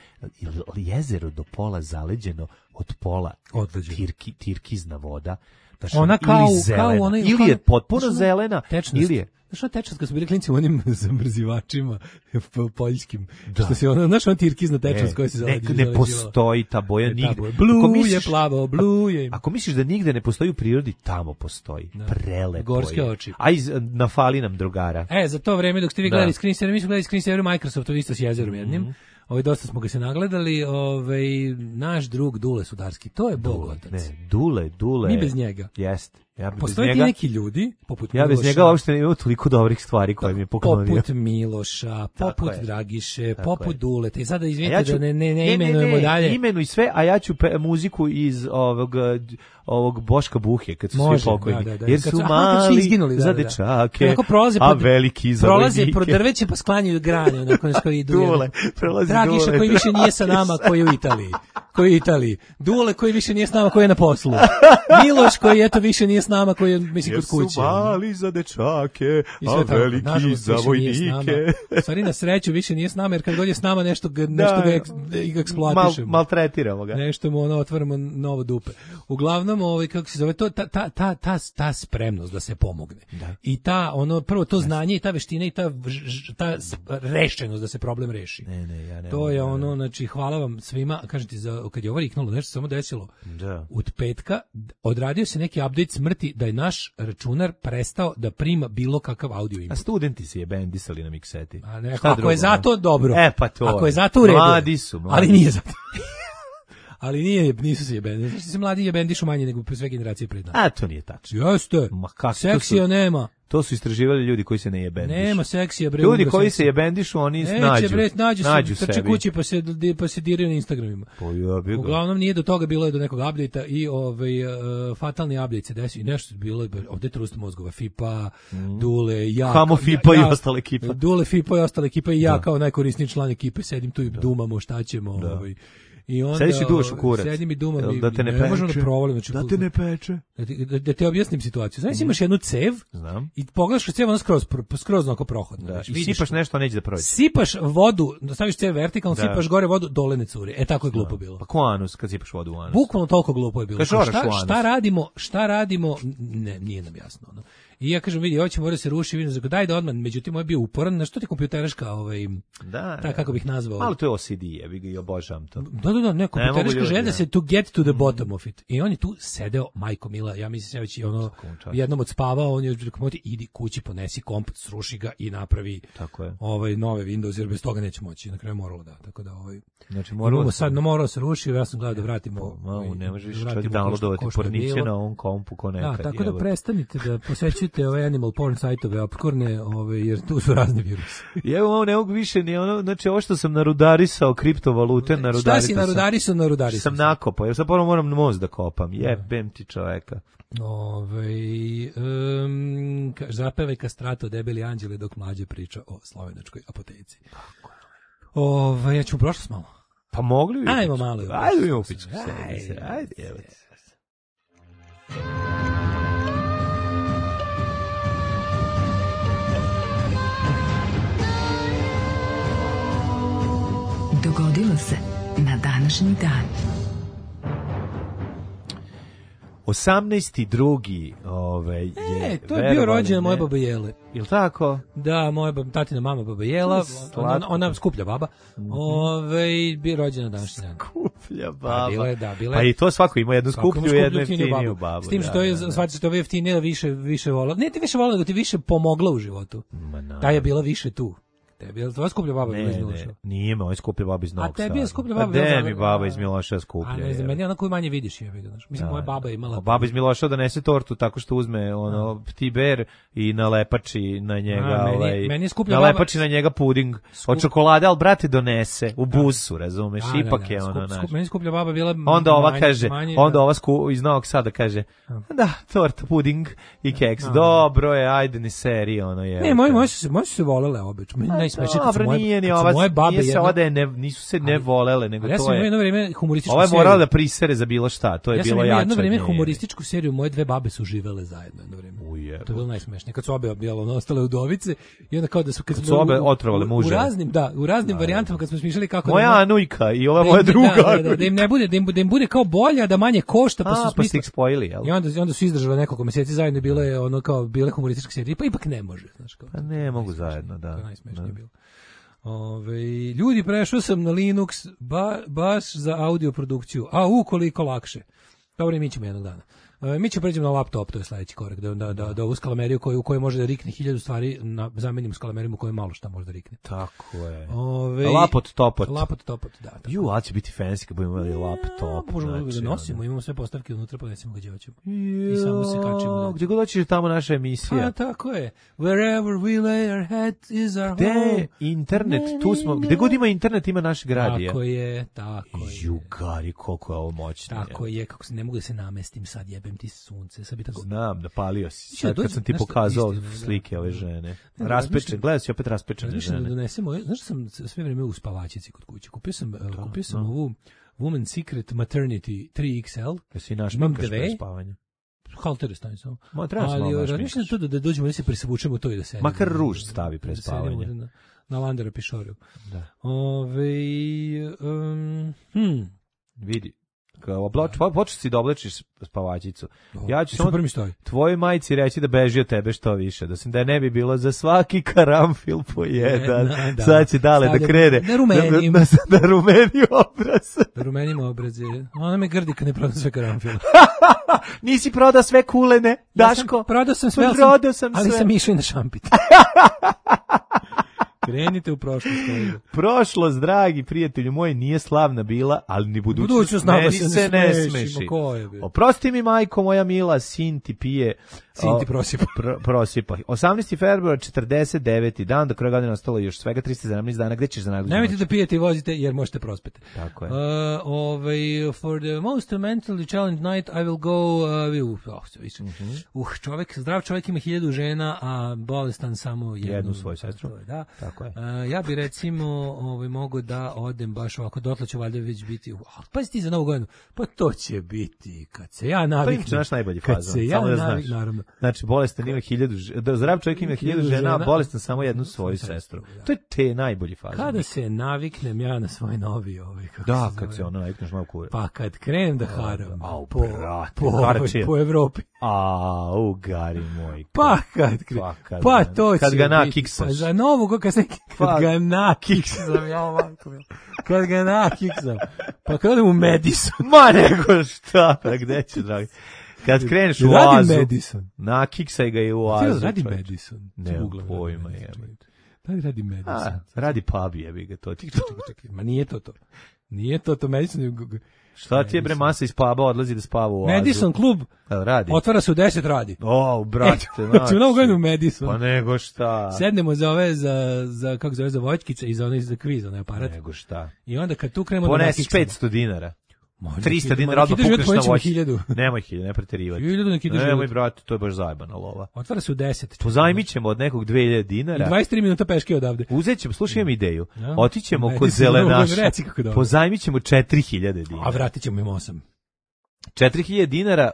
[SPEAKER 6] Jezero do pola zaleđeno, od pola tirki, tirkizna voda. Znaš,
[SPEAKER 7] ona kao,
[SPEAKER 6] ili zelena,
[SPEAKER 7] kao ona,
[SPEAKER 6] ili je potpuno zelena,
[SPEAKER 7] tečnost.
[SPEAKER 6] ili je
[SPEAKER 7] Znaš, ono tečnost, kad su bili klinci u onim zamrzivačima poljskim, da. Što se ono, znaš, on tirkizna tečnost koja se zaleđila.
[SPEAKER 6] Ne, ne postoji ta boja
[SPEAKER 7] ne,
[SPEAKER 6] nigde.
[SPEAKER 7] Blue misliš, je plavo, blue je.
[SPEAKER 6] Ako misliš da nigde ne postoji u prirodi, tamo postoji. Da. Prelepo
[SPEAKER 7] gorske
[SPEAKER 6] je.
[SPEAKER 7] Oči.
[SPEAKER 6] A iz, nafali nam drugara.
[SPEAKER 7] E, za to vreme dok ste vi gledali screensaver, mi smo gledali screensaver Microsoftu isto s jezerom jednim. Mm-hmm. Ovaj dosta smo ga se nagledali, ovaj naš drug Dule Sudarski, to je bog otac.
[SPEAKER 6] Ne, Dule, Dule.
[SPEAKER 7] Mi bez njega.
[SPEAKER 6] Jeste. Ja
[SPEAKER 7] postoje
[SPEAKER 6] njega,
[SPEAKER 7] neki ljudi poput
[SPEAKER 6] ja
[SPEAKER 7] Miloša.
[SPEAKER 6] bez njega uopšte nemam toliko dobrih stvari koje mi je poklonio.
[SPEAKER 7] Poput Miloša, poput Dragiše, tako poput Duleta. I sada izvinite ja ću, da ne, ne, ne imenujemo ne, ne, dalje.
[SPEAKER 6] Imenuj sve, a ja ću pe, muziku iz ovog ovog Boška Buhe kad su Može, svi pokojni. Da, da, da. Jer su mali izginuli, da, za dečake, da, da. Prolaze a veliki za
[SPEAKER 7] prolaze pro drveće pa sklanjaju grane, onako nas koji idu.
[SPEAKER 6] Dule, prolazi
[SPEAKER 7] Dragiša
[SPEAKER 6] Dule.
[SPEAKER 7] Koji više nije sa nama, koji je u Italiji. Koji je u Italiji. Dule koji više nije s nama, koji je na poslu. Miloš koji eto više nije s nama, koji je mislim kod kuće.
[SPEAKER 6] Jer su mali za dečake, a veliki tako, za vojnike.
[SPEAKER 7] Stvari na sreću više nije s nama, jer kad god je s nama nešto, nešto ga, ga eksploatišemo.
[SPEAKER 6] Mal, maltretiramo ga.
[SPEAKER 7] Nešto mu ono, otvaramo novo dupe. Uglavnom, ovaj, kako se zove, to, ta, ta, ta, ta, ta spremnost da se pomogne. Da. I ta, ono, prvo to znanje i ta veština i ta, ta rešenost da se problem reši.
[SPEAKER 6] Ne, ne, ja ne.
[SPEAKER 7] To je ono, znači, hvala vam svima, kažem ti, za, kad je ovo riknulo, nešto samo desilo.
[SPEAKER 6] Da.
[SPEAKER 7] Od petka odradio se neki update smrti da je naš računar prestao da prima bilo kakav audio input.
[SPEAKER 6] A studenti se je bendisali na mikseti.
[SPEAKER 7] A ne, ako drugo, je zato dobro.
[SPEAKER 6] E pa to.
[SPEAKER 7] Ako je zato u redu.
[SPEAKER 6] Mladi su, mladi.
[SPEAKER 7] Ali nije zato. Ali nije, nisu se jebeni. Znači se mladi jebendišu manje nego sve generacije pred nama.
[SPEAKER 6] A to nije tačno.
[SPEAKER 7] Jeste.
[SPEAKER 6] Ma kako
[SPEAKER 7] seksija
[SPEAKER 6] su,
[SPEAKER 7] nema.
[SPEAKER 6] To su istraživali ljudi koji se ne jebendišu.
[SPEAKER 7] Nema seksija, bre.
[SPEAKER 6] Ljudi koji seksija. se jebendišu, oni Neće, nađu.
[SPEAKER 7] Bre, nađu,
[SPEAKER 6] nađu
[SPEAKER 7] se, trče kući pa se, pa se diraju na Instagramima.
[SPEAKER 6] Ja
[SPEAKER 7] Uglavnom nije do toga, bilo je do nekog update-a i ovaj, uh, fatalni update se desio i nešto bilo je, ovde trust mozgova, Fipa, mm. Dule, ja.
[SPEAKER 6] Hamo Fipa
[SPEAKER 7] ja,
[SPEAKER 6] i ostale ekipa.
[SPEAKER 7] Dule, Fipa i ostale ekipa i ja
[SPEAKER 6] da.
[SPEAKER 7] kao najkorisniji član ekipe sedim tu i da. dumamo šta ćemo.
[SPEAKER 6] Da.
[SPEAKER 7] Ovaj. I onda
[SPEAKER 6] sediš i duvaš u kurac.
[SPEAKER 7] Sedim i dumam
[SPEAKER 6] da te ne,
[SPEAKER 7] ne možemo da provalim. Znači,
[SPEAKER 6] da te ne peče.
[SPEAKER 7] Da te, da, da te objasnim situaciju. Znaš, mm. imaš jednu cev
[SPEAKER 6] Znam.
[SPEAKER 7] i pogledaš kroz cev, ona skroz, skroz onako prohodna.
[SPEAKER 6] Da. I sipaš to. Nešto, neće da prođe.
[SPEAKER 7] Sipaš vodu, staviš cev vertikalno, da. sipaš gore vodu, dole ne curi. E, tako je glupo bilo.
[SPEAKER 6] Pa ko anus kad sipaš vodu u anus?
[SPEAKER 7] Bukvalno toliko glupo je bilo.
[SPEAKER 6] Šta,
[SPEAKER 7] šta radimo, šta radimo, ne, nije nam jasno. Ono. I ja kažem, vidi, ovo će mora se ruši, vidim, daj da odmah, međutim, ovo je bio uporan, na što ti kompjutereška, ovaj,
[SPEAKER 6] da,
[SPEAKER 7] ta, kako bih nazvao.
[SPEAKER 6] Malo to je O C D, ja bih ga i obožavam to.
[SPEAKER 7] Da, da, da, ne, kompjutereška želja da se to get to the bottom of it. I on je tu sedeo, majko mila, ja mislim, ja već ono, jednom odspavao, on je rekao, idi kući, ponesi komp, sruši ga i napravi
[SPEAKER 6] tako je.
[SPEAKER 7] Ovaj, nove Windows, jer bez toga neće moći, na kraju moralo da, tako da, ovaj,
[SPEAKER 6] znači, moralo
[SPEAKER 7] sad, no, moralo se rušio, ja sam gledao da vratimo.
[SPEAKER 6] Ma, ne možeš više čovjek downloadovati porniće na ovom kompu ko nekad.
[SPEAKER 7] Da, tako da prestanite da posvećujete zatvorite ove animal porn sajtove, opkorne, ove, jer tu su razni virusi.
[SPEAKER 6] I evo ovo ne mogu više, ni ono, znači ovo što sam narudarisao kriptovalute, narudarisao.
[SPEAKER 7] Šta si narudarisao, narudarisao?
[SPEAKER 6] Sam nakopao, jer sad prvo moram most da kopam, jebem ti čoveka.
[SPEAKER 7] Ove, um, zapevaj kastrato debeli anđele dok mlađe priča o slovenačkoj apoteci. Ove, ja ću u prošlost malo.
[SPEAKER 6] Pa mogli bi.
[SPEAKER 7] Ajmo malo.
[SPEAKER 6] Ajde mi upiću. Ajde, ajde, evo ti.
[SPEAKER 4] Dogodilo se na današnji dan.
[SPEAKER 6] osamnaesti drugi Ove, je,
[SPEAKER 7] e, to je bio rođendan moje babe Jele.
[SPEAKER 6] Jel tako?
[SPEAKER 7] Da, moja baba, tatina mama baba Jela, ona, ona skuplja baba. Mm-hmm. Ove, bio rođen na današnji dan.
[SPEAKER 6] Skuplja baba.
[SPEAKER 7] Pa, bila je, da, bila je.
[SPEAKER 6] Pa i to svako ima jednu skuplju i jednu jeftiniju babu.
[SPEAKER 7] S tim što je, shvatite što je jeftinija više, više volila. Ne ti više volila, nego ti više pomogla u životu. Ta je bila više tu. Tebi je tvoja skuplja baba
[SPEAKER 6] ne,
[SPEAKER 7] bila iz Miloša?
[SPEAKER 6] Ne, nije me, on je skuplja baba iz Novog Sada.
[SPEAKER 7] A tebi je skuplja baba
[SPEAKER 6] bila... A de mi baba iz Miloša skuplja.
[SPEAKER 7] A ne znam, meni je ona koju manje vidiš. Je, vidio, mislim, da, moja baba je imala...
[SPEAKER 6] Baba iz Miloša donese tortu tako što uzme ono, tiber i nalepači na njega... A, meni, ovaj,
[SPEAKER 7] meni je skuplja
[SPEAKER 6] nalepači
[SPEAKER 7] baba...
[SPEAKER 6] na njega puding Skup... od čokolade, ali brate donese u busu, razumeš,
[SPEAKER 7] a,
[SPEAKER 6] ipak
[SPEAKER 7] da, da,
[SPEAKER 6] je ono...
[SPEAKER 7] Skup, skup, meni skuplja baba bila...
[SPEAKER 6] Onda ova
[SPEAKER 7] manje,
[SPEAKER 6] kaže,
[SPEAKER 7] manje,
[SPEAKER 6] onda
[SPEAKER 7] da.
[SPEAKER 6] ova sku, iz Novog Sada kaže, da, torta, puding i keks, a, dobro je, ajde ni seri, ono je...
[SPEAKER 7] Ne, moji, moji su se, moji su se volele obično, meni najsmešnije kad su moje... Moje babe
[SPEAKER 6] nije se
[SPEAKER 7] jedno...
[SPEAKER 6] ode, ne, nisu se ne volele, nego
[SPEAKER 7] ja
[SPEAKER 6] to je...
[SPEAKER 7] jedno vrijeme humorističku
[SPEAKER 6] Ovo je morala
[SPEAKER 7] seriju.
[SPEAKER 6] da prisere za bilo šta, to je
[SPEAKER 7] ja
[SPEAKER 6] bilo jače.
[SPEAKER 7] Ja sam jedno vrijeme humorističku seriju, moje dve babe su živele zajedno jedno vrijeme.
[SPEAKER 6] Ujebo.
[SPEAKER 7] To je bilo najsmešnije. Kad su obe objelo, ono, ostale udovice i onda kao da su...
[SPEAKER 6] Kad, kad su obe otrovale muže.
[SPEAKER 7] U raznim, da, u raznim da, varijantama kad smo smišljali kako...
[SPEAKER 6] Moja
[SPEAKER 7] da
[SPEAKER 6] Anujka i ova moja druga
[SPEAKER 7] da, da, da, da im ne bude, da im, da im bude kao bolja, da manje košta, pa
[SPEAKER 6] a,
[SPEAKER 7] su
[SPEAKER 6] pa
[SPEAKER 7] smislili.
[SPEAKER 6] ih spojili, jel?
[SPEAKER 7] I onda, onda su izdržali nekoliko mjeseci zajedno i bilo je ono kao bile humorističke serije, pa ipak ne može, znaš kao.
[SPEAKER 6] Pa ne mogu zajedno, da.
[SPEAKER 7] To je najsmešnije bilo. Ove, ljudi, prešao sam na Linux ba, baš za audio produkciju. A u koliko lakše. Dobro, mi ćemo jednog dana. E, mi ćemo pređemo na laptop, to je sledeći korak, da da da, da ovu skalameriju koju u kojoj može da rikne hiljadu stvari, na zamenimo skalamerijom u kojoj malo šta može da rikne.
[SPEAKER 6] Tako je.
[SPEAKER 7] Ove,
[SPEAKER 6] lapot topot.
[SPEAKER 7] Lapot topot, da. Tako.
[SPEAKER 6] Ju, a će biti fancy kad budemo imali laptop.
[SPEAKER 7] Možemo znači, da nosimo, imamo sve postavke unutra, pa nesimo gdje hoćemo. I samo se kačimo.
[SPEAKER 6] Znači. Gdje god hoćeš tamo naša emisija.
[SPEAKER 7] A, tako je. Wherever we lay our head is our
[SPEAKER 6] gde
[SPEAKER 7] home.
[SPEAKER 6] Internet, ne, tu smo, gde god ima internet ima naš grad.
[SPEAKER 7] Tako je, tako je.
[SPEAKER 6] Jugari, koliko je ovo moćno.
[SPEAKER 7] Tako je, kako se ne mogu da se namestim sad, jebem ti sunce. Sad bi tako...
[SPEAKER 6] Znam, napalio si. Sad kad sam ti pokazao slike ove žene. Raspečen, gledaj si opet raspečene žene.
[SPEAKER 7] Da donesemo, znaš da sam sve vrijeme u spavačici kod kuće. Kupio sam, to, kupio sam no. ovu Woman Secret Maternity tri X L.
[SPEAKER 6] Jesi naš mikaš pre spavanja?
[SPEAKER 7] Haltere stavim samo.
[SPEAKER 6] Ma, treba se
[SPEAKER 7] ali
[SPEAKER 6] malo
[SPEAKER 7] razmišljam to da, da dođemo da se presavučemo to i da sedemo.
[SPEAKER 6] Makar ruž stavi pre spavanja.
[SPEAKER 7] Na, na Landera Pišoriju.
[SPEAKER 6] Da.
[SPEAKER 7] Ove, um, hmm.
[SPEAKER 6] Vidi. Kao oblač, počeš si da oblačiš spavačicu.
[SPEAKER 7] Do,
[SPEAKER 6] ja ću samo
[SPEAKER 7] stoji.
[SPEAKER 6] tvojoj majci reći da beži od tebe što više. Da sam da ne bi bilo za svaki karamfil po jedan. Ne, da. Sad će dale stavljam, da krene.
[SPEAKER 7] Da rumenim.
[SPEAKER 6] Da, da, da rumeni obraz.
[SPEAKER 7] Da rumenim obraze. Ona me grdi kad ne prodam sve karamfile.
[SPEAKER 6] Nisi prodao sve kulene, Daško.
[SPEAKER 7] Ja sam, prodao sam sve,
[SPEAKER 6] prodao sam
[SPEAKER 7] ali
[SPEAKER 6] sve.
[SPEAKER 7] sam išao i na šampit. Krenite u prošlost.
[SPEAKER 6] Prošlost, dragi prijatelju moji, nije slavna bila, ali ni budućnost,
[SPEAKER 7] budućnost
[SPEAKER 6] meni
[SPEAKER 7] se,
[SPEAKER 6] se
[SPEAKER 7] ne,
[SPEAKER 6] ne
[SPEAKER 7] smeši.
[SPEAKER 6] Oprosti mi, majko moja mila, sin ti pije...
[SPEAKER 7] Sin ti prosipa.
[SPEAKER 6] Pr, prosipa. osamnaesti februar četrdeset deveti dan, do kraja godine ostalo još svega trista sedamnaest dana. Gde ćeš za najluđu noć?
[SPEAKER 7] Nemojte da pijete i vozite, jer možete prospeti.
[SPEAKER 6] Tako je.
[SPEAKER 7] Uh, ovaj, for the most mentally challenged night, I will go... Uh, uh, oh, uh,
[SPEAKER 6] mm-hmm.
[SPEAKER 7] uh, čovjek, zdrav čovjek ima hiljadu žena, a bolestan samo jednu.
[SPEAKER 6] Jednu svoju sestru.
[SPEAKER 7] Da.
[SPEAKER 6] Tako je.
[SPEAKER 7] Uh, ja bi recimo ovaj, mogu da odem baš ovako, dotle ću valjda već biti... Uh, pa si ti za novu godinu? Pa to će biti kad se ja naviknem.
[SPEAKER 6] To je naš najbolji fazon.
[SPEAKER 7] Kad se ja naviknem, naravno.
[SPEAKER 6] Znači, bolestan ima hiljadu, da zdrav čovjek ima hiljadu žena, a bolestan samo jednu svoju sestru. To je te najbolji fazon.
[SPEAKER 7] Kada se naviknem ja na svoj novi ovaj, kako
[SPEAKER 6] da,
[SPEAKER 7] se
[SPEAKER 6] kad se ono navikneš malo kure.
[SPEAKER 7] Pa kad krenem da haram
[SPEAKER 6] Au,
[SPEAKER 7] po,
[SPEAKER 6] brate,
[SPEAKER 7] po, ovaj, po Evropi.
[SPEAKER 6] A, u gari moj.
[SPEAKER 7] Pa kad,
[SPEAKER 6] pa, kad,
[SPEAKER 7] pa to
[SPEAKER 6] kad
[SPEAKER 7] će
[SPEAKER 6] ga
[SPEAKER 7] biti.
[SPEAKER 6] nakiksaš.
[SPEAKER 7] Pa za novu, kad, se, kad pa, ga nakiksam, ja ovako, kad ga nakiksam. Pa kad odem u Madison.
[SPEAKER 6] Ma nego šta, pa gde će, dragi? Kad kreneš u oazu, nakiksaj ga i u oazu.
[SPEAKER 7] Radi Madison.
[SPEAKER 6] Ne, pojma je.
[SPEAKER 7] Da li radi Madison?
[SPEAKER 6] A, radi pub, jebi ga to.
[SPEAKER 7] Čekaj, čekaj, čekaj. Ma nije to to. Nije to to Madison.
[SPEAKER 6] Šta ti je bre masa iz puba odlazi da spava u oazu?
[SPEAKER 7] Madison klub
[SPEAKER 6] radi.
[SPEAKER 7] Otvara se u deset radi.
[SPEAKER 6] O, brate,
[SPEAKER 7] znači. Ćemo novu godinu u Madison.
[SPEAKER 6] Pa nego šta.
[SPEAKER 7] Sednemo za ove, za, za kako zove, za voćkice i za onaj za kviz, onaj aparat.
[SPEAKER 6] Nego šta.
[SPEAKER 7] I onda kad tu krenemo...
[SPEAKER 6] Ponesiš petsto dinara. trista dinara odmah pukneš na voćkicu. Nemoj hiljadu, ne preterivati. Nemoj, brate, to je baš zajebana lova.
[SPEAKER 7] Otvara se u deset.
[SPEAKER 6] Pozajmit ćemo od nekog dve hiljade dinara.
[SPEAKER 7] I dvadeset tri minuta peške odavde.
[SPEAKER 6] Uzet ćemo, slušaj, imam ideju. Otićemo kod zelenaša. Pozajmit ćemo četiri hiljade dinara.
[SPEAKER 7] A vratit ćemo im osam.
[SPEAKER 6] četiri hiljade dinara.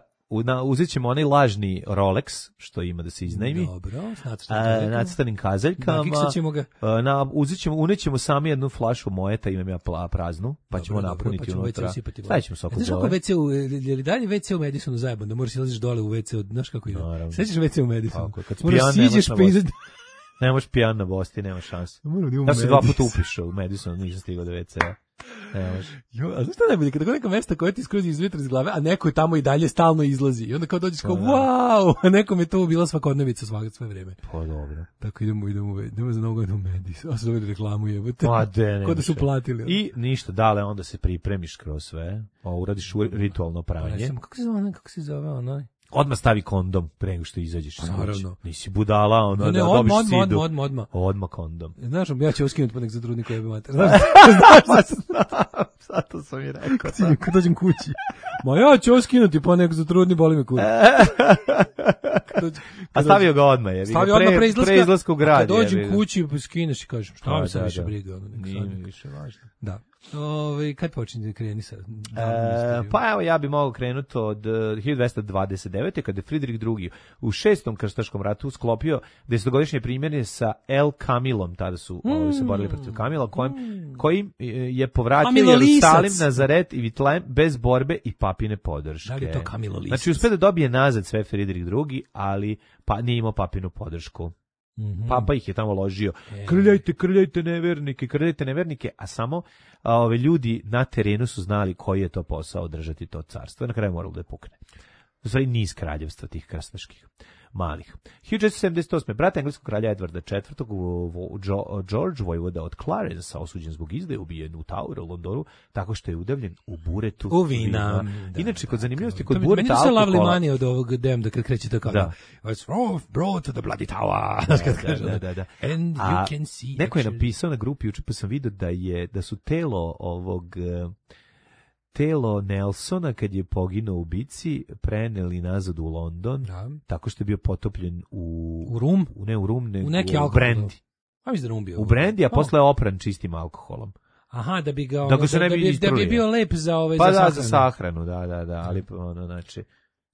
[SPEAKER 6] Uzet ćemo onaj lažni Rolex, što ima da se iznajmi.
[SPEAKER 7] Dobro, s
[SPEAKER 6] nacrtanim kazaljkama.
[SPEAKER 7] Nakiksat ga.
[SPEAKER 6] Na, uzet ćemo, unećemo sami jednu flašu mojeta, imam ja praznu, pa ćemo dobro, napuniti
[SPEAKER 7] pa ćemo
[SPEAKER 6] unutra.
[SPEAKER 7] Stavit ćemo soko znaš kako ve ce u, je li dalje ve ce u Madisonu zajeban, da moraš ilaziš dole u ve ce, znaš kako ide? Sećaš ve ce u Madisonu?
[SPEAKER 6] Moraš siđeš pa izad... Ne možeš pijan na Bosti, nema šanse. Ja se dva puta upišao u Madisonu, nisam stigao do ve ce-a.
[SPEAKER 7] Jo, a znaš šta najbolje, kada god neka mesta koja ti skrozi izvitra iz glave, a neko tamo i dalje stalno izlazi. I onda kao dođeš kao, wow, a nekom je to bila svakodnevica svakog sve vreme.
[SPEAKER 6] Pa dobro.
[SPEAKER 7] Tako idemo, idemo, idemo za novu godinu Medis. A se dobili reklamu jebote.
[SPEAKER 6] Pa de,
[SPEAKER 7] Ko da su platili.
[SPEAKER 6] I ništa, dale, onda se pripremiš kroz sve, a uradiš ritualno pranje.
[SPEAKER 7] Kako se zove, kako se zove onaj?
[SPEAKER 6] Odmah stavi kondom pre nego što izađeš.
[SPEAKER 7] Naravno.
[SPEAKER 6] Nisi budala, ono
[SPEAKER 7] ne,
[SPEAKER 6] da
[SPEAKER 7] odmah,
[SPEAKER 6] dobiš sidu.
[SPEAKER 7] Odmah, odmah, odmah.
[SPEAKER 6] Odmah kondom.
[SPEAKER 7] Znaš, ja ću oskinuti pa nek za trudniku jebe mater.
[SPEAKER 6] Znaš, znaš, zato sam i rekao.
[SPEAKER 7] Kad dođem kući. Ma ja ću oskinuti pa nek za trudni, boli me kurac.
[SPEAKER 6] A stavio ga odmah, je.
[SPEAKER 7] Stavio odmah pre izlaska.
[SPEAKER 6] Pre izlaska u grad.
[SPEAKER 7] Kad dođem kući, skineš i kažem, šta mi se više briga.
[SPEAKER 6] Nije mi više važno.
[SPEAKER 7] Da. Ove, kad počinje da kreni sa?
[SPEAKER 6] E, pa evo, ja bi mogao krenuti od uh, hiljadu dvesta dvadeset devete. kada je Fridrik drugi. u šestom krstaškom ratu sklopio desetogodišnje primjere sa El Kamilom, tada su mm. ovi se borili protiv Kamila, kojim, kojim je povratio Jerusalim, Nazaret i Vitlem bez borbe i papine podrške.
[SPEAKER 7] Da li je to Kamilo Lisac?
[SPEAKER 6] Znači, uspio da dobije nazad sve Fridrik drugi, ali pa nije imao papinu podršku. Mm-hmm. Papa ih je tamo ložio. E. Krljajte, krljajte nevernike, krljajte nevernike, a samo a, ove ljudi na terenu su znali koji je to posao održati to carstvo. I na kraju moralo da je pukne. U stvari niz kraljevstva tih krstaških malih. hiljadu četiristo sedamdeset osme. brat engleskog kralja Edvarda četvrtog. George vojvoda od Clarence osuđen zbog izdaje, ubijen u Toweru u Londonu tako što je udavljen u buretu
[SPEAKER 7] u vina.
[SPEAKER 6] Da, inače, kod zanimljivosti, kod bureta
[SPEAKER 7] alkohola... Meni se lovely money od ovog dem da kad kreće tako. Da. It's brought to the bloody tower.
[SPEAKER 6] Da, da, da, da.
[SPEAKER 7] And
[SPEAKER 6] A
[SPEAKER 7] you can see...
[SPEAKER 6] Neko je napisao na grupi, juče pa sam vidio da, je, da su telo ovog... Telo Nelsona, kad je poginuo u bici, preneli nazad u London, da. Tako što je bio potopljen u...
[SPEAKER 7] U rum?
[SPEAKER 6] U, ne u rum, nego
[SPEAKER 7] u, neki
[SPEAKER 6] u brandy.
[SPEAKER 7] A mi da rum bio?
[SPEAKER 6] U brandy, a posle je opran čistim alkoholom.
[SPEAKER 7] Aha, da bi ga... Ono,
[SPEAKER 6] da, da,
[SPEAKER 7] da, bi, da bi bio lep za, ove,
[SPEAKER 6] pa
[SPEAKER 7] za
[SPEAKER 6] da,
[SPEAKER 7] sahranu.
[SPEAKER 6] za sahranu, da, da, da, ali ono, znači...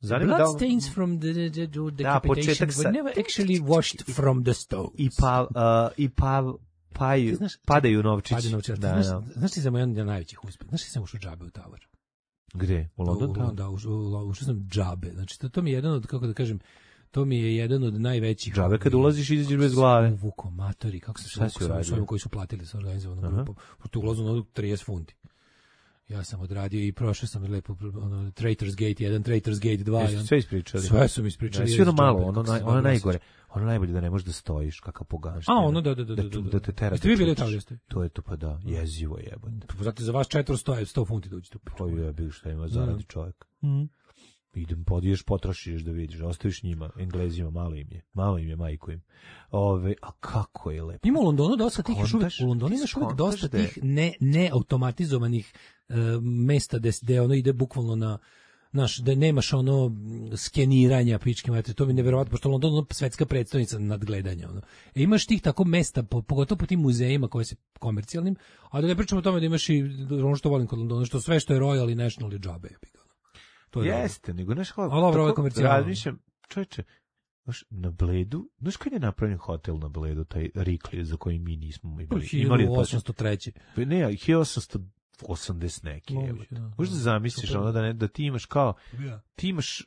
[SPEAKER 7] Blood da, stains from the, the, the decapitation were never actually washed from the stones.
[SPEAKER 6] I pa... Uh, i pa Paju, znaš, padaju novčići.
[SPEAKER 7] Padaju novčići. Da, znaš, da. Znaš ti za jedan od najvećih uspjeha? Znaš ti sam ušao džabe u Tower?
[SPEAKER 6] Gde? U London?
[SPEAKER 7] Da, ušao sam džabe. Znači, to, to mi je jedan od, kako da kažem, to mi je jedan od najvećih...
[SPEAKER 6] Džabe kad ulaziš i izađeš bez glave.
[SPEAKER 7] Uvuko, matori, kako se uvukao sa ovim koji su platili sa organizovanom grupom. Tu ulazu na trideset funti. Ja sam odradio i prošao sam lepo ono, Traitors Gate jedan, Traitors Gate dva.
[SPEAKER 6] Jeste sve ispričali?
[SPEAKER 7] Sve su mi ispričali.
[SPEAKER 6] Sve ono malo, ono, naj, ono najgore. Ono najbolje da ne možeš da stojiš, kakav pogašten.
[SPEAKER 7] A, ono, da, da, da. Da, da, da,
[SPEAKER 6] da te tera.
[SPEAKER 7] Jeste vi bili tamo, jeste?
[SPEAKER 6] To je to, pa da, jezivo jebate.
[SPEAKER 7] Zato za vas četiristo, sto funti da uđete.
[SPEAKER 6] Pa je bil šta ima zaradi čovjek. Mm. Idem, podiješ, potrošiš da vidiš, ostaviš njima, Englezima, malo im je, malo im je, majku im. Ove, a kako je lepo.
[SPEAKER 7] Ima u Londonu dosta tih, još uvijek, u Londonu imaš uvijek dosta tih ne, neautomatizovanih uh, mesta gde, gde ono ide bukvalno na, znaš, da nemaš ono skeniranja pičke mater, to mi je neverovatno, pošto London je ono svetska predstavnica nadgledanja. Ono. E, imaš tih tako mesta, po, pogotovo po tim muzejima koje se komercijalnim, a da ne pričamo o tome da imaš i ono što volim kod Londona, što sve što je Royal i National je džabe.
[SPEAKER 6] To je jeste, nego znaš kako,
[SPEAKER 7] tako
[SPEAKER 6] razmišljam, čovječe, znaš, na Bledu, znaš kad je napravljen hotel na Bledu, taj Rikli, za koji mi nismo imali?
[SPEAKER 7] hiljadu osamsto treće.
[SPEAKER 6] Pa ne, hiljadu osamsto osamdeset neki. Možda zamisliš ono da, ne, da ti imaš kao, ti imaš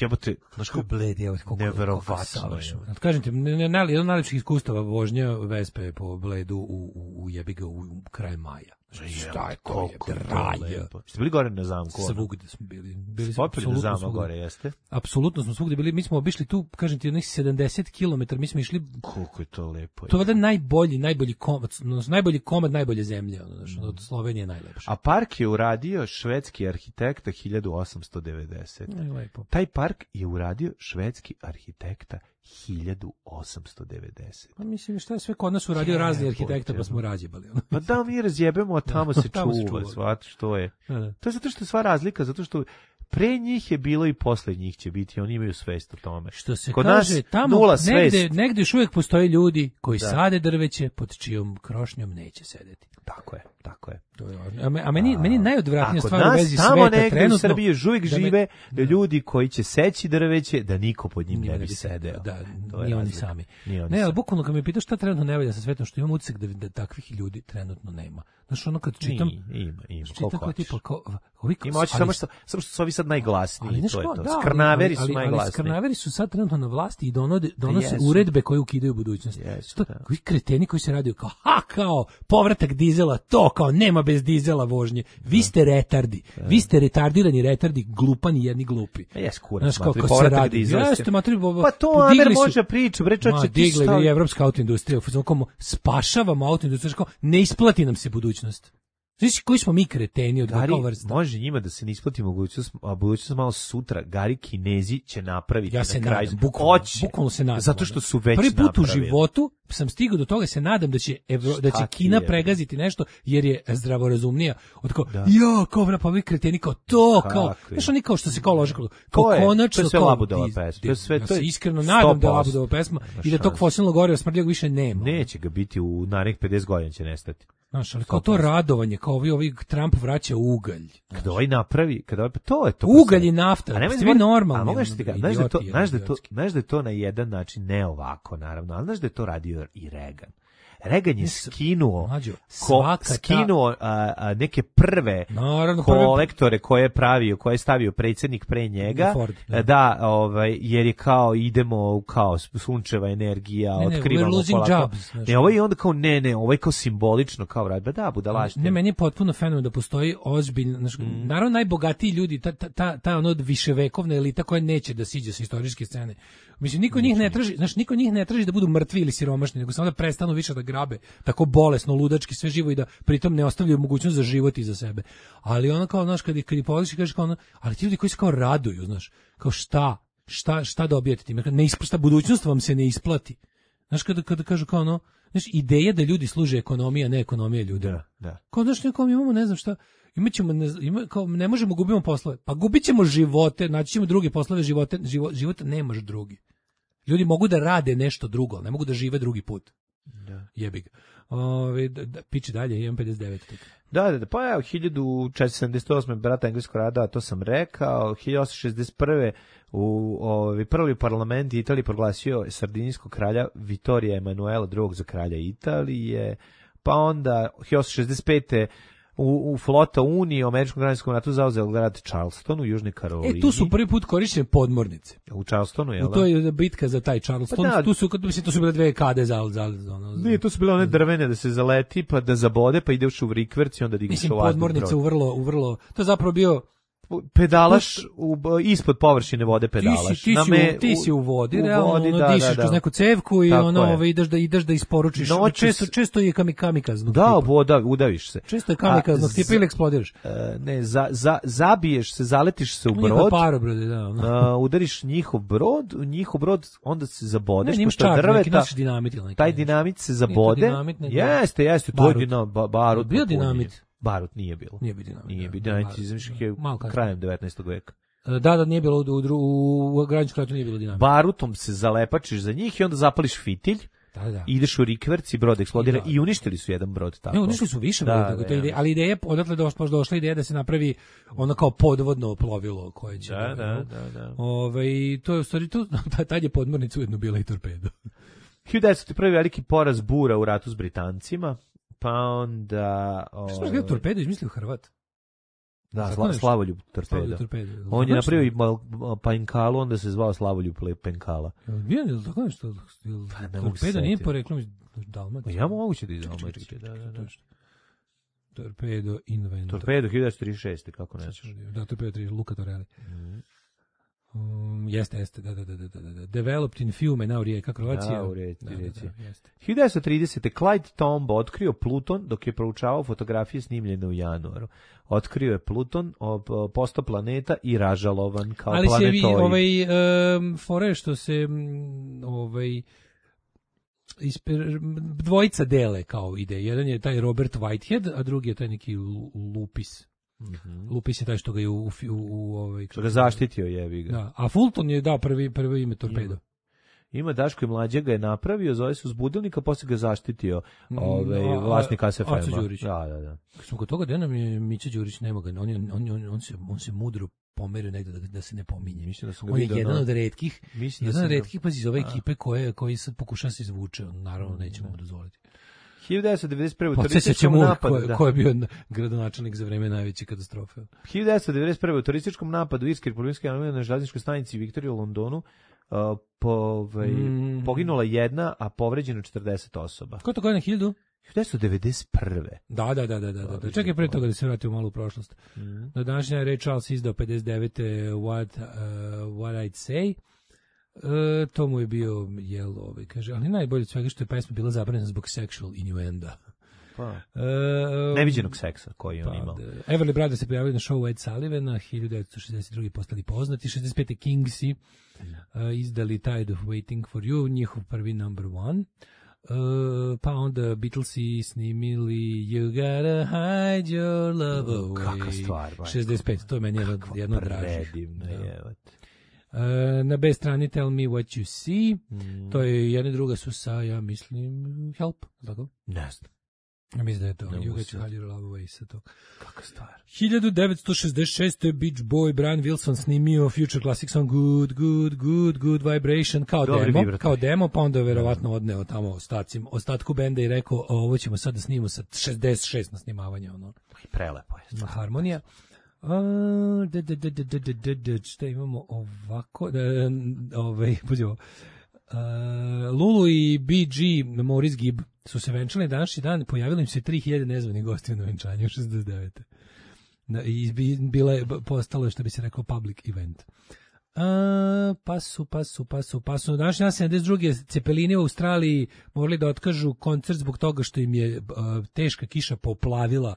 [SPEAKER 6] jebote, znaš kako
[SPEAKER 7] Bled je
[SPEAKER 6] neverovatno.
[SPEAKER 7] Kažem ti, jedan od najlepših iskustava vožnja Vespe po Bledu u, u, u jebiga u kraju maja. Šta je to je dralje.
[SPEAKER 6] Ste bili gore na zamku?
[SPEAKER 7] Svugde smo bili. Bili
[SPEAKER 6] smo apsolutno na zamku gore, jeste?
[SPEAKER 7] Apsolutno smo svugde bili. Mi smo obišli tu, kažem ti, onih sedamdeset kilometara, mi smo išli...
[SPEAKER 6] Koliko je to lepo.
[SPEAKER 7] To je valjda najbolji, najbolji komad, najbolji komad najbolje zemlje, ono, znači, od Slovenije najlepše.
[SPEAKER 6] A park je uradio švedski arhitekta hiljadu osamsto devedesete.
[SPEAKER 7] Lepo.
[SPEAKER 6] Taj park je uradio švedski arhitekta hiljadu osamsto devedesete.
[SPEAKER 7] Pa mislim, šta je sve kod nas uradio razni arhitekta, pa smo razjebali.
[SPEAKER 6] Pa da, mi razjebemo, a tamo se
[SPEAKER 7] tamo se
[SPEAKER 6] čuva,
[SPEAKER 7] čuva.
[SPEAKER 6] shvat što je.
[SPEAKER 7] Da, da.
[SPEAKER 6] To je zato što je sva razlika, zato što pre njih je bilo i posle njih će biti, oni imaju svest o tome.
[SPEAKER 7] Što se
[SPEAKER 6] Kod
[SPEAKER 7] kaže,
[SPEAKER 6] nas
[SPEAKER 7] tamo
[SPEAKER 6] nula
[SPEAKER 7] negde,
[SPEAKER 6] svest.
[SPEAKER 7] negde još uvijek postoje ljudi koji
[SPEAKER 6] Da.
[SPEAKER 7] sade drveće pod čijom krošnjom neće sedeti.
[SPEAKER 6] Tako je, tako je.
[SPEAKER 7] To je važno. A, me- a meni, meni najodvratnija
[SPEAKER 6] A kod
[SPEAKER 7] stvar u
[SPEAKER 6] nas
[SPEAKER 7] vezi
[SPEAKER 6] tamo
[SPEAKER 7] sveta
[SPEAKER 6] negde
[SPEAKER 7] trenutno...
[SPEAKER 6] u Srbiji još uvijek
[SPEAKER 7] da me-
[SPEAKER 6] žive
[SPEAKER 7] da.
[SPEAKER 6] ljudi koji će seći drveće da niko pod njim
[SPEAKER 7] Njima
[SPEAKER 6] ne bi sedeo.
[SPEAKER 7] Da,
[SPEAKER 6] To je
[SPEAKER 7] ni oni
[SPEAKER 6] razlika.
[SPEAKER 7] sami.
[SPEAKER 6] Ni oni
[SPEAKER 7] Ne, ali
[SPEAKER 6] sami.
[SPEAKER 7] bukvalno kad me pitaš šta trenutno ne valja sa svetom, što imam utisak da, da takvih ljudi trenutno nema. Znaš, ono kad čitam...
[SPEAKER 6] Nije, ima, ima,
[SPEAKER 7] čitam
[SPEAKER 6] koliko
[SPEAKER 7] kao
[SPEAKER 6] hoćeš.
[SPEAKER 7] tipa, kao, ovi,
[SPEAKER 6] Ima hoće
[SPEAKER 7] ali-
[SPEAKER 6] samo što, samo što su ovi sad najglasniji,
[SPEAKER 7] ali, znaš
[SPEAKER 6] to je
[SPEAKER 7] kao,
[SPEAKER 6] to.
[SPEAKER 7] da, ali-
[SPEAKER 6] Skrnaveri su
[SPEAKER 7] ali- ali
[SPEAKER 6] najglasniji.
[SPEAKER 7] Skrnaveri su sad trenutno na vlasti i donode, donose
[SPEAKER 6] jesu.
[SPEAKER 7] uredbe koje ukidaju budućnost.
[SPEAKER 6] Jesu,
[SPEAKER 7] To,
[SPEAKER 6] da.
[SPEAKER 7] koji kreteni koji se radio kao, ha, kao, povratak dizela, to, kao, nema bez dizela vožnje. Vi ste retardi. Vi ste retardirani retardi, glupani jedni glupi.
[SPEAKER 6] A jes kurac,
[SPEAKER 7] Znaš, kao,
[SPEAKER 6] matri,
[SPEAKER 7] kao se
[SPEAKER 6] povratak
[SPEAKER 7] radi.
[SPEAKER 6] dizela.
[SPEAKER 7] Jeste, matri, bo-
[SPEAKER 6] Pa to
[SPEAKER 7] podigli
[SPEAKER 6] Amer
[SPEAKER 7] su-
[SPEAKER 6] može priča, bre
[SPEAKER 7] Ma,
[SPEAKER 6] čoče, ti
[SPEAKER 7] digli
[SPEAKER 6] šta?
[SPEAKER 7] i evropska autoindustrija, u fazonu kao, spašavamo autoindustriju, kao, ne isplati nam se budućnost. Znaš koji smo mi kreteni od
[SPEAKER 6] Gari,
[SPEAKER 7] kakva vrsta?
[SPEAKER 6] može njima da se ne isplati mogućnost, a budućnost malo sutra, Gari Kinezi će napraviti
[SPEAKER 7] Ja se
[SPEAKER 6] na kraju.
[SPEAKER 7] nadam, bukvalno,
[SPEAKER 6] Hoće.
[SPEAKER 7] bukvalno se nadam.
[SPEAKER 6] Zato što su već
[SPEAKER 7] Prvi put u
[SPEAKER 6] napravili.
[SPEAKER 7] životu sam stigao do toga, se nadam da će Evro, da će
[SPEAKER 6] Šta ti
[SPEAKER 7] Kina
[SPEAKER 6] je?
[SPEAKER 7] pregaziti nešto jer je zdravorazumnija. Od kao,
[SPEAKER 6] Da.
[SPEAKER 7] ja, kao vra, pa vi kreteni kao to,
[SPEAKER 6] Kako
[SPEAKER 7] kao,
[SPEAKER 6] je?
[SPEAKER 7] znaš, oni kao što se kao lože, kao, kao
[SPEAKER 6] To je-
[SPEAKER 7] konačno,
[SPEAKER 6] to je sve
[SPEAKER 7] kao,
[SPEAKER 6] Labudova
[SPEAKER 7] di-
[SPEAKER 6] pesma,
[SPEAKER 7] di-
[SPEAKER 6] to je sve-
[SPEAKER 7] ja
[SPEAKER 6] to je
[SPEAKER 7] se iskreno nadam da je
[SPEAKER 6] sto posto.
[SPEAKER 7] Labudova pesma
[SPEAKER 6] Nema
[SPEAKER 7] i da tog
[SPEAKER 6] šanse.
[SPEAKER 7] fosilnog goriva smrdljivog više nema.
[SPEAKER 6] Neće ga biti u narednih pedeset godina će nestati.
[SPEAKER 7] Znaš, ali kao to radovanje, kao ovi, ovi Trump vraća ugalj.
[SPEAKER 6] Kada ovaj napravi, kada ovaj, to je to.
[SPEAKER 7] Ugalj i nafta,
[SPEAKER 6] A nemoj
[SPEAKER 7] ste vi
[SPEAKER 6] zaboraviti-
[SPEAKER 7] normalni,
[SPEAKER 6] A mogu
[SPEAKER 7] ono,
[SPEAKER 6] ti kažem, znaš da je to,
[SPEAKER 7] idioti,
[SPEAKER 6] znaš da je to,
[SPEAKER 7] idiotski.
[SPEAKER 6] znaš da je to na jedan način ne ovako naravno, ali znaš da je to radio i Reagan. Reagan je skinuo,
[SPEAKER 7] Mlađo,
[SPEAKER 6] ko,
[SPEAKER 7] svaka ta-
[SPEAKER 6] skinuo a, a, neke prve
[SPEAKER 7] Naravno, prve-
[SPEAKER 6] kolektore koje je pravio, koje je stavio predsjednik pre njega,
[SPEAKER 7] Ford, da.
[SPEAKER 6] da, ovaj, jer je kao idemo u kao sunčeva energija,
[SPEAKER 7] Ne, ne,
[SPEAKER 6] otkrivamo
[SPEAKER 7] we're losing
[SPEAKER 6] polako.
[SPEAKER 7] jobs, znaš.
[SPEAKER 6] Ne, ovo je onda kao ne, ne, ovo je kao simbolično, kao rad, ba da, budalaštine.
[SPEAKER 7] Ne, meni je potpuno fenomen da postoji ozbiljno, znaš,
[SPEAKER 6] Mm.
[SPEAKER 7] naravno najbogatiji ljudi, ta, ta, ta, ta ono viševekovna elita koja neće da siđe sa istorijske scene. Mislim, niko njih ne traži, znaš, niko njih ne traži da budu mrtvi ili siromašni, nego samo da prestanu više da grabe tako bolesno, ludački, sve živo i da pritom ne ostavljaju mogućnost za život i za sebe. Ali ono kao, znaš, kad ih, kad ih pogledaš i kažeš kao ono, ali ti ljudi koji se kao raduju, znaš, kao šta, šta, šta dobijete time? Ne isplata, budućnost vam se ne isplati. Znaš, kada, kada kažu kao ono, znaš, ideja da ljudi služe ekonomija, ne ekonomija ljudima.
[SPEAKER 6] Da, da.
[SPEAKER 7] Kao znaš, nekom imamo, ne znam šta, imaćemo, ne, znam, ima, kao, ne možemo, gubimo poslove. Pa gubit ćemo živote, naći ćemo druge poslove, živote, život, život nemaš drugi. Ljudi mogu da rade nešto drugo, ali ne mogu da žive drugi put.
[SPEAKER 6] Da.
[SPEAKER 7] Jebi ga. Ove, da, da, piči dalje, imam pedeset devet. Tek.
[SPEAKER 6] Da, da, da, pa evo, hiljadu četiristo sedamdeset osme brata englesko rada, to sam rekao, hiljadu osamsto šezdeset prve u ovi prvi parlament Italije proglasio sardinijskog kralja Vittorija Emanuela drugog za kralja Italije, pa onda hiljadu osamsto šezdeset pete u, u flota Unije u američkom građanskom ratu zauzeo grad Charleston u Južnoj Karolini.
[SPEAKER 7] E, tu su prvi put korišćene podmornice.
[SPEAKER 6] U Charlestonu, jel
[SPEAKER 7] U
[SPEAKER 6] da?
[SPEAKER 7] to je bitka za taj Charleston.
[SPEAKER 6] Pa da.
[SPEAKER 7] Tu su, mislim, to su bile dve kade za... za, za, ono,
[SPEAKER 6] Ne, to su bile one drvene da se zaleti, pa da zabode, pa ideš u rikverc i onda digneš
[SPEAKER 7] mislim,
[SPEAKER 6] u vazduh
[SPEAKER 7] podmornice
[SPEAKER 6] brod.
[SPEAKER 7] u vrlo, u vrlo... To je zapravo bio...
[SPEAKER 6] Pedalaš u, ispod površine vode pedalaš.
[SPEAKER 7] Ti si, ti
[SPEAKER 6] Na
[SPEAKER 7] si,
[SPEAKER 6] me-
[SPEAKER 7] u, ti si u vodi,
[SPEAKER 6] u
[SPEAKER 7] realno,
[SPEAKER 6] vodi,
[SPEAKER 7] ono,
[SPEAKER 6] da,
[SPEAKER 7] dišeš
[SPEAKER 6] da, da.
[SPEAKER 7] kroz neku cevku i
[SPEAKER 6] Tako
[SPEAKER 7] ono,
[SPEAKER 6] je.
[SPEAKER 7] ovaj, ideš da ideš da isporučiš.
[SPEAKER 6] Noćas-
[SPEAKER 7] često, često je kami, kamikaznog
[SPEAKER 6] Da,
[SPEAKER 7] tipa.
[SPEAKER 6] voda, udaviš se.
[SPEAKER 7] Često je kamikaznog
[SPEAKER 6] A,
[SPEAKER 7] tipa ili eksplodiraš.
[SPEAKER 6] E, ne, za, za, zabiješ se, zaletiš se u
[SPEAKER 7] Njihov
[SPEAKER 6] brod,
[SPEAKER 7] parobrode, da. Ono.
[SPEAKER 6] a, udariš njihov brod, u njihov brod, onda se zabodeš,
[SPEAKER 7] Ne, nimaš
[SPEAKER 6] pošto je
[SPEAKER 7] čar, neki
[SPEAKER 6] drveta,
[SPEAKER 7] nosiš dinamit ili neki.
[SPEAKER 6] taj
[SPEAKER 7] nešto.
[SPEAKER 6] dinamit se
[SPEAKER 7] Nije
[SPEAKER 6] zabode.
[SPEAKER 7] to dinamit, nego-
[SPEAKER 6] Jeste, jeste, to je
[SPEAKER 7] Barut.
[SPEAKER 6] dinamit, ba, barut.
[SPEAKER 7] Bio
[SPEAKER 6] napunjen.
[SPEAKER 7] dinamit?
[SPEAKER 6] Barut nije bilo.
[SPEAKER 7] Nije bio dinamit.
[SPEAKER 6] Nije
[SPEAKER 7] da.
[SPEAKER 6] bio dinamit,
[SPEAKER 7] Barut.
[SPEAKER 6] izmišljih je
[SPEAKER 7] Malo kasnije.
[SPEAKER 6] krajem devetnaestog veka.
[SPEAKER 7] Da, da, nije bilo u, u, u građanskom ratu nije bilo dinamita.
[SPEAKER 6] Barutom se zalepačiš za njih i onda zapališ fitilj,
[SPEAKER 7] Da, da.
[SPEAKER 6] ideš u rikverc i brod eksplodira
[SPEAKER 7] I da.
[SPEAKER 6] i uništili su jedan brod tako.
[SPEAKER 7] Ne, uništili su više
[SPEAKER 6] Da,
[SPEAKER 7] broda,
[SPEAKER 6] da,
[SPEAKER 7] to je
[SPEAKER 6] ja
[SPEAKER 7] ideja, ali ideja, odatle došla, došla ideja da se napravi ono kao podvodno plovilo koje će...
[SPEAKER 6] Da, da, da, da.
[SPEAKER 7] Ove, i to je u stvari, tu, tad je podmornica ujedno bila i torpedo.
[SPEAKER 6] hiljadu devetsto prvi veliki poraz bura u ratu s Britancima, pa onda...
[SPEAKER 7] Što smo rekli torpedo, izmislio Hrvat?
[SPEAKER 6] Da,
[SPEAKER 7] Tako
[SPEAKER 6] sla,
[SPEAKER 7] nešto?
[SPEAKER 6] Slavoljub torpedo.
[SPEAKER 7] Slavoljub torpedo.
[SPEAKER 6] On je
[SPEAKER 7] Tako
[SPEAKER 6] napravio i
[SPEAKER 7] nešto?
[SPEAKER 6] mal- Pankalu, onda se zvao Slavoljub Penkala.
[SPEAKER 7] Bio je li tako nešto? Jel
[SPEAKER 6] Pa ne mogu se
[SPEAKER 7] torpedo nije
[SPEAKER 6] setiti.
[SPEAKER 7] poreklom iz Dalmacije?
[SPEAKER 6] Ja moguće da iz Dalmacije, da, da, da.
[SPEAKER 7] Torpedo Inventor.
[SPEAKER 6] Torpedo hiljadu devetsto trideset šeste kako nećeš.
[SPEAKER 7] Da, Torpedo tri, Luca Torelli. Mm. Um, jeste, jeste, da, da, da, da, da. Developed in Fiume, na u rijeka Kroacija.
[SPEAKER 6] Da, u rijeci,
[SPEAKER 7] da,
[SPEAKER 6] rijeci.
[SPEAKER 7] Da, da, jeste.
[SPEAKER 6] hiljadu devetsto tridesete. Clyde Tombaugh otkrio Pluton dok je proučavao fotografije snimljene u januaru. Otkrio je Pluton, postao planeta i ražalovan kao
[SPEAKER 7] ali
[SPEAKER 6] planetoid.
[SPEAKER 7] Ali se vi, ovaj, um, fore što se, ovaj, isper, dvojica dele kao ide. Jedan je taj Robert Whitehead, a drugi je taj neki Lupis. Mm-hmm. Lupis je taj što ga je u, u, u ovaj
[SPEAKER 6] što ga zaštitio, jebi ga.
[SPEAKER 7] Da, a Fulton je dao prvi prvo ime Torpedo.
[SPEAKER 6] Ima, ima Daško i Mlađe ga je napravio, zove se Uzbudilnika, posle ga zaštitio ovaj
[SPEAKER 7] no,
[SPEAKER 6] vlasnik A S F M-a.
[SPEAKER 7] Da,
[SPEAKER 6] da, da.
[SPEAKER 7] Kad smo kod toga da nam je Mića Đurić nema ga, on, on, on, on, on se on se mudro pomerio negde da, da se ne pominje.
[SPEAKER 6] Mislim da sam ga
[SPEAKER 7] on je
[SPEAKER 6] vidio.
[SPEAKER 7] jedan
[SPEAKER 6] no,
[SPEAKER 7] od retkih,
[SPEAKER 6] mislim
[SPEAKER 7] jedan
[SPEAKER 6] da
[SPEAKER 7] od retkih pazi iz ove
[SPEAKER 6] a.
[SPEAKER 7] ekipe koje koji se pokuša se izvuče, on naravno nećemo mu dozvoliti.
[SPEAKER 6] hiljadu devetsto devedeset prve. u
[SPEAKER 7] turističkom napadu, ko,
[SPEAKER 6] da.
[SPEAKER 7] ko je bio gradonačelnik za vreme najveće katastrofe.
[SPEAKER 6] hiljadu devetsto devedeset prve. u turističkom napadu Irske republikanske armije na železničkoj stanici Viktorija u Londonu uh, po, ovaj, mm. poginula jedna, a povređeno četrdeset osoba.
[SPEAKER 7] Ko to godine hiljadu?
[SPEAKER 6] hiljadu devetsto devedeset prve.
[SPEAKER 7] Da, da, da, da, da, da. Čekaj pre toga da se vratimo malo u prošlost. Mm. Na današnja Ray Charles izdao pedeset devete. What, uh, what I'd Say. E, to mu je bio jel, ovaj, kaže, ali najbolje od svega što je pesma bila zabranjena zbog sexual innuenda.
[SPEAKER 6] Pa.
[SPEAKER 7] E,
[SPEAKER 6] Neviđenog seksa koji on
[SPEAKER 7] pa,
[SPEAKER 6] imao.
[SPEAKER 7] Everly Brothers se pojavili na showu Ed Sullivana, hiljadu devetsto šezdeset druge. postali poznati, šezdeset pete. Kingsi uh, izdali Tide of Waiting for You, njihov prvi number one. Uh, pa onda Beatlesi snimili You Gotta Hide Your Love Away.
[SPEAKER 6] Kakva stvar, baj.
[SPEAKER 7] šezdeset pet. To je meni jedno, jedno dražih.
[SPEAKER 6] Predivno je.
[SPEAKER 7] Uh, na B strani Tell Me What You See,
[SPEAKER 6] mm.
[SPEAKER 7] to je jedna i druga su sa, ja mislim, Help, tako?
[SPEAKER 6] Ne znam.
[SPEAKER 7] Ja mislim da je to, no, You Get Hide Your Love Away sa to.
[SPEAKER 6] Kakva stvar.
[SPEAKER 7] hiljadu devetsto šezdeset šeste. Beach Boy Brian Wilson snimio Future Classic Song Good, Good, Good, Good Vibration kao
[SPEAKER 6] Dobri
[SPEAKER 7] demo,
[SPEAKER 6] vibrator.
[SPEAKER 7] kao demo, pa onda je verovatno odneo tamo ostacim, ostatku benda i rekao, ovo ćemo sad da snimimo sa šezdeset šest na snimavanje, ono.
[SPEAKER 6] Prelepo je.
[SPEAKER 7] Harmonija. Uh, da, da, da, da, da, da, da, šta imamo ovako, da, ovaj, buđevo, uh, Lulu i B G, Maurice Gibb, su se venčali današnji dan, pojavilo im se tri hiljade nezvanih gostiju na venčanju, šezdeset devete. Da, i bila je, postalo je, što bi se rekao, public event. Uh, pa su, pa su, pa su, pa su. Današnji dan sedamdeset druge. Cepelini u Australiji morali da otkažu koncert zbog toga što im je uh, teška kiša poplavila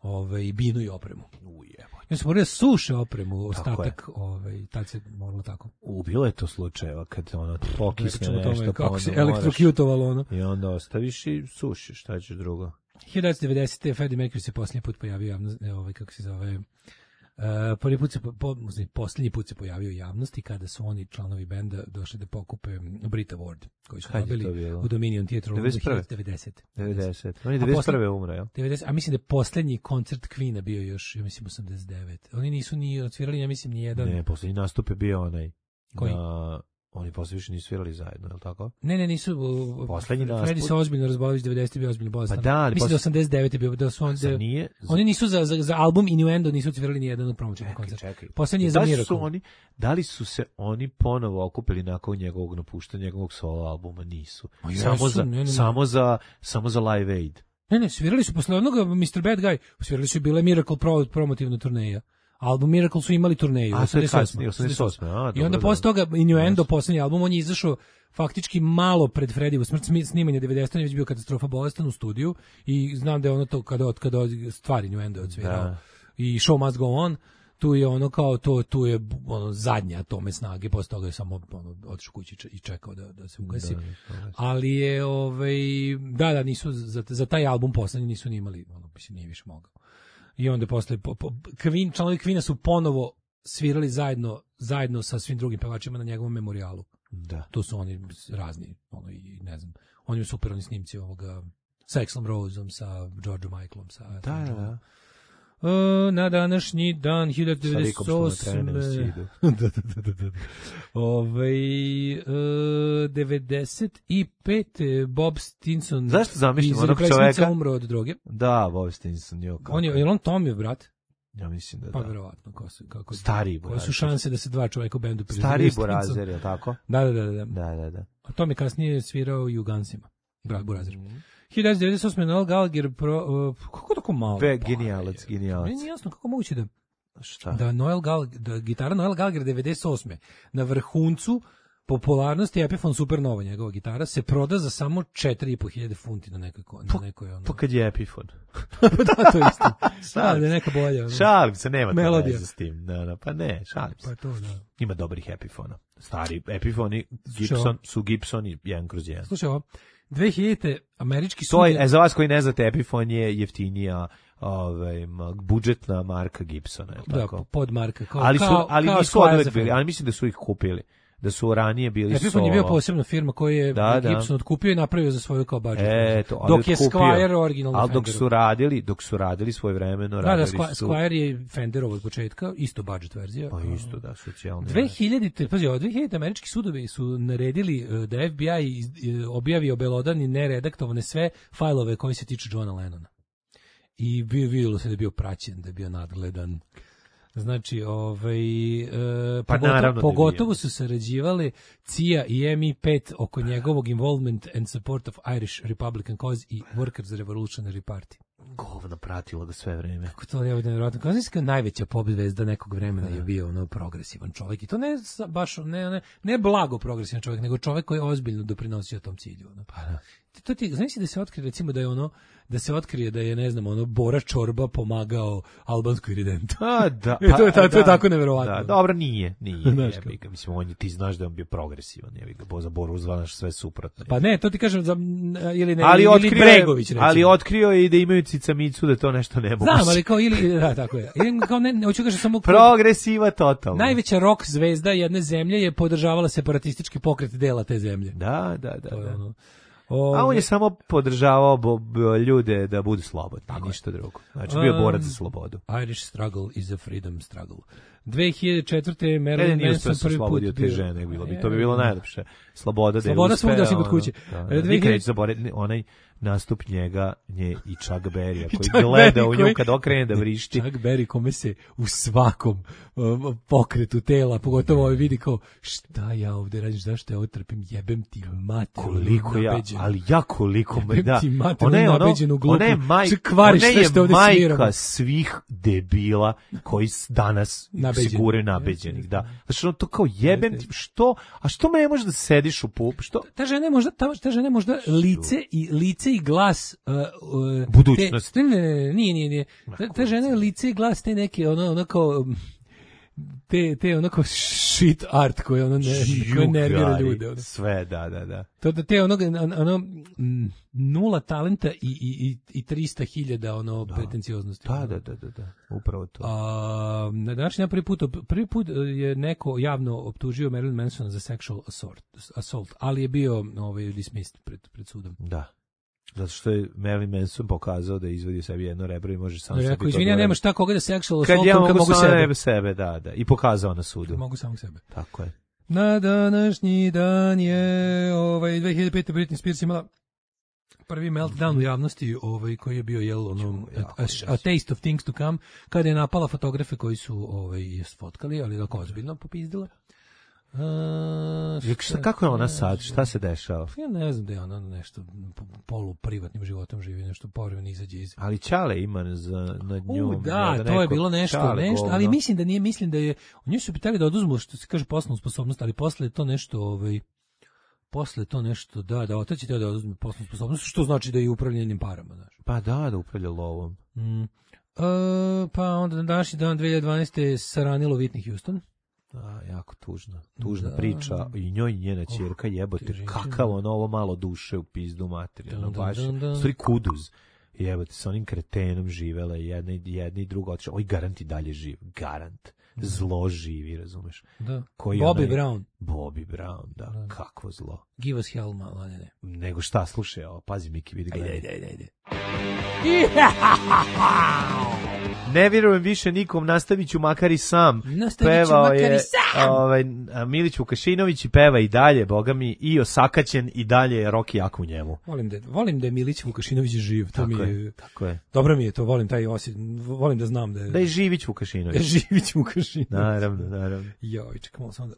[SPEAKER 7] ovaj binu i opremu. Ujebo. Ja sam morao suše opremu, ostatak, ovaj tad se moralo tako.
[SPEAKER 6] Ubilo je to slučajeva kad ono pokisne nešto,
[SPEAKER 7] tome,
[SPEAKER 6] pa
[SPEAKER 7] kako se elektrokutovalo ono.
[SPEAKER 6] I onda ostaviš i sušiš, šta ćeš drugo.
[SPEAKER 7] hiljadu devetsto devedesete. Freddie Mercury se posljednji put pojavio javno, ovaj kako se zove. Uh, prvi put se po, po, posljednji put se pojavio u javnosti kada su oni članovi benda došli da pokupe Brit Award koji su dobili u Dominion Theatre
[SPEAKER 6] devedeset
[SPEAKER 7] devedeset.
[SPEAKER 6] devedeset. On je devedeset prve umre, jel?
[SPEAKER 7] devedeset, a mislim da je posljednji koncert Queen-a bio još, ja mislim, osamdeset devet. Oni nisu ni odsvirali, ja mislim, ni jedan.
[SPEAKER 6] Ne, posljednji nastup je bio onaj.
[SPEAKER 7] Koji?
[SPEAKER 6] Na... Oni posle više nisu svirali zajedno, je li tako?
[SPEAKER 7] Ne, ne, nisu.
[SPEAKER 6] Poslednji nastup.
[SPEAKER 7] Fredi se ozbiljno razbolio, devedesete bio ozbiljno bolestan.
[SPEAKER 6] Pa da, ali
[SPEAKER 7] mislim
[SPEAKER 6] posle...
[SPEAKER 7] da osamdeset devete bio, da su on, da,
[SPEAKER 6] nije...
[SPEAKER 7] oni nisu za, za, za album Innuendo nisu odsvirali ni jedan promotivni koncert. Poslednji je za Miracle.
[SPEAKER 6] Oni, da li su se oni ponovo okupili nakon njegovog napuštanja, njegovog solo albuma? Nisu.
[SPEAKER 7] O,
[SPEAKER 6] samo,
[SPEAKER 7] jesu,
[SPEAKER 6] za,
[SPEAKER 7] ne, ne, ne.
[SPEAKER 6] samo, za, samo za Live Aid.
[SPEAKER 7] Ne, ne, svirali su posle onoga mister Bad Guy, svirali su bile Miracle Pro, promotivna turneja. Album Miracle su imali turneju.
[SPEAKER 6] A, to je kasnije, osamdeset osme. A,
[SPEAKER 7] i onda posle toga Innuendo, posljednji album, on je izašao faktički malo pred Fredijevu smrt, snimanje devedesete. je već bio katastrofa, bolestan u studiju i znam da je ono to kada, kada stvari Innuendo je odsvirao. I Show Must Go On, tu je ono kao, to, tu je ono zadnja tome snage, posle toga je samo ono, otišao kući i čekao da, da se ugasi. Da, da, ali je, ovaj, da, da, nisu, za, za taj album poslednji nisu ni imali, ono, mislim, nije više mogao. I onda posle po, po, Queen, članovi Queena su ponovo svirali zajedno zajedno sa svim drugim pevačima na njegovom memorijalu.
[SPEAKER 6] Da.
[SPEAKER 7] Tu su oni razni, ono i ne znam. Oni su super oni snimci ovoga sa Axlom Roseom, sa Georgeom Michaelom, sa
[SPEAKER 6] da, da, da.
[SPEAKER 7] Uh, na današnji dan hiljadu devetsto osme. da, da, da, da, da. Ovaj uh, devedeset pete. Bob Stinson.
[SPEAKER 6] Zašto zamišljam onog čoveka?
[SPEAKER 7] Umro od droge.
[SPEAKER 6] Da, Bob Stinson. Jo,
[SPEAKER 7] on je, je on Tommyov brat?
[SPEAKER 6] Ja mislim da
[SPEAKER 7] pa,
[SPEAKER 6] da.
[SPEAKER 7] Pa verovatno. Kako, kako,
[SPEAKER 6] Stariji
[SPEAKER 7] Koje su šanse da se dva čoveka u bendu priznaju?
[SPEAKER 6] Stariji Burazer, je tako?
[SPEAKER 7] Da, da, da, da.
[SPEAKER 6] Da, da, da.
[SPEAKER 7] A Tom je kasnije svirao i u Gunsima. Brat Burazer. Mm. hiljadu devetsto devedeset osme Noel Gallagher, pro, uh, kako tako malo?
[SPEAKER 6] Be, genijalac, genijalac.
[SPEAKER 7] Meni je jasno kako moguće da,
[SPEAKER 6] Šta?
[SPEAKER 7] da, Noel Gallagher, da gitara Noel Gallagher devedeset osme na vrhuncu popularnosti Epiphone Supernova, njegova gitara, se proda za samo četiri i po hiljade funti na nekoj... Na nekoj ono...
[SPEAKER 6] Pa kad je Epiphone.
[SPEAKER 7] Da, to je isto. Da, da je neka bolja. Ono.
[SPEAKER 6] Šalim se, nema to
[SPEAKER 7] veze
[SPEAKER 6] s tim. Da, da, pa ne, šalim se.
[SPEAKER 7] Pa to, da.
[SPEAKER 6] Ima dobrih Epiphona. Stari Epiphoni Gibson, su Gibsoni jedan kroz jedan.
[SPEAKER 7] Slušaj ovo, dve hiljadite američki sud...
[SPEAKER 6] To je, za vas koji ne znate, Epiphone je jeftinija ovaj, budžetna marka Gibsona. Je
[SPEAKER 7] da,
[SPEAKER 6] tako?
[SPEAKER 7] pod marka. Kao,
[SPEAKER 6] ali su,
[SPEAKER 7] kao,
[SPEAKER 6] ali
[SPEAKER 7] kao
[SPEAKER 6] nisu odvek bili, ali mislim da su ih kupili. Da su ranije bili
[SPEAKER 7] Epiphone
[SPEAKER 6] solo.
[SPEAKER 7] je bio posebna firma koju je
[SPEAKER 6] da,
[SPEAKER 7] Gibson da. otkupio i napravio za svoju kao budžet.
[SPEAKER 6] E, to,
[SPEAKER 7] dok je
[SPEAKER 6] otkupio,
[SPEAKER 7] Squier originalno
[SPEAKER 6] ali dok su radili, dok su radili svojevremeno,
[SPEAKER 7] da,
[SPEAKER 6] radili
[SPEAKER 7] da,
[SPEAKER 6] su...
[SPEAKER 7] Squier je Fenderov od početka, isto budžet verzija.
[SPEAKER 6] Pa isto, da, socijalno.
[SPEAKER 7] dve hiljadite, pazi, od dve hiljadite američki sudovi su naredili da F B I objavi obelodani neredaktovane sve fajlove koji se tiču Johna Lennona. I vidjelo se da je bio praćen, da je bio nadgledan. Znači, ovaj, e,
[SPEAKER 6] pa
[SPEAKER 7] pogotovo, pogotovo su sarađivali C I A i M I pet oko njegovog involvement and support of Irish Republican cause i Workers Revolutionary Party.
[SPEAKER 6] Govno pratilo ga sve vreme.
[SPEAKER 7] Kako to je nevjerojatno. Kao znači kao najveća pobjeda nekog vremena je bio ono progresivan čovjek. I to ne baš, ne, ne, ne blago progresivan čovjek, nego čovjek koji je ozbiljno doprinosio tom cilju. Ono.
[SPEAKER 6] Pa da.
[SPEAKER 7] To ti, znači da se otkrije, recimo da je ono, da se otkrije da je, ne znam, ono, Bora Čorba pomagao albanskoj iridentu.
[SPEAKER 6] A, da.
[SPEAKER 7] Pa, to, je, ta,
[SPEAKER 6] da,
[SPEAKER 7] to je tako neverovatno.
[SPEAKER 6] Da, dobro, nije, nije.
[SPEAKER 7] Znaš
[SPEAKER 6] jebi ga, mislim, on je, ti znaš da je on bio progresivan, jebi ga, za Boru zvanaš sve suprotno.
[SPEAKER 7] Pa ne, to ti kažem, za, ili ne,
[SPEAKER 6] ali
[SPEAKER 7] ili
[SPEAKER 6] otkrio,
[SPEAKER 7] Bregović, recimo.
[SPEAKER 6] Ali otkrio je i da imaju cicamicu, da to nešto ne mogu.
[SPEAKER 7] Znam, ali kao, ili, da, tako je. Ili, kao ne, ne hoću kažem samo...
[SPEAKER 6] Progresiva totalno.
[SPEAKER 7] Najveća rock zvezda jedne zemlje je podržavala separatistički pokret dela te zemlje.
[SPEAKER 6] Da, da, da. da.
[SPEAKER 7] Ono,
[SPEAKER 6] O, a on je samo podržavao bo, bo, ljude da budu slobodni, tako ništa drugo. Znači, bio um, borac za slobodu.
[SPEAKER 7] Irish struggle is a freedom struggle. dve hiljade četvrte Marilyn
[SPEAKER 6] ne,
[SPEAKER 7] Manson prvi put
[SPEAKER 6] od te žene, bilo bi, to bi bilo najlepše. Sloboda,
[SPEAKER 7] Sloboda svugdje osim kod kuće.
[SPEAKER 6] Da, da, nikad neću zaboraviti onaj nastup njega, nje i Chuck Berrya, koji Chuck gleda Berry, u nju koji, kad okrene da vrišti.
[SPEAKER 7] Chuck Berry kome se u svakom uh, pokretu tela, pogotovo ovaj vidi kao, šta ja ovde radim, zašto ja ovo trpim, jebem ti mater.
[SPEAKER 6] Koliko ja, ali ja koliko,
[SPEAKER 7] jebem
[SPEAKER 6] da.
[SPEAKER 7] ti mater, ona je ono,
[SPEAKER 6] ona je, maj, ona je majka svih debila koji danas nabeđen. se gure nabeđenih, da. Znači, ono to kao jebem ti, što, a što me ne može da sediš u pup, što?
[SPEAKER 7] Ta žena je možda, ta, ta žena je možda lice i, lice i glas uh, uh,
[SPEAKER 6] budućnost.
[SPEAKER 7] Te, ne, ne, ne, nije, nije, nije. Ta, ta žena je lice i glas te neke, ono, ono kao, te, te onako shit art koje ono ne, koje nervira ljude. Ono.
[SPEAKER 6] Sve, da, da, da.
[SPEAKER 7] To da te onog, ono, nula talenta i, i, i trista hiljada ono da. pretencioznosti.
[SPEAKER 6] Da, da, da, da, da, upravo to.
[SPEAKER 7] A, na današnji prvi put, prvi put je neko javno optužio Marilyn Manson za sexual assault, assault ali je bio ovaj, dismissed pred, pred sudom.
[SPEAKER 6] Da. Zato što je Marilyn Manson pokazao da izvodi sebi jedno rebro i može sam
[SPEAKER 7] sebi. Rekao, izvini, ja nema šta koga da sexual assault,
[SPEAKER 6] kad ja mogu,
[SPEAKER 7] mogu
[SPEAKER 6] sebe. sebe. Da, da. I pokazao na sudu.
[SPEAKER 7] Kad mogu samog sebe.
[SPEAKER 6] Tako je.
[SPEAKER 7] Na današnji dan je ovaj, dve hiljade pete. Britney Spears imala prvi meltdown u javnosti, ovaj, koji je bio jel, ono, a, a, a taste of things to come, kada je napala fotografe koji su ovaj, sfotkali, ali dok ozbiljno popizdila. Uh,
[SPEAKER 6] šta, kako je ona sad? Šta se dešava?
[SPEAKER 7] Ja ne znam da je ona nešto polu privatnim životom živi, nešto povremeno izađe iz...
[SPEAKER 6] Ali Čale ima za, nad njom.
[SPEAKER 7] U, da, da to je bilo nešto, nešto ali mislim da nije, mislim da je... U njoj su pitali da oduzmu, što se kaže, poslovnu sposobnost, ali posle je to nešto... Ovaj, posle to nešto, da, da otac će da oduzme poslovnu sposobnost, što znači da je upravljanjem parama, znaš.
[SPEAKER 6] Pa da, da upravlja lovom.
[SPEAKER 7] Mm. Uh, pa onda na današnji dan dve hiljade dvanaeste saranilo Whitney Houston.
[SPEAKER 6] Da, jako tužna. Tužna da. priča i njoj i njena ćerka oh, jebote, kakav ono ovo malo duše u pizdu materijalno, baš, stvari kuduz. Jebote, sa onim kretenom živela i jedna, jedna i druga otišla. Oj, garant i dalje živ, garant. Zlo živi, razumeš?
[SPEAKER 7] Da.
[SPEAKER 6] Koji
[SPEAKER 7] Bobby
[SPEAKER 6] onaj,
[SPEAKER 7] Brown.
[SPEAKER 6] Bobby Brown, da, da. Kakvo zlo.
[SPEAKER 7] Give us hell, malo, ne, ne.
[SPEAKER 6] Nego šta, slušaj, ovo, pazi Miki, vidi gledaj.
[SPEAKER 7] Ajde, ajde, ajde.
[SPEAKER 6] Ne vjerujem više nikom, nastavit ću makar i sam.
[SPEAKER 7] Nastavit ću makar
[SPEAKER 6] je,
[SPEAKER 7] i sam.
[SPEAKER 6] Ovaj, Milić Vukašinović i peva i dalje, boga mi, i osakaćen i dalje je rock jak u njemu.
[SPEAKER 7] Volim da, volim da je Milić Vukašinović živ. To
[SPEAKER 6] tako
[SPEAKER 7] mi je,
[SPEAKER 6] je, tako je.
[SPEAKER 7] Dobro mi je to, volim taj osjet, volim da znam da je...
[SPEAKER 6] Da je Živić Vukašinović.
[SPEAKER 7] Da je Živić Vukašinović.
[SPEAKER 6] Naravno, naravno.
[SPEAKER 7] Joj, čekamo samo da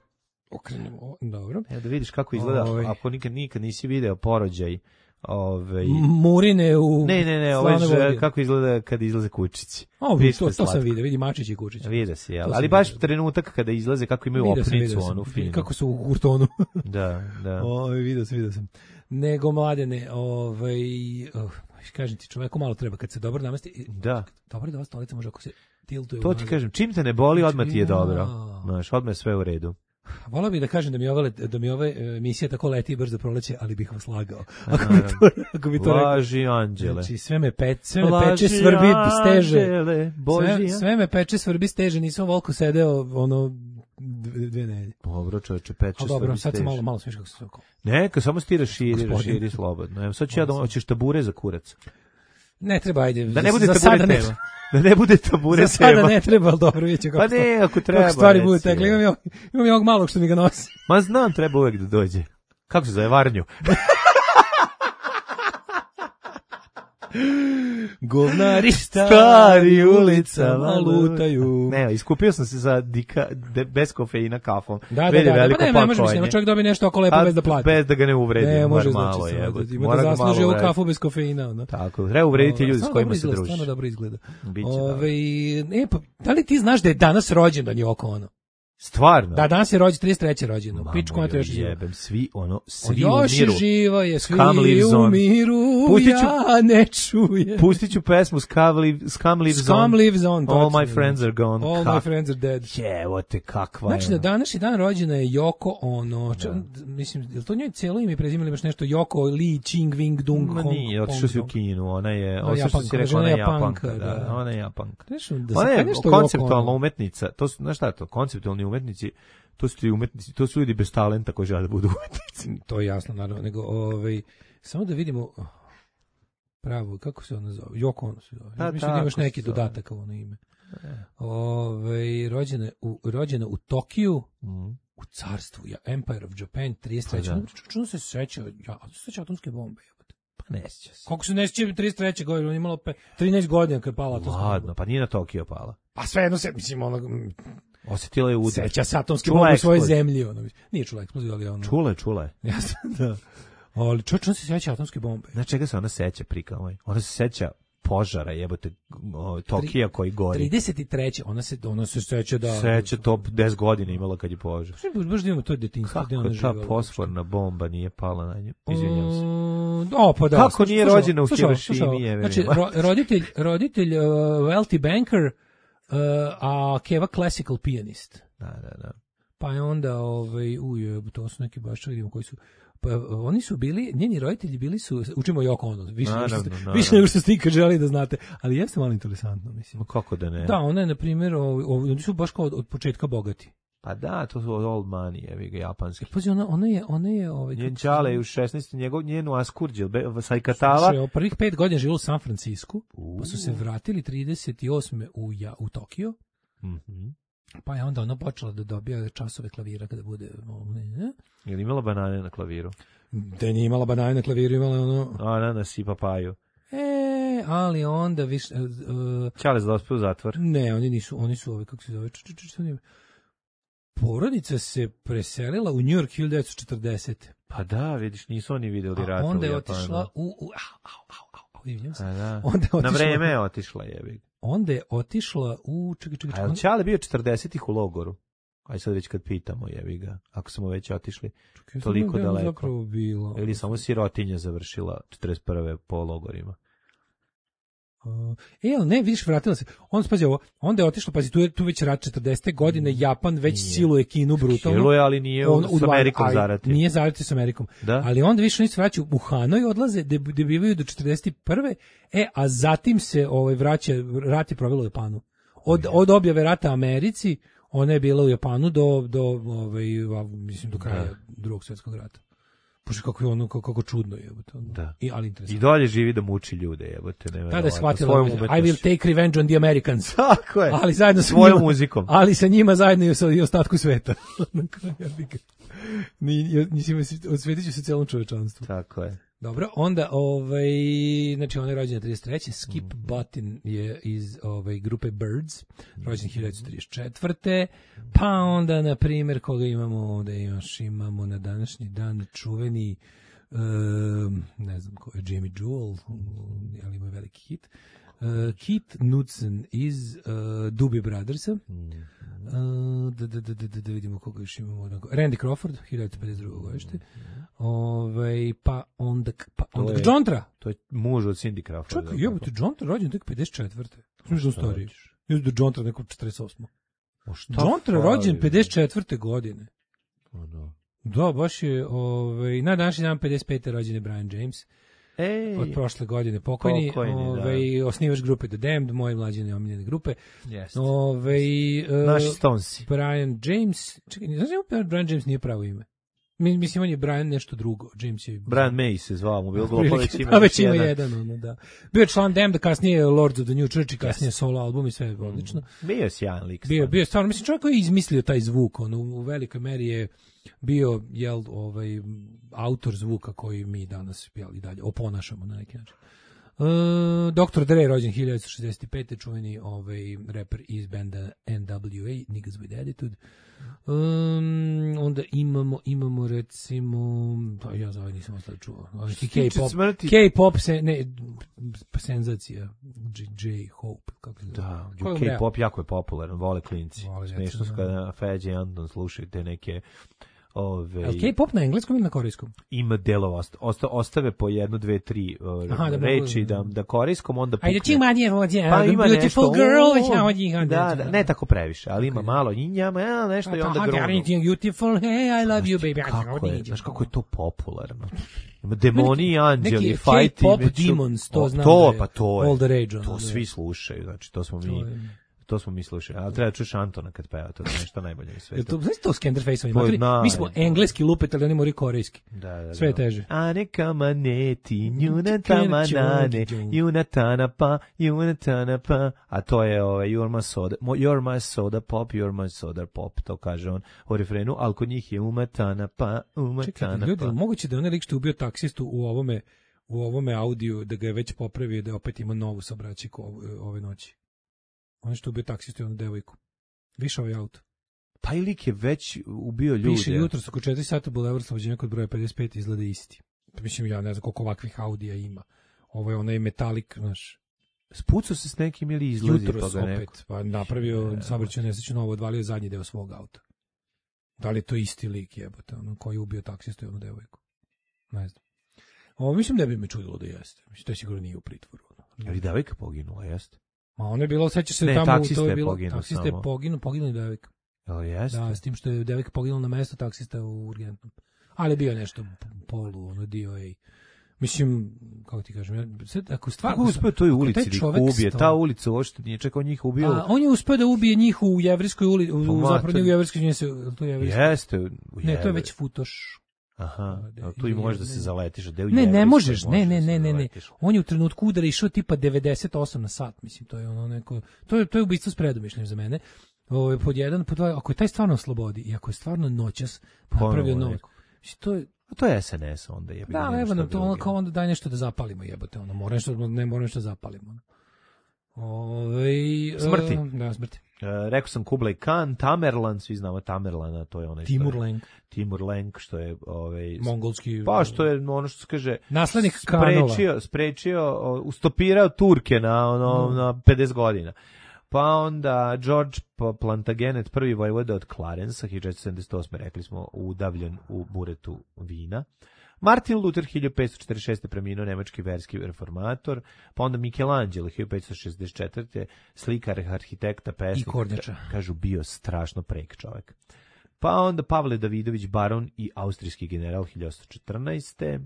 [SPEAKER 7] okrenemo, dobro.
[SPEAKER 6] Evo da vidiš kako izgleda, Ove. ako nikad, nikad nisi video porođaj Ove,
[SPEAKER 7] Murine u
[SPEAKER 6] Ne, ne, ne, ovaj ž, kako izgleda kad izlaze kučići.
[SPEAKER 7] O, to, to sam vidio, vidi Mačić i Kučić.
[SPEAKER 6] Vide se, jel? Ali baš vidio. Trenutak kada izlaze kako imaju vidio opnicu, sam, onu finu.
[SPEAKER 7] Kako su u kurtonu.
[SPEAKER 6] Da, da.
[SPEAKER 7] O, vidio sam, vidio sam. Nego, mladene, ovaj, oh, kažem ti, čoveku malo treba kad se dobro namesti.
[SPEAKER 6] Da.
[SPEAKER 7] Dobro da ova stolica može ako se tiltuje.
[SPEAKER 6] To ti kažem, čim te ne boli, odmah ti je dobro. Znaš, odmah je sve u redu.
[SPEAKER 7] Volao bih da kažem da mi ove da mi ove emisije tako leti brzo proleće, ali bih vas lagao. Ako bi to, ako bi to
[SPEAKER 6] Laži rekao. Anđele.
[SPEAKER 7] Znači sve me pe, sve me peče, svrbi, steže. Anđele, sve, sve me peče, svrbi, steže, nisam volko sedeo ono dve, dve nedelje.
[SPEAKER 6] Dobro, čoveče, peče, svrbi,
[SPEAKER 7] dobro, sad sam malo malo smiješ kako se to.
[SPEAKER 6] Neka, samo stira širi, raširi slobodno. Evo sad ću ja da hoćeš tabure za kurac.
[SPEAKER 7] Ne treba, ajde.
[SPEAKER 6] Da ne bude tabure tema. Da ne bude tabure tema.
[SPEAKER 7] Za sada ne treba, ali dobro, vidjet će kako,
[SPEAKER 6] pa ne, ako treba,
[SPEAKER 7] kako stvari bude tekle. Imam, imam, imam ovog malog što mi ga nosi.
[SPEAKER 6] Ma znam, treba uvek da dođe. Kako se zove, Varnju?
[SPEAKER 7] Govnari stari ulicama lutaju.
[SPEAKER 6] Ne, iskupio sam se za dika, de, bez kofeina kafom.
[SPEAKER 7] Da, da, da, da, pa ne, ne može mi se, nema čovjek dobije nešto oko lepo bez da plati.
[SPEAKER 6] Bez da ga ne uvredi,
[SPEAKER 7] ne, može
[SPEAKER 6] malo
[SPEAKER 7] znači,
[SPEAKER 6] je.
[SPEAKER 7] Ima da zasluži ovu kafu bez kofeina. No.
[SPEAKER 6] Tako, treba uvrediti ljudi s kojima se družiš.
[SPEAKER 7] Stvarno dobro izgleda.
[SPEAKER 6] Biće
[SPEAKER 7] Ove, e, pa, da li ti znaš da je danas rođendan je oko ono?
[SPEAKER 6] Stvarno?
[SPEAKER 7] Da, danas je rođen, trideset treće rođeno. Pičku na to još živo.
[SPEAKER 6] Jebem, svi ono, svi
[SPEAKER 7] još
[SPEAKER 6] u miru.
[SPEAKER 7] Još živo je, svi u miru,
[SPEAKER 6] Pustiću,
[SPEAKER 7] ja ne čujem.
[SPEAKER 6] Pustit ću pesmu Scum Lives On.
[SPEAKER 7] Scum Lives On.
[SPEAKER 6] All my friends are gone.
[SPEAKER 7] All
[SPEAKER 6] Ka-
[SPEAKER 7] my friends are dead.
[SPEAKER 6] Jevo te, kakva je.
[SPEAKER 7] Znači, na današnji dan rođena je Yoko Ono. Ča, mislim, je li to njoj cijelo ime i prezime ili baš nešto? Yoko Lee Ching Wing Dung
[SPEAKER 6] Ma
[SPEAKER 7] Hong.
[SPEAKER 6] nije, otišao si u Kinu. Ona je,
[SPEAKER 7] ono
[SPEAKER 6] što si rekao, ona je Japanka.
[SPEAKER 7] Da,
[SPEAKER 6] da, ona je Japanka.
[SPEAKER 7] Da
[SPEAKER 6] ona je konceptualna umetnica. To su, znaš šta je to? Konceptualni umetnici. To su ti umetnici, to su ljudi bez talenta koji žele da budu umetnici.
[SPEAKER 7] To je jasno, naravno. Nego, ovaj, samo da vidimo pravo, kako se ona zove? Yoko Ono se zove.
[SPEAKER 6] A,
[SPEAKER 7] mislim da imaš neki dodatak u ono ime. Ove, rođena, u, rođena u Tokiju, mm. u carstvu, ja, Empire of Japan, trideset treće Pa, čuno se seća, ja, se seća atomske bombe.
[SPEAKER 6] Pa ne sjeća se.
[SPEAKER 7] Kako se ne sjeća trideset treće godine, on je imalo trinaest godina kad je pala atomska bomba.
[SPEAKER 6] Ladno, pa nije na Tokio pala.
[SPEAKER 7] Pa sve jedno se, mislim, ono...
[SPEAKER 6] Osjetila je udar.
[SPEAKER 7] Seća se atomske bombe u svojoj zemlji. Ono. Nije čula eksploziju, ali ono...
[SPEAKER 6] Čula je, čula je.
[SPEAKER 7] Jasno, da. Ali čovječ, on se seća atomske bombe.
[SPEAKER 6] Na čega se ona seća, prikavoj? Ona se seća požara, jebote, o, Tokija koji gori.
[SPEAKER 7] trideset treće ona se, ona se seća da...
[SPEAKER 6] Seća top deset godina imala kad je požar.
[SPEAKER 7] Baš da imamo to detinjstvo.
[SPEAKER 6] Kako ta fosforna bomba nije pala na nju? Izvinjam se.
[SPEAKER 7] O, pa da.
[SPEAKER 6] Kako slušao, nije rođena u Hirošimi?
[SPEAKER 7] Znači, ro, roditelj, roditelj uh, wealthy banker, uh, a Keva classical pianist.
[SPEAKER 6] Da, da, da.
[SPEAKER 7] Pa je onda, ovaj, uje, to su neki baš, vidimo koji su... Pa oni su bili, njeni roditelji bili su, učimo Yoko Ono, više, naravno, nego što, više nego što ste ikad želi da znate, ali jeste malo interesantno, mislim.
[SPEAKER 6] Ma kako da ne?
[SPEAKER 7] Da, ona je, na primjer, oni su baš kao od, od početka bogati.
[SPEAKER 6] Pa da, to su old money, evi ga, japanski.
[SPEAKER 7] Pazi, ona, ona je, ona je... Ovaj,
[SPEAKER 6] njen čale je u šesnaestom njegov, njenu askurđel, Sajkatava.
[SPEAKER 7] Slušaj, prvih pet godina živjela u San Francisku, uh. pa su se vratili trideset osme u, ja, u Tokio.
[SPEAKER 6] Mhm.
[SPEAKER 7] Pa je onda ona počela da dobija časove klavira kada bude... Ne?
[SPEAKER 6] Je li imala banane na klaviru?
[SPEAKER 7] Da nije imala banane na klaviru, imala ono...
[SPEAKER 6] Ananas i papaju.
[SPEAKER 7] E, ali onda više... Uh,
[SPEAKER 6] Čales da ospio u zatvor?
[SPEAKER 7] Ne, oni nisu, oni su ovi, kako se zove... Č, č, č, č, porodica se preselila u New York hiljadu devetsto četrdesete.
[SPEAKER 6] Pa da, vidiš, nisu oni videli rata u Japanu.
[SPEAKER 7] Onda je otišla u... u au, au, au, au, vidim se.
[SPEAKER 6] Da.
[SPEAKER 7] Onda je otišla,
[SPEAKER 6] na vreme je otišla, jebi.
[SPEAKER 7] Onda je otišla u... Čekaj, čekaj, čekaj.
[SPEAKER 6] A Čale bio četrdesetih u logoru? Aj sad već kad pitamo, jebi ga, ako smo već otišli čekaj, toliko daleko.
[SPEAKER 7] Bilo.
[SPEAKER 6] Ili samo sirotinja završila četrdeset prve po logorima.
[SPEAKER 7] Uh, e, ali ne, vidiš, vratila se. On spazi ovo, onda je otišla, pazi, tu je tu već rat četrdesete godine, Japan već nije. Siluje Kinu brutalno.
[SPEAKER 6] Siluje, ali nije on, s Amerikom zarati.
[SPEAKER 7] Nije zarati s Amerikom. Da? Ali onda više oni se vraćaju u Hanoj, odlaze, gde bivaju do četrdeset prve E, a zatim se ovaj, vraća, rat je provelo u Japanu. Od, od objave rata Americi, ona je bila u Japanu do, do ovaj, mislim, do kraja da. Drugog svjetskog rata. Bože, kako je ono, kako, kako čudno je.
[SPEAKER 6] Da.
[SPEAKER 7] I, ali interesantno.
[SPEAKER 6] I dalje živi da muči ljude, jebote.
[SPEAKER 7] Tada je shvatila, I will take revenge on the Americans.
[SPEAKER 6] Tako je.
[SPEAKER 7] Ali zajedno sa
[SPEAKER 6] svojom
[SPEAKER 7] njima,
[SPEAKER 6] muzikom.
[SPEAKER 7] Ali sa njima zajedno i, sa, i ostatku sveta. Osvetit ću se celom čovečanstvu.
[SPEAKER 6] Tako je.
[SPEAKER 7] Dobro, onda, ovaj, znači, on je rođen trideset treće Skip mm. Button je iz ovaj, grupe Birds, rođen hiljadu devetsto trideset četvrte Pa onda, na primjer, koga imamo ovde, još imamo na današnji dan čuveni ne znam ko je, Jamie Jewel, ali ima veliki hit. Uh, Keith Knudsen iz uh, Doobie Brothersa. Uh, da, da, da, da, da vidimo koga još imamo. Randy Crawford, hiljadu pedeset druge godište. Ove, pa onda, pa onda John Tra.
[SPEAKER 6] To je muž od Cindy Crawford.
[SPEAKER 7] Čekaj, jebote, John Tra rođen tek pedeset četvrte. Što je stariji? Mislim da John Tra neko četrdeset osme. John Tra rođen pedeset četvrte godine.
[SPEAKER 6] O, no.
[SPEAKER 7] Da, baš je, ovaj, na današnji dan pedeset pete rođen je Brian James.
[SPEAKER 6] Ej,
[SPEAKER 7] od prošle godine pokojni,
[SPEAKER 6] pokojni
[SPEAKER 7] ovaj, osnivač grupe The Damned, moje mlađe neomiljene grupe.
[SPEAKER 6] Jeste.
[SPEAKER 7] Ovaj, uh,
[SPEAKER 6] naši Stonesi.
[SPEAKER 7] Brian James, čekaj, ne znam, Brian James nije pravo ime. Mislim, on je Brian nešto drugo. James je...
[SPEAKER 6] Brian May se zvao, mu bilo bilo već ima,
[SPEAKER 7] pa već ima jedan. jedan ono, da. Bio je član Damned, kasnije Lords of the New Church i kasnije yes. solo album i sve je odlično.
[SPEAKER 6] Mm. Bio je sjajan lik.
[SPEAKER 7] Bio, bio je stvarno, mislim, čovjek koji je izmislio taj zvuk, on u, u velikoj meri je bio, jel, ovaj, autor zvuka koji mi danas, jel, i dalje oponašamo na neki način. Uh, doktor Dre, rođen hiljadu devetsto šezdeset pete, čuveni ovaj, reper iz benda N W A, Niggas with Attitude. Um, onda imamo, imamo recimo, pa ja za ovaj nisam ostao čuo, K-pop, K-pop se, ne, senzacija, J. Hope, kako se
[SPEAKER 6] da, K-pop jako je popularan, vole klinci, smiješno su kada Feđe i Anton slušaju te neke ove...
[SPEAKER 7] Ali K-pop na engleskom ili na korejskom?
[SPEAKER 6] Ima delova, osta, ostave po jedno, dve, tri uh, Aha, da reči da, da korejskom, onda pukne. Pa ima nešto, girl, da, da, ne tako previše, ali ima malo njama, nešto i onda grunu.
[SPEAKER 7] Beautiful, hey, I love you, baby.
[SPEAKER 6] Kako je, znaš kako je to popularno? Ima demoni i anđeli, fight
[SPEAKER 7] K-pop demons, to znam
[SPEAKER 6] to, pa to je,
[SPEAKER 7] all the rage.
[SPEAKER 6] To svi slušaju, znači to smo mi... To smo mi slušali, ali treba čuš Antona kad peva, to je nešto najbolje u svetu.
[SPEAKER 7] To, znaš to Skenderface-ovi? Mi smo engleski lupet, ali oni moraju korejski.
[SPEAKER 6] Da, da,
[SPEAKER 7] sve je teže.
[SPEAKER 6] Aneka maneti, njunata manane, junatana pa, junatana pa, a to je ovaj, you're my soda, you're my soda pop, you're my soda pop, to kaže on u refrenu, ali kod njih je umatana pa, umatana
[SPEAKER 7] Čekaj,
[SPEAKER 6] pa.
[SPEAKER 7] Ljudi, moguće da je onaj lik što je ubio taksistu u ovome, u ovome audiju, da ga je već popravio, da je opet ima novu sabraćiku ove noći. On što ubio taksistu i onu devojku. Više ovaj auto.
[SPEAKER 6] Taj lik je već ubio ljude.
[SPEAKER 7] Piše jutro oko četiri sata Boulevard Slobođenja kod broja pedeset pet izgleda isti. Mislim, ja ne znam koliko ovakvih audija ima. Ovo je onaj metalik, znaš.
[SPEAKER 6] Spucao se s nekim ili izlazi
[SPEAKER 7] jutro
[SPEAKER 6] toga neko?
[SPEAKER 7] Opet, pa napravio saobraćajnu nesreću novo, odvalio zadnji deo svog auta. Da li je to isti lik jebote, ono koji je ubio taksistu i onu devojku? Ne znam. Ovo mislim da bi me čudilo da jeste. Mislim, to je sigurno nije u pritvoru.
[SPEAKER 6] Ali devojka poginula, jeste?
[SPEAKER 7] Ma ono je bilo, sećaš se
[SPEAKER 6] ne,
[SPEAKER 7] tamo,
[SPEAKER 6] to
[SPEAKER 7] je bilo,
[SPEAKER 6] poginu,
[SPEAKER 7] taksista je poginuo, poginuo je devojka.
[SPEAKER 6] Jel jeste?
[SPEAKER 7] Da, s tim što je devojka poginula na mesto taksista u urgentnom. Ali bio nešto polu, ono, dio, ej. Mislim, kako ti kažem, ja, sad, ako stvarno...
[SPEAKER 6] Kako uspio toj ulici da ih ubije? Ta ulica uopšte nije čekao njih ubio.
[SPEAKER 7] A, on je uspio da ubije njih u Jevrijskoj ulici, u, u zapravo u Jevrijskoj ulici.
[SPEAKER 6] Jeste.
[SPEAKER 7] Ne, to je već Futoš.
[SPEAKER 6] Aha, tu i možeš da se zaletiš.
[SPEAKER 7] Ne, ne možeš, ne, ne, ne, ne, ne. On je u trenutku udara išao tipa devedeset osam na sat, mislim, to je ono neko, to je, to je ubistvo s predumišljem za mene. Ovo, pod jedan, pod dva, ako je taj stvarno slobodi i ako je stvarno noćas napravio novo, to je,
[SPEAKER 6] a to je S N S onda je.
[SPEAKER 7] Da, evo nam to ono kao onda daj nešto da zapalimo, jebote, ono, mora nešto, ne mora nešto da zapalimo. Ove,
[SPEAKER 6] smrti.
[SPEAKER 7] Uh, da, smrti.
[SPEAKER 6] Uh, rekao sam Kublai Khan, Tamerlan, svi znamo Tamerlana, to je onaj
[SPEAKER 7] Timur Lenk.
[SPEAKER 6] Timur Lenk, što je ovaj
[SPEAKER 7] mongolski,
[SPEAKER 6] pa što je ono što se kaže
[SPEAKER 7] naslednik Khanova,
[SPEAKER 6] sprečio, sprečio, ustopirao Turke na ono mm. na pedeset godina. Pa onda George Plantagenet, prvi vojvoda od Clarensa, hiljadu četiristo sedamdeset osme rekli smo, udavljen u buretu vina. Martin Luther, hiljadu petsto četrdeset šeste preminuo, nemački verski reformator, pa onda Michelangelo, hiljadu petsto šezdeset četvrte slikar, arhitekta, pesnik,
[SPEAKER 7] i kornjača.
[SPEAKER 6] Kažu, bio strašno prek čovjek. Pa onda Pavle Davidović, baron i austrijski general, hiljadu osamsto četrnaeste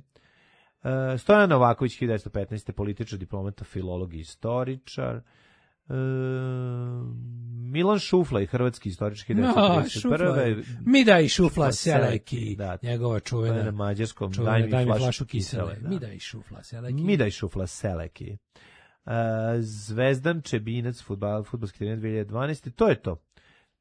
[SPEAKER 6] Uh, Stojan Novaković, hiljadu devetsto petnaeste političar, diplomata, filolog i istoričar. Uh, Milan Šuflaj, hrvatski istorički, hiljadu devetsto trideset prve
[SPEAKER 7] Mi daj Šufla Seleki, da, njegova čuvena
[SPEAKER 6] na mađarskom,
[SPEAKER 7] čuvena,
[SPEAKER 6] daj mi
[SPEAKER 7] daj mi
[SPEAKER 6] flašu,
[SPEAKER 7] flašu kisele.
[SPEAKER 6] kisele da.
[SPEAKER 7] Mi daj Šufla Seleki.
[SPEAKER 6] Mi daj Šufla Seleki. Uh, Zvezdan Čebinac, fudbal, fudbalski trener dve hiljade dvanaeste To je to.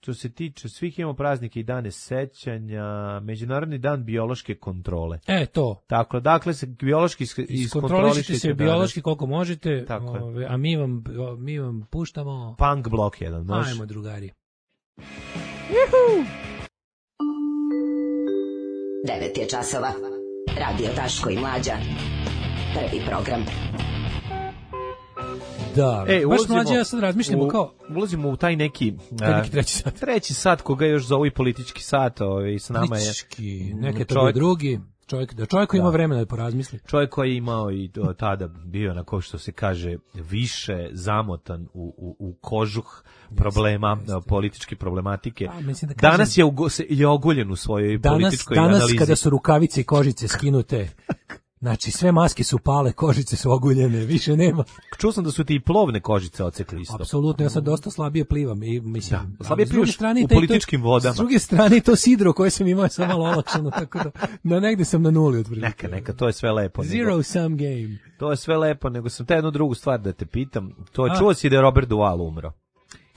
[SPEAKER 6] Što se tiče svih, imamo praznike i dane sećanja, Međunarodni dan biološke kontrole.
[SPEAKER 7] E, to.
[SPEAKER 6] Tako, dakle se biološki
[SPEAKER 7] iskontrolišite se biološki koliko možete, ove, a mi vam, mi vam puštamo...
[SPEAKER 6] Punk blok jedan, može?
[SPEAKER 7] Ajmo, drugari.
[SPEAKER 4] Juhu! Devet je časova. Radio Daško i Mlađa. Prvi program.
[SPEAKER 7] Da,
[SPEAKER 6] e,
[SPEAKER 7] baš Mlađa, ja sad razmišljamo
[SPEAKER 6] u,
[SPEAKER 7] kao...
[SPEAKER 6] Ulazimo u taj neki...
[SPEAKER 7] Taj neki treći sat.
[SPEAKER 6] Treći sat, koga još zovu i politički sat, ovaj, s nama je...
[SPEAKER 7] Politički, neke to drugi... Čovjek, da čovjek koji da. ima vremena da porazmisli.
[SPEAKER 6] Čovjek koji je imao i do, tada bio na ko što se kaže više zamotan u, u, u kožuh problema, jeste, jeste. političke problematike. Da, da kažem, danas je, ugo, je oguljen u svojoj danas, političkoj
[SPEAKER 7] danas
[SPEAKER 6] analizi.
[SPEAKER 7] Danas kada su rukavice i kožice skinute, znači sve maske su pale, kožice su oguljene, više nema.
[SPEAKER 6] Čuo sam da su ti i plovne kožice ocekli isto.
[SPEAKER 7] Apsolutno, ja sad dosta slabije plivam i mislim,
[SPEAKER 6] da, slabije plivaš u političkim
[SPEAKER 7] to,
[SPEAKER 6] vodama.
[SPEAKER 7] S druge strane to sidro koje sam imao je samo malo olakšano, tako da na negde sam na nuli otprilike.
[SPEAKER 6] Neka, neka, to je sve lepo.
[SPEAKER 7] Zero nego, sum game.
[SPEAKER 6] To je sve lepo, nego sam te jednu drugu stvar da te pitam. To je, čuo si da je Robert Duvall umro.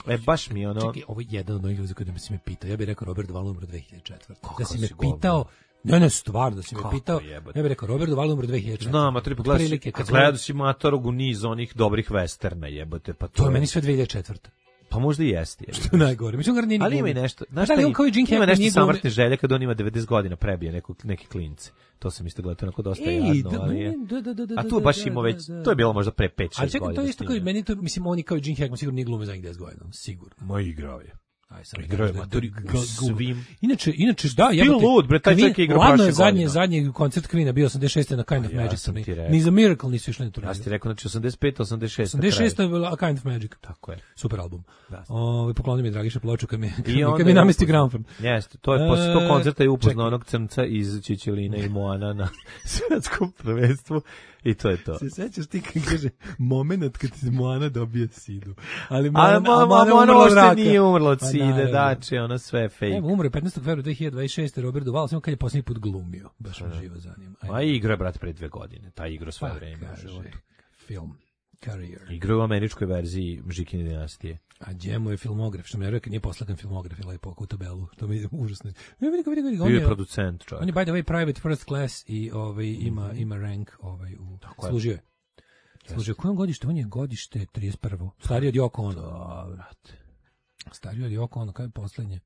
[SPEAKER 6] E, baš mi ono...
[SPEAKER 7] Čekaj, ovo je jedan od onih ljudi koji da mi si me pitao. Ja bih rekao Robert Duvall umro dve hiljade četvrte. Da si me pitao... Ne, ne, stvar, da si me pitao, jebate. Ja bih rekao, Robert Duvall umro dve hiljade četvrte.
[SPEAKER 6] Znam, a tri pa gledaš, kad gledao si Matorog u niz onih dobrih westerna, jebote, pa to,
[SPEAKER 7] to je meni sve dve hiljade četvrte.
[SPEAKER 6] Pa možda i jeste.
[SPEAKER 7] Što je najgore. Mislim, ga nije
[SPEAKER 6] ali ima i nešto. Znaš
[SPEAKER 7] da li on kao i Gene Hackman
[SPEAKER 6] ima nešto samrtne želje kad on ima devedeset godina prebije neko, neki klinci. To sam isto gledao, onako dosta
[SPEAKER 7] Ej,
[SPEAKER 6] jadno, ali je.
[SPEAKER 7] Da, da, da, da,
[SPEAKER 6] a tu baš ima već, to je bilo možda pre pet šest godina.
[SPEAKER 7] Ali čekaj, to je isto kao i meni, to, mislim, oni kao i Gene Hackman sigurno nije glume za deset godina, sigurno.
[SPEAKER 6] Moj igrao je.
[SPEAKER 7] Aj sad
[SPEAKER 6] igrao je matori svim.
[SPEAKER 7] Inače, inače da, ja
[SPEAKER 6] bih lud, bre, taj čovjek igra
[SPEAKER 7] baš je zadnji zadnji koncert Queen-a bio osamdeset šeste na Kind of Magic. Ni za Miracle nisu išli na turneju.
[SPEAKER 6] Ja ti rekao znači osamdeset pete, osamdeset šeste.
[SPEAKER 7] osamdeset šeste je bila Kind of Magic.
[SPEAKER 6] Tako je.
[SPEAKER 7] Super album. Ovaj poklonio mi Dragiša ploču kad mi kad mi namesti gramofon.
[SPEAKER 6] Jeste, to je posle tog koncerta je upoznao onog crnca iz Čičeline i Moana na svetskom prvenstvu. I to je to.
[SPEAKER 7] Se sećaš ti kad kaže momenat kad ti Moana dobije sidu. Ali
[SPEAKER 6] Moana, a Moana, Moana uopšte nije umrla od side, dači, ono sve fake.
[SPEAKER 7] Evo, umre petnaestog februara dve hiljade dvadeset šeste Robert Duvall, samo kad je posljednji put glumio. Baš me živo zanima.
[SPEAKER 6] A igra je, brat, pre dve godine. Ta igra svoje vreme u životu.
[SPEAKER 7] Film. Career.
[SPEAKER 6] Igra u američkoj verziji Žikine dinastije.
[SPEAKER 7] A Džemo je filmograf, što mi je rekao, nije poslagan filmograf, je lepo u tabelu. To mi je užasno. Vidi, vidi, vidi.
[SPEAKER 6] Bio je producent, čovjek.
[SPEAKER 7] On je, by the way, private first class i ovaj, ima, ima rank ovaj, u... Služio je. Služio. Kojom godište? On je godište trideset prvo. Stariji od Yoko Ono.
[SPEAKER 6] Da, brate.
[SPEAKER 7] Stariji od Yoko Ono, kada je poslednje?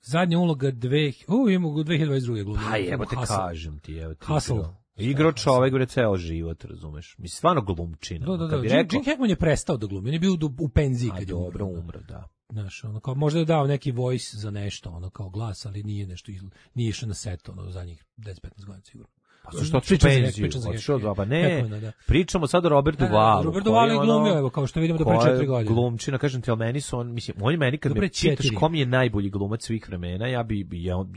[SPEAKER 7] Zadnja uloga dve... U, ima u dve hiljade dvadeset druge glumio.
[SPEAKER 6] Pa evo te kažem ti, evo ti.
[SPEAKER 7] Hustle.
[SPEAKER 6] Igrao čovek, bre, ceo život, razumeš? Mislim, stvarno glumčina.
[SPEAKER 7] Da, da, da. Gene Hackman je prestao da glumi, on je bio u penziji kad je
[SPEAKER 6] dobro umro, da.
[SPEAKER 7] Znaš, ono kao, možda je dao neki voice za nešto, ono kao glas, ali nije nešto, nije išao na set, ono, za njih deset petnaest godina sigurno.
[SPEAKER 6] Pa zašto otišao u penziju? Otišao dva, pa ne. Pričamo sad o Robertu Duvall.
[SPEAKER 7] Robert Duvall je glumio, evo, kao što vidimo da pre četiri godine.
[SPEAKER 6] Glumčina, kažem ti, ali meni su on, mislim, on je meni kad me pitaš kom je najbolji glumac svih vremena, ja bi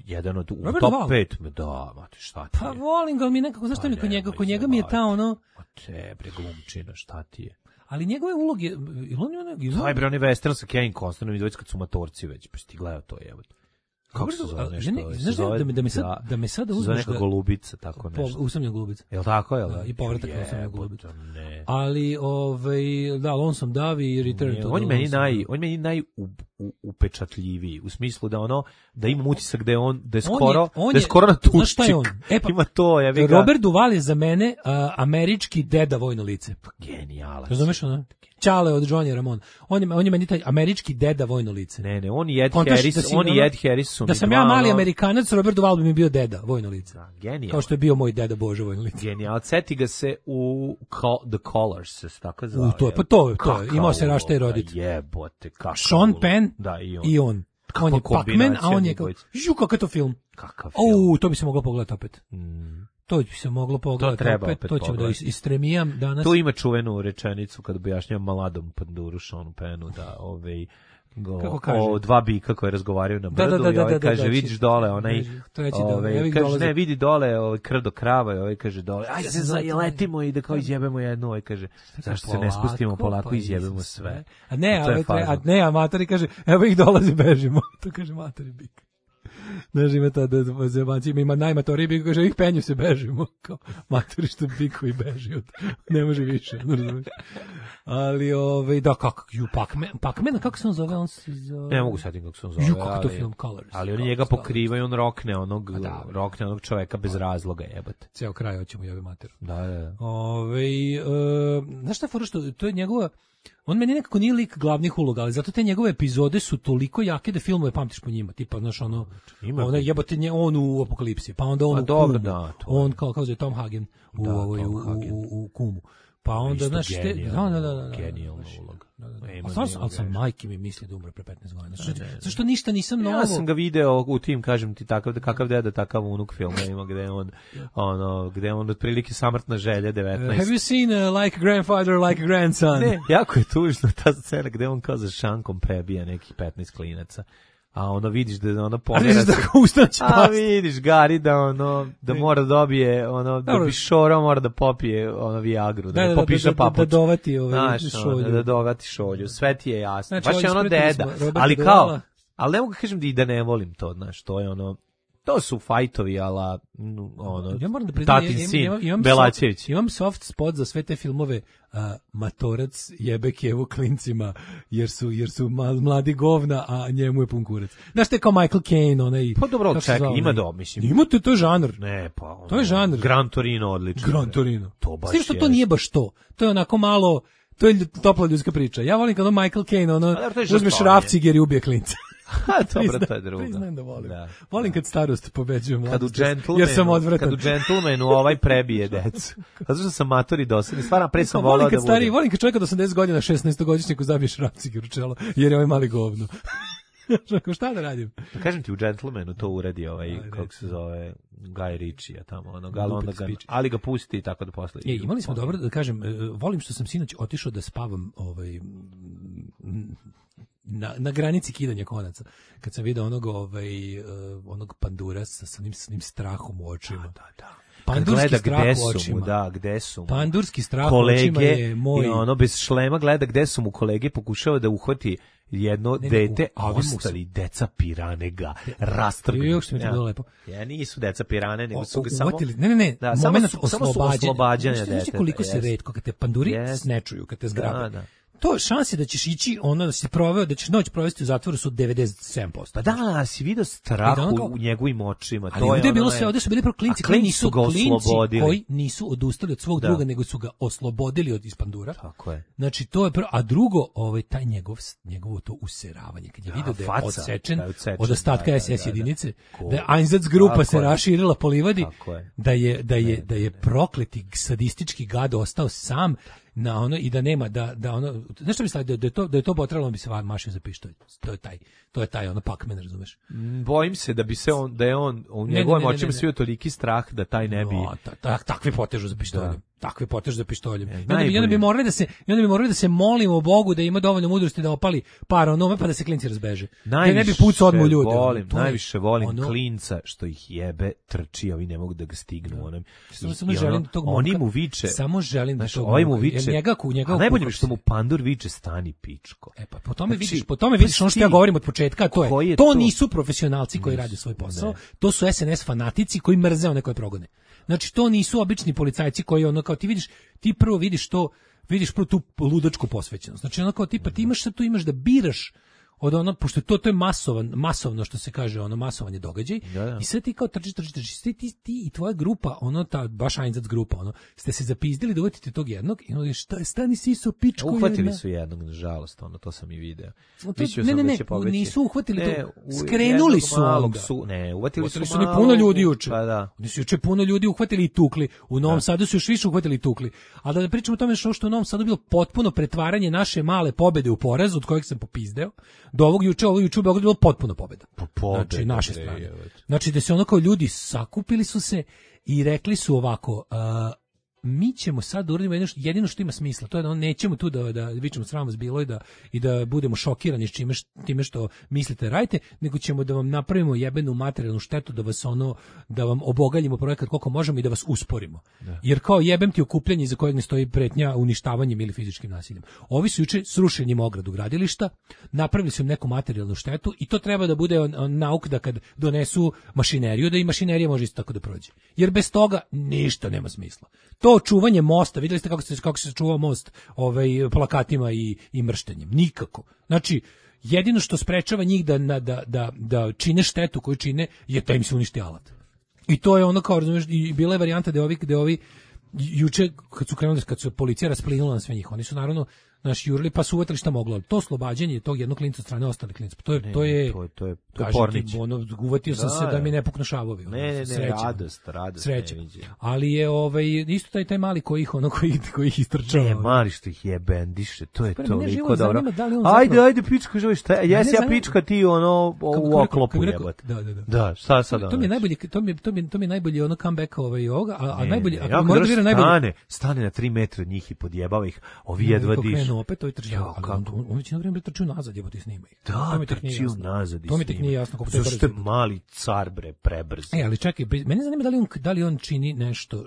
[SPEAKER 6] jedan od top pet. Da, mate, šta ti je?
[SPEAKER 7] Pa volim ga, ali mi nekako, znaš što mi kod njega, kod njega mi je ta ono...
[SPEAKER 6] Pa te, bre, glumčina, šta ti je?
[SPEAKER 7] Ali njegove uloge, ili on je ono...
[SPEAKER 6] Taj, bre, on je western sa Kevin Costnerom i dvojica kad su matorci već, pa si ti gledao to, evo. Kako se zove nešto? Ne, ne, znaš da, da, me sad, da, da me sada uzmeš... Zove neka golubica, tako nešto.
[SPEAKER 7] Po, usamljena golubica.
[SPEAKER 6] Jel' tako, jel' da?
[SPEAKER 7] I povratak na usamljenu golubicu. Ali, ovaj, da, Lonesome Dove i Return to
[SPEAKER 6] on meni naj, on meni naj upečatljiviji, u smislu da ono, da imam utisak da je on, da je skoro, on je, da je skoro na tuščik.
[SPEAKER 7] E pa,
[SPEAKER 6] ima to, ja bih ga...
[SPEAKER 7] Robert Duvall je za mene uh, američki deda vojno lice.
[SPEAKER 6] Pa genijalan.
[SPEAKER 7] Razumeš ono? Čale od Johnny Ramone. On je, on je meni taj američki deda vojno lice.
[SPEAKER 6] Ne, ne, on i Ed Harris, da on i Ed Harris su
[SPEAKER 7] da sam ja mali Amerikanac, Robert Duvall bi mi bio deda vojno lice.
[SPEAKER 6] Da, genijal.
[SPEAKER 7] Kao što je bio moj deda Bože vojno lice.
[SPEAKER 6] Genijal. Seti ga se u Call, The Callers, se tako zvao.
[SPEAKER 7] U to je, pa to je, to je. Imao se rašta i rodit.
[SPEAKER 6] Jebote, kako.
[SPEAKER 7] Sean Penn
[SPEAKER 6] da, i on.
[SPEAKER 7] I on. On je Pac-Man, a on je kao, ju, kakav je to film.
[SPEAKER 6] Kakav film.
[SPEAKER 7] Uuu, to bi se moglo pogledati opet. Mm. To bi se moglo pogledati
[SPEAKER 6] to
[SPEAKER 7] opet,
[SPEAKER 6] opet
[SPEAKER 7] to ćemo da istremijam danas.
[SPEAKER 6] Tu ima čuvenu rečenicu kad objašnjava maladom panduru Seanu Pennu da ovaj Go, o dva bika koji razgovaraju na brdu da, da, da, i ovaj kaže da, da, vidiš dole onaj ovaj kaže ne vidi dole ovaj krdo krava i ovaj kaže dole ajde se zaletimo i da kao izjebemo jednu ovaj kaže zašto se ne spustimo polako pa izjebemo sve
[SPEAKER 7] a ne a, a ne amatori kaže evo ih dolazi bežimo to kaže matori bik. Znaš, ima ta da zebanci, ima najmatoriji bik, kaže, ih penju se bežimo, kao matori što bikovi beži, od, ne može više, ne razumiješ. Ali, ovaj, da, kako, ju, Pac-Man, Pac-Man, kako se on zove, on se zove...
[SPEAKER 6] Ne mogu setim kako se on zove,
[SPEAKER 7] ju, kako to film Colors.
[SPEAKER 6] Ali oni njega pokrivaju, on rokne onog, da, rokne onog čoveka bez razloga, jebate.
[SPEAKER 7] Ceo kraj hoćemo jebe materu.
[SPEAKER 6] Da, da, da.
[SPEAKER 7] Ove, uh, znaš šta fora što, to je njegova, on meni nekako nije lik glavnih uloga, ali zato te njegove epizode su toliko jake da filmove pamtiš po njima, tipa, znaš, ono, ona jebote nje, on u Apokalipsi, pa onda on
[SPEAKER 6] A
[SPEAKER 7] u
[SPEAKER 6] dobro,
[SPEAKER 7] Kumu,
[SPEAKER 6] da, to
[SPEAKER 7] on kao, kao zove Tom Hagen u,
[SPEAKER 6] Da,
[SPEAKER 7] ovoj,
[SPEAKER 6] Tom
[SPEAKER 7] u,
[SPEAKER 6] Hagen.
[SPEAKER 7] u, u, u Kumu. Pa onda, znaš, te, da, da, da, da, da,
[SPEAKER 6] genijalna
[SPEAKER 7] znaš,
[SPEAKER 6] uloga.
[SPEAKER 7] da, da, da.
[SPEAKER 6] Nema
[SPEAKER 7] A stvarno,
[SPEAKER 6] ni
[SPEAKER 7] ali sam
[SPEAKER 6] greške.
[SPEAKER 7] majke mi misli da umre pre petnaest godina. Zašto, zašto ništa nisam novo?
[SPEAKER 6] Ja sam ga video u tim, kažem ti, takav, kakav deda, takav unuk filma ima, gde on, ono, gde on otprilike samrtna želja devetnaest.
[SPEAKER 7] Uh, have you seen uh, like grandfather, like grandson?
[SPEAKER 6] Ne, jako je tužno ta scena gde on kao za šankom prebija nekih petnaest klinaca. A ono vidiš da ono pomera.
[SPEAKER 7] A vidiš da ga ustaće
[SPEAKER 6] A
[SPEAKER 7] past.
[SPEAKER 6] vidiš Gari da ono da mora dobije ono da
[SPEAKER 7] Dobro.
[SPEAKER 6] bi šorao mora da popije ono Viagru, da,
[SPEAKER 7] Da,
[SPEAKER 6] ne
[SPEAKER 7] da,
[SPEAKER 6] popiša
[SPEAKER 7] da, da,
[SPEAKER 6] papuč.
[SPEAKER 7] da dovati ovaj
[SPEAKER 6] Znaš, ono,
[SPEAKER 7] šolju.
[SPEAKER 6] da dovati šolju. Sve ti je jasno.
[SPEAKER 7] Znači,
[SPEAKER 6] Baš
[SPEAKER 7] ovdje
[SPEAKER 6] je ono
[SPEAKER 7] ispratili
[SPEAKER 6] deda.
[SPEAKER 7] smo Roberta
[SPEAKER 6] Ali kao,
[SPEAKER 7] Duvala.
[SPEAKER 6] ali ne mogu kažem da i da ne volim to, znaš, to je ono to su fajtovi, ala ono
[SPEAKER 7] Ja moram da priznam,
[SPEAKER 6] tatin
[SPEAKER 7] ja- ja-
[SPEAKER 6] sin,
[SPEAKER 7] imam- imam
[SPEAKER 6] Belačević.
[SPEAKER 7] soft- Imam soft spot za sve te filmove uh, Matorac jebe kevu klincima jer su, jer su ma- mladi govna, a njemu je pun kurac. Znaš te kao Michael Caine, onaj...
[SPEAKER 6] Pa dobro,
[SPEAKER 7] kako se
[SPEAKER 6] čekaj,
[SPEAKER 7] zove
[SPEAKER 6] ima
[SPEAKER 7] onaj?
[SPEAKER 6] do, mislim.
[SPEAKER 7] Imate, to je žanr.
[SPEAKER 6] Ne, pa ono,
[SPEAKER 7] To je žanr.
[SPEAKER 6] Gran Torino odlično.
[SPEAKER 7] Gran Torino.
[SPEAKER 6] To baš
[SPEAKER 7] S tim što
[SPEAKER 6] je.
[SPEAKER 7] to nije baš to. To je onako malo... To je lju- topla ljudska priča. Ja volim kad ono Michael Caine, ono,
[SPEAKER 6] dobro, to je
[SPEAKER 7] uzmeš
[SPEAKER 6] žrtvovanje.
[SPEAKER 7] rafciger i ubije klinca.
[SPEAKER 6] Ha, dobro,
[SPEAKER 7] Prizna-
[SPEAKER 6] to je drugo.
[SPEAKER 7] Priznajem da volim.
[SPEAKER 6] Da.
[SPEAKER 7] Volim kad starost pobeđuje
[SPEAKER 6] Kad u
[SPEAKER 7] mladost,
[SPEAKER 6] džentlmenu,
[SPEAKER 7] jer sam odvratan.
[SPEAKER 6] kad u džentlmenu ovaj prebije decu. Zato što sam matori dosadni. Stvarno, pre sam
[SPEAKER 7] Volim
[SPEAKER 6] volao
[SPEAKER 7] kad
[SPEAKER 6] da
[SPEAKER 7] stari,
[SPEAKER 6] budem.
[SPEAKER 7] volim kad čovjek od osamdeset godina šesnaestogodišnjaku zabiješ rafciger u čelo, jer je ovaj mali govno. Što, šta da radim?
[SPEAKER 6] Da kažem ti, u džentlmenu to uradi ovaj,
[SPEAKER 7] Ajde,
[SPEAKER 6] kako se zove, Guy Ritchie, tamo, ono, ali, onda
[SPEAKER 7] Glupac
[SPEAKER 6] ga,
[SPEAKER 7] pič.
[SPEAKER 6] ali ga pusti i tako da posle.
[SPEAKER 7] E, imali smo dobro, da kažem, e, volim što sam sinoć otišao da spavam ovaj, m, na, na granici kidanja konaca. Kad sam vidio onog, ovaj, e, onog pandura sa, sa onim, sa onim strahom u očima.
[SPEAKER 6] Da, da.
[SPEAKER 7] Pandurski
[SPEAKER 6] Kad gleda
[SPEAKER 7] strah
[SPEAKER 6] gde
[SPEAKER 7] u
[SPEAKER 6] su mu,
[SPEAKER 7] očima.
[SPEAKER 6] da, gde su mu.
[SPEAKER 7] Pandurski strah u očima
[SPEAKER 6] kolege
[SPEAKER 7] je moj...
[SPEAKER 6] i ono bez šlema gleda gde su mu kolege, pokušava da uhvati jedno
[SPEAKER 7] Ne, ne,
[SPEAKER 6] dete,
[SPEAKER 7] u-
[SPEAKER 6] a
[SPEAKER 7] ovi mu
[SPEAKER 6] ostali deca pirane ga rastrgnu.
[SPEAKER 7] Još što mi je to bilo lepo.
[SPEAKER 6] Ja, nisu deca pirane, nego
[SPEAKER 7] O-
[SPEAKER 6] su ga
[SPEAKER 7] o-
[SPEAKER 6] samo...
[SPEAKER 7] uvatili- ne, ne, ne,
[SPEAKER 6] Da, samo
[SPEAKER 7] moment
[SPEAKER 6] su- samo su
[SPEAKER 7] oslobađanja.
[SPEAKER 6] oslobađanja
[SPEAKER 7] Znaš ti- znaš ti
[SPEAKER 6] deteta,
[SPEAKER 7] koliko se
[SPEAKER 6] jest.
[SPEAKER 7] retko, kad te panduri
[SPEAKER 6] Jest.
[SPEAKER 7] ne čuju, kad te zgrabe.
[SPEAKER 6] Da, da.
[SPEAKER 7] To šanse da ćeš ići, ono da si proveo, da ćeš noć provesti u zatvoru su devedeset sedam posto.
[SPEAKER 6] Pa da, si vidio strah
[SPEAKER 7] I da ono kao-
[SPEAKER 6] u njegovim očima.
[SPEAKER 7] Ali
[SPEAKER 6] to
[SPEAKER 7] ovdje je
[SPEAKER 6] ono
[SPEAKER 7] bilo
[SPEAKER 6] naj-
[SPEAKER 7] sve, ovdje su bili prvo klinci
[SPEAKER 6] A
[SPEAKER 7] koji
[SPEAKER 6] klinci
[SPEAKER 7] nisu
[SPEAKER 6] su ga
[SPEAKER 7] klinci
[SPEAKER 6] oslobodili.
[SPEAKER 7] koji nisu odustali od svog
[SPEAKER 6] Da.
[SPEAKER 7] druga, nego su ga oslobodili od ispandura.
[SPEAKER 6] Tako je.
[SPEAKER 7] Znači to je prvo, a drugo, ovaj taj njegov njegovo to useravanje kad je video da je
[SPEAKER 6] faca,
[SPEAKER 7] odsečen
[SPEAKER 6] da je odsečen,
[SPEAKER 7] od ostatka
[SPEAKER 6] da, da,
[SPEAKER 7] S S
[SPEAKER 6] da, da.
[SPEAKER 7] jedinice,
[SPEAKER 6] Ko-
[SPEAKER 7] da je Einsatzgrupa
[SPEAKER 6] Tako
[SPEAKER 7] se
[SPEAKER 6] je.
[SPEAKER 7] raširila po livadi,
[SPEAKER 6] Tako je.
[SPEAKER 7] da je da je da je prokleti sadistički gad ostao sam na ono i da nema da da ono znaš šta mi stavio, da, da je to da je to potrebno bi se van mašio za pištolj. To je taj to je taj ono Pac-Man, razumeš?
[SPEAKER 6] Mm, Bojim se da bi se on, da je on, u
[SPEAKER 7] Ne,
[SPEAKER 6] njegovim
[SPEAKER 7] ne, ne,
[SPEAKER 6] očima
[SPEAKER 7] ne, ne.
[SPEAKER 6] svio toliki strah da taj ne bi...
[SPEAKER 7] No, ta, ta, takve potežu za pištoljem.
[SPEAKER 6] Da.
[SPEAKER 7] Takve potežu za pištoljem. I onda, bi,
[SPEAKER 6] najbolje.
[SPEAKER 7] i onda bi morali da se i onda bi morali da se molimo Bogu da ima dovoljno mudrosti da opali par onome pa da se klinci razbeže. Da ne bi pucao odmu ljude. ono,
[SPEAKER 6] volim,
[SPEAKER 7] to je
[SPEAKER 6] najviše volim
[SPEAKER 7] ono-
[SPEAKER 6] klinca što ih jebe, trči, a ovi ne mogu da ga stignu. Onem.
[SPEAKER 7] Samo,
[SPEAKER 6] I-
[SPEAKER 7] samo
[SPEAKER 6] i
[SPEAKER 7] želim
[SPEAKER 6] ono,
[SPEAKER 7] da tog
[SPEAKER 6] oni
[SPEAKER 7] momka-
[SPEAKER 6] mu viče,
[SPEAKER 7] Samo želim da
[SPEAKER 6] znaš,
[SPEAKER 7] tog
[SPEAKER 6] ovaj mu
[SPEAKER 7] momka- jer
[SPEAKER 6] viče,
[SPEAKER 7] njega ku njega
[SPEAKER 6] a najbolje mi
[SPEAKER 7] ukupci.
[SPEAKER 6] što mu pandur viče stani pičko.
[SPEAKER 7] E pa po tome
[SPEAKER 6] Znači,
[SPEAKER 7] vidiš, po tome vidiš ono što ja
[SPEAKER 6] ti-
[SPEAKER 7] govorim od početka, a to
[SPEAKER 6] koji
[SPEAKER 7] je,
[SPEAKER 6] je
[SPEAKER 7] to,
[SPEAKER 6] to?
[SPEAKER 7] nisu profesionalci koji rade svoj posao,
[SPEAKER 6] Ne.
[SPEAKER 7] to su S N S fanatici koji mrze one koje progone. Znači to nisu obični policajci koji ono kao ti vidiš, ti prvo vidiš to, vidiš prvo tu ludačku posvećenost. Znači ono kao tipa ti imaš sad tu imaš da biraš od ono, pošto to, to je masovan, masovno što se kaže, ono masovanje događaj,
[SPEAKER 6] Da, da.
[SPEAKER 7] i sve ti kao trčiš, trčiš, trčiš, ti, ti, ti i tvoja grupa, ono, ta, baš Einsatz grupa, ono, ste se zapizdili da uvatite tog jednog i ono, šta je, stani siso, pičko
[SPEAKER 6] Uhvatili
[SPEAKER 7] jedna.
[SPEAKER 6] su jednog, nažalost, ono, to sam i video.
[SPEAKER 7] No to-
[SPEAKER 6] Mislio
[SPEAKER 7] ne,
[SPEAKER 6] sam
[SPEAKER 7] ne,
[SPEAKER 6] da
[SPEAKER 7] ne,
[SPEAKER 6] će pobeći.
[SPEAKER 7] nisu uhvatili
[SPEAKER 6] Ne,
[SPEAKER 7] to,
[SPEAKER 6] u
[SPEAKER 7] skrenuli
[SPEAKER 6] jednog
[SPEAKER 7] su
[SPEAKER 6] malog
[SPEAKER 7] onda.
[SPEAKER 6] Su, ne, uvatili su,
[SPEAKER 7] Uhvatili su ni
[SPEAKER 6] malog-
[SPEAKER 7] puno ljudi juče.
[SPEAKER 6] Pa da.
[SPEAKER 7] Oni su juče puno ljudi uhvatili i tukli. U Novom Sadu su još više uhvatili i tukli. A da pričamo o tome što, što u Novom Sadu bilo potpuno pretvaranje naše male pobede u porazu, od kojeg sam popizdeo, do ovog juče, ovo juče u Beogradu bilo potpuno pobeda.
[SPEAKER 6] pobeda,
[SPEAKER 7] Znači, naše
[SPEAKER 6] bre,
[SPEAKER 7] strane.
[SPEAKER 6] jebote.
[SPEAKER 7] Znači, da se ono kao ljudi sakupili su se i rekli su ovako, a, mi ćemo sad da uradimo jedino što, jedino što ima smisla, to je da on nećemo tu da da vičemo sram vas bilo i da i da budemo šokirani s čime š- time što mislite radite, nego ćemo da vam napravimo jebenu materijalnu štetu, da vas ono da vam obogaljimo projekat koliko možemo i da vas usporimo. Jer kao jebem ti okupljanje iza kojeg ne stoji pretnja uništavanjem ili fizičkim nasiljem. Ovi su juče srušenjem ogradu gradilišta, napravili su im neku materijalnu štetu i to treba da bude on, on, nauk da kad donesu mašineriju, da i mašinerija može isto tako da prođe. Jer bez toga ništa nema smisla. To čuvanje mosta, vidjeli ste kako se kako se čuva most ovaj plakatima i i mrštenjem. Nikako. Znači jedino što sprečava njih da na- da da da čine štetu koju čine je da im se uništi alat. I to je ono kao razumeš i bila je varijanta da ovi da ovi juče kad su krenuli kad su policija rasplinula na sve njih, oni su naravno naš jurili pa su uvatili šta moglo. To oslobađanje tog jednog klinca od strane ostalih klinca. To je
[SPEAKER 6] ne,
[SPEAKER 7] to je
[SPEAKER 6] to je to je, to je
[SPEAKER 7] pornić. Ono, uvatio sam da, se da mi ne puknu šavovi.
[SPEAKER 6] Ne, ne, ne,
[SPEAKER 7] sreća.
[SPEAKER 6] radost, radost.
[SPEAKER 7] Sreća. Ali je ovaj isto taj taj mali koji ih ono koji koji ih istrčava.
[SPEAKER 6] Ne, mali što ih je bendiše. To je
[SPEAKER 7] Spre,
[SPEAKER 6] toliko dobro.
[SPEAKER 7] Da
[SPEAKER 6] ajde, ajde pička, želi šta? Jesi ja pička ti ono u oklopu jebote.
[SPEAKER 7] Da, da, da.
[SPEAKER 6] Da, šta sad?
[SPEAKER 7] To mi je najbolje, to mi to mi to mi je najbolje ono comeback ovaj ovoga, a, a
[SPEAKER 6] ne,
[SPEAKER 7] najbolje
[SPEAKER 6] ne,
[SPEAKER 7] ako
[SPEAKER 6] ja
[SPEAKER 7] mora da vira najbolje
[SPEAKER 6] stane, stane na tri metra od njih i podjebava ih. Ovi jedva dišu.
[SPEAKER 7] Krenu opet to i trči. On on već na vreme trči nazad, jebote snima ih.
[SPEAKER 6] Da, to mi trči nazad.
[SPEAKER 7] To mi tek nije jasno kako to je.
[SPEAKER 6] Zašto je mali car bre prebrz.
[SPEAKER 7] E, ali čekaj, mene zanima da li on da li on čini nešto uh,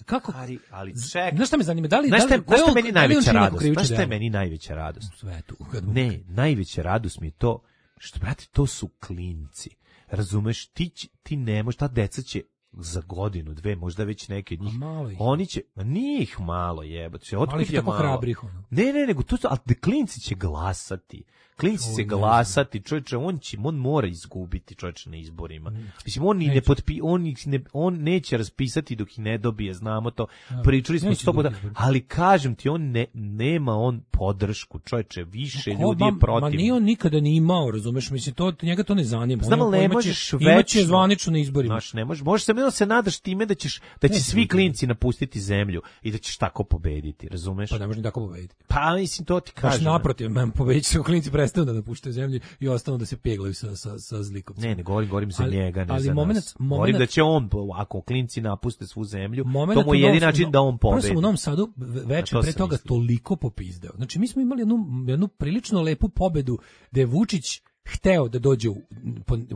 [SPEAKER 7] kako
[SPEAKER 6] ali ali čekaj.
[SPEAKER 7] Znaš šta me zanima, da li
[SPEAKER 6] znaš
[SPEAKER 7] da li
[SPEAKER 6] šta je meni najveća radost?
[SPEAKER 7] Znaš
[SPEAKER 6] šta je meni najveća radost
[SPEAKER 7] u svetu?
[SPEAKER 6] Ne, najveća radost mi je to što brate to su klinci. Razumeš, ti ti ne možeš, ta deca će za godinu, dve, možda već neke od njih. Oni će, ma nije ih malo jebote. Otkud je malo?
[SPEAKER 7] Hrabrih, ono.
[SPEAKER 6] Ne, ne, nego to su, ali klinci će glasati. Klinci će glasati, čovječe, on će, on mora izgubiti, čovječe, na izborima. Mm. Mislim, on, ne potpi, on, ne, on neće raspisati dok ih ne dobije, znamo to. Ja, pričali smo sto puta, ali kažem ti, on ne, nema on podršku, čovječe, više no, ljudi je protiv.
[SPEAKER 7] Ma nije on nikada ni imao, razumeš, mislim, to, njega to ne zanima.
[SPEAKER 6] Znam, ali ne možeš večno.
[SPEAKER 7] Imaće zvanično na izborima.
[SPEAKER 6] Znaš, ne možeš, možeš se, se nadaš time da ćeš, da će ne, svi klinci napustiti zemlju i da ćeš tako pobediti, razumeš?
[SPEAKER 7] Pa ne može ni tako pobediti.
[SPEAKER 6] Pa mislim, to ti kažem.
[SPEAKER 7] Baš naprotiv, pobediti se klinci prestanu da napuštaju zemlju i ostanu da se peglaju sa, sa, sa zlikovcem.
[SPEAKER 6] Ne, ne govorim, govorim za
[SPEAKER 7] ali,
[SPEAKER 6] njega, ne
[SPEAKER 7] ali
[SPEAKER 6] za
[SPEAKER 7] moment,
[SPEAKER 6] nas.
[SPEAKER 7] Moment,
[SPEAKER 6] govorim da će on, ako klinci napuste svu zemlju, to mu je jedini način da on pobedi.
[SPEAKER 7] Prvo sam u Novom Sadu večer pre toga mislim. toliko popizdeo. Znači, mi smo imali jednu, jednu prilično lepu pobedu da je Vučić hteo da dođe u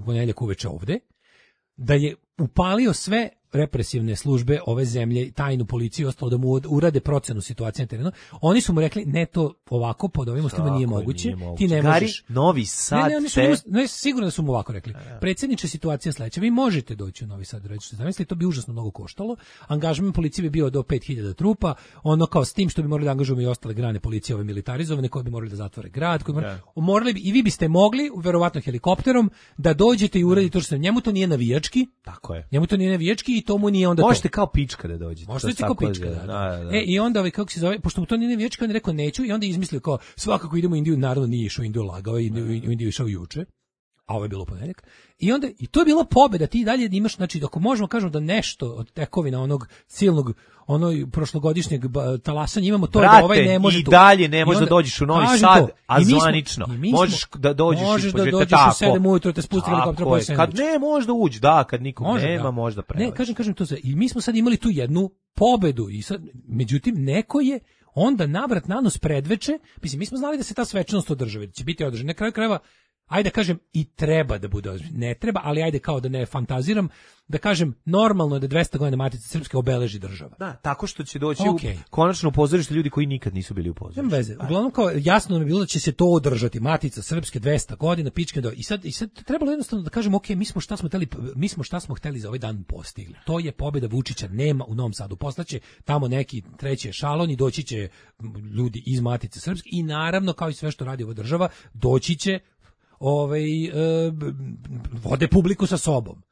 [SPEAKER 7] ponedjeljak uveče ovde, da je upalio sve represivne službe ove zemlje, tajnu policiju i ostalo da mu urade procenu situacije na terenu. Oni su mu rekli, ne, to ovako pod ovim uslovima nije moguće, nije ti ne
[SPEAKER 6] Gari,
[SPEAKER 7] možeš.
[SPEAKER 6] Novi Sad
[SPEAKER 7] ne, ne, oni su, te... ne, sigurno da su mu ovako rekli. Predsjedniče, situacija sledeća, vi možete doći u Novi Sad, reći, zamislite, to bi užasno mnogo koštalo. Angažman policije bi bio do pet hiljada trupa, ono kao s tim što bi morali da angažujemo i ostale grane policije, ove militarizovane, koje bi morali da zatvore grad, koji morali, morali bi, i vi biste mogli, verovatno helikopterom, da dođete i uradite to što se njemu to nije navijački.
[SPEAKER 6] Tako je.
[SPEAKER 7] Njemu to nije navijački i to mu nije onda to.
[SPEAKER 6] Možete kao pička da dođete.
[SPEAKER 7] Možete kao pička, da, da. Da, da. E, i onda, ovaj, kako se zove, pošto mu to nije navijački, on je rekao neću i onda je izmislio kao, svakako idemo u Indiju, naravno nije išao u Indiju, lagao je, u Indiju išao juče, a ovo je bilo ponedjeljak. I onda, i to je bila pobeda, ti dalje imaš, znači, ako možemo kažemo da nešto od tekovina onog silnog, ono prošlogodišnjeg talasanja imamo to.
[SPEAKER 6] Brate,
[SPEAKER 7] da ovaj ne može
[SPEAKER 6] i dalje ne možeš da dođeš u Novi Sad, to. a zvanično. Možeš da dođeš
[SPEAKER 7] možeš
[SPEAKER 6] i
[SPEAKER 7] da dođeš tako. U sedam ujutro te spusti helikopter po sedam.
[SPEAKER 6] Kad ne, možda uđi, da, kad nikog može, nema, da. možda prevaći.
[SPEAKER 7] Ne, kažem, kažem to sve. I mi smo sad imali tu jednu pobedu i sad, međutim, neko je onda navrat nanos predveče, mislim, mi smo znali da se ta svečanost održava, da će biti održana. Na kraju krajeva, ajde da kažem, i treba da bude održana. Ne treba, ali ajde kao da ne fantaziram, da kažem, normalno je da dvesta godina Matice Srpske obeleži država.
[SPEAKER 6] Da, tako što će doći
[SPEAKER 7] okay.
[SPEAKER 6] u konačno u pozorište ljudi koji nikad nisu bili u pozorištu.
[SPEAKER 7] Nema veze. Uglavnom kao jasno nam je bilo da će se to održati. Matica Srpske dvesta godina, pičke do. I sad i sad trebalo jednostavno da kažemo, ok, mi smo šta smo hteli, mi smo šta smo hteli za ovaj dan postigli. To je pobeda Vučića, nema u Novom Sadu. Poslaće tamo neki treći ešalon i doći će ljudi iz Matice Srpske i naravno kao i sve što radi ova država, doći će ovaj e, vode publiku sa sobom.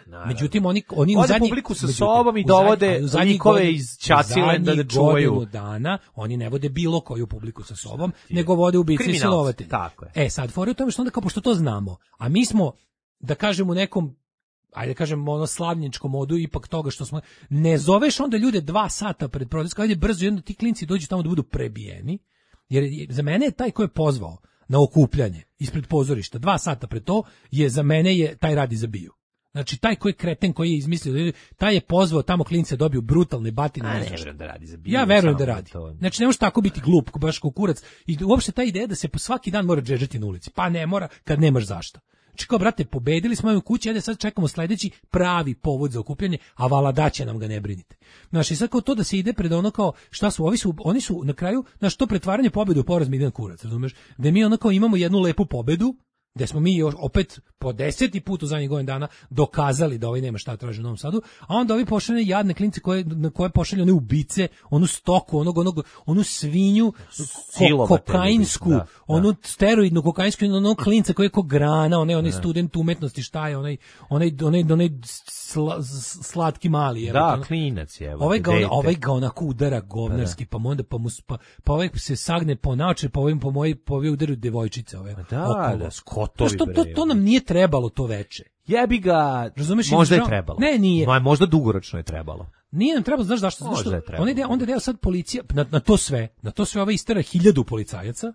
[SPEAKER 7] Naravno. Međutim oni oni
[SPEAKER 6] u
[SPEAKER 7] zadnji
[SPEAKER 6] publiku sa sobom i dovode likove iz Čacilenda da čuvaju
[SPEAKER 7] dana, oni ne vode bilo koju publiku sa sobom, nego vode ubice i silovatelje.
[SPEAKER 6] Tako je.
[SPEAKER 7] E sad fora u tome što onda kao pošto to znamo, a mi smo da kažemo u nekom ajde kažemo ono slavničkom modu ipak toga što smo ne zoveš onda ljude dva sata pred protest, ajde brzo i onda ti klinci dođu tamo da budu prebijeni. Jer za mene je taj ko je pozvao na okupljanje ispred pozorišta dva sata pred to je za mene je taj radi za biju. Znači taj koji je kreten koji je izmislio, taj je pozvao tamo klince dobiju brutalne batine.
[SPEAKER 6] A ne verujem da radi za biju.
[SPEAKER 7] Ja verujem da radi. Znači ne može tako biti glup, baš kao kurac. I uopšte ta ideja da se po svaki dan mora džedžati na ulici. Pa ne mora kad nemaš zašto. Znači kao, brate, pobedili smo u kući, ajde sad čekamo sledeći pravi povod za okupljanje, a vala daće nam ga, ne brinite. Znači, sad kao to da se ide pred ono kao, šta su, ovi su, oni su na kraju, znači to pretvaranje pobede u poraz mi jedan kurac, razumeš? Da mi ono kao imamo jednu lepu pobedu, gde smo mi još opet po deseti put u zadnjih godina dana dokazali da ovaj nema šta traži u Novom Sadu, a onda ovi pošaljene jadne klince koje, na koje pošalju one ubice, onu stoku, onog, onog, onu svinju, ko, kokainsku, da, onu da. steroidnu kokainsku, onog klinca koji je ko grana, onaj, onaj student umetnosti, šta je, onaj, onaj, onaj, onaj sla, slatki mali. Je,
[SPEAKER 6] da,
[SPEAKER 7] ono,
[SPEAKER 6] klinac je.
[SPEAKER 7] Ovaj ga, on, ovaj ga onako udara govnarski, pa onda pa, mu, pa, pa ovaj se sagne po naoče, pa ovim po moji, po ovim udaru devojčice. Ove,
[SPEAKER 6] da, da, skotovi.
[SPEAKER 7] To, to, to nam nije trebalo to veče.
[SPEAKER 6] Jebi ga,
[SPEAKER 7] razumeš,
[SPEAKER 6] možda je trebalo.
[SPEAKER 7] Ne, nije.
[SPEAKER 6] Ma, možda dugoročno je trebalo.
[SPEAKER 7] Nije nam trebalo, znaš zašto? Možda je trebalo. Onda, onda deo sad policija, na, na to sve, na to sve ova istera hiljadu policajaca.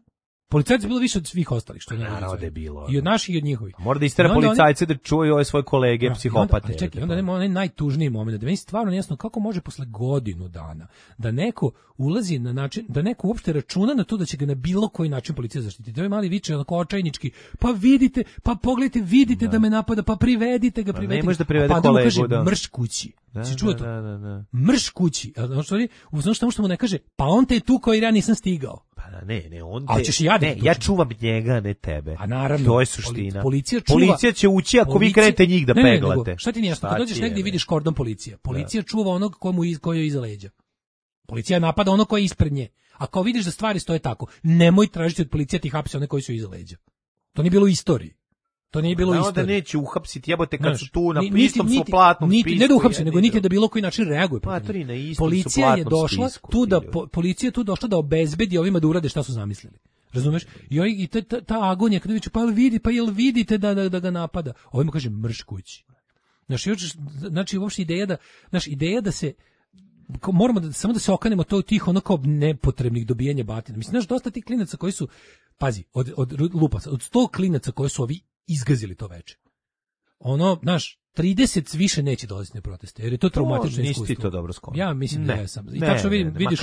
[SPEAKER 7] Policajaca je bilo više od svih ostalih, što je
[SPEAKER 6] naravno da je bilo.
[SPEAKER 7] I od naših i od njihovih.
[SPEAKER 6] Mora da istera policajce da čuvaju ove svoje kolege,
[SPEAKER 7] no,
[SPEAKER 6] psihopate.
[SPEAKER 7] Onda, čekaj, onda nema onaj najtužniji moment, da meni stvarno nejasno kako može posle godinu dana da neko ulazi na način, da neko uopšte računa na to da će ga na bilo koji način policija zaštititi. Ovaj mali viče onako očajnički, pa vidite, pa pogledajte, vidite da, da me napada, pa privedite ga, privedite.
[SPEAKER 6] Ne može da privede
[SPEAKER 7] pa
[SPEAKER 6] kolegu,
[SPEAKER 7] kaže,
[SPEAKER 6] da.
[SPEAKER 7] Mrš kući.
[SPEAKER 6] Da,
[SPEAKER 7] si čuo to?
[SPEAKER 6] Da, da, da.
[SPEAKER 7] Mrš kući. A znaš što, znaš što mu ne kaže, pa on te je tu koji ja nisam stigao.
[SPEAKER 6] Pa ne, ne, on te...
[SPEAKER 7] A ćeš ja,
[SPEAKER 6] ne, ja čuvam njega, ne tebe.
[SPEAKER 7] A naravno.
[SPEAKER 6] To je suština.
[SPEAKER 7] Policija čuva...
[SPEAKER 6] Policija će ući ako policija, vi krenete njih da
[SPEAKER 7] ne,
[SPEAKER 6] peglate.
[SPEAKER 7] Ne, nego, šta ti nije jasno? Kad dođeš negdje i vidiš kordon policija. Policija da. čuva onog komu iz, koji je iza leđa. Policija napada ono koji je ispred nje. A kao vidiš da stvari stoje tako, nemoj tražiti od policije ti hapse one koji su iza leđa. To nije bilo u istoriji. To nije bilo isto.
[SPEAKER 6] Da neće uhapsiti, jebote kad
[SPEAKER 7] Znaš,
[SPEAKER 6] su tu na
[SPEAKER 7] niti,
[SPEAKER 6] istom
[SPEAKER 7] niti,
[SPEAKER 6] su platnom
[SPEAKER 7] niti,
[SPEAKER 6] spisku.
[SPEAKER 7] Ne da uhapsi, nego niti da bilo koji način reaguje.
[SPEAKER 6] Pa, tri na istom
[SPEAKER 7] policija
[SPEAKER 6] su
[SPEAKER 7] je došla
[SPEAKER 6] spisku,
[SPEAKER 7] tu da po, policija je tu došla da obezbedi ovima da urade šta su zamislili. Razumeš? I, oj, i ta, ta, ta agonija kada viče, pa jel vidi, pa jel vidite da, da, da ga napada? Ovima kaže mrš kući. Znaš, još, znači uopšte ideja da, znaš, ideja da se moramo da samo da se okanemo to tih onako nepotrebnih dobijanja batina. Mislim, znaš, dosta tih klinaca koji su, pazi, od, od lupaca, od sto klinaca koji su ovi izgazili to veče. Ono, znaš, trideset više neće dolaziti na proteste, jer je to traumatično iskustvo.
[SPEAKER 6] Nisi ti to dobro skonio.
[SPEAKER 7] Ja mislim ne, da ja sam. I
[SPEAKER 6] ne,
[SPEAKER 7] tačno vidim,
[SPEAKER 6] ne, ne,
[SPEAKER 7] vidiš,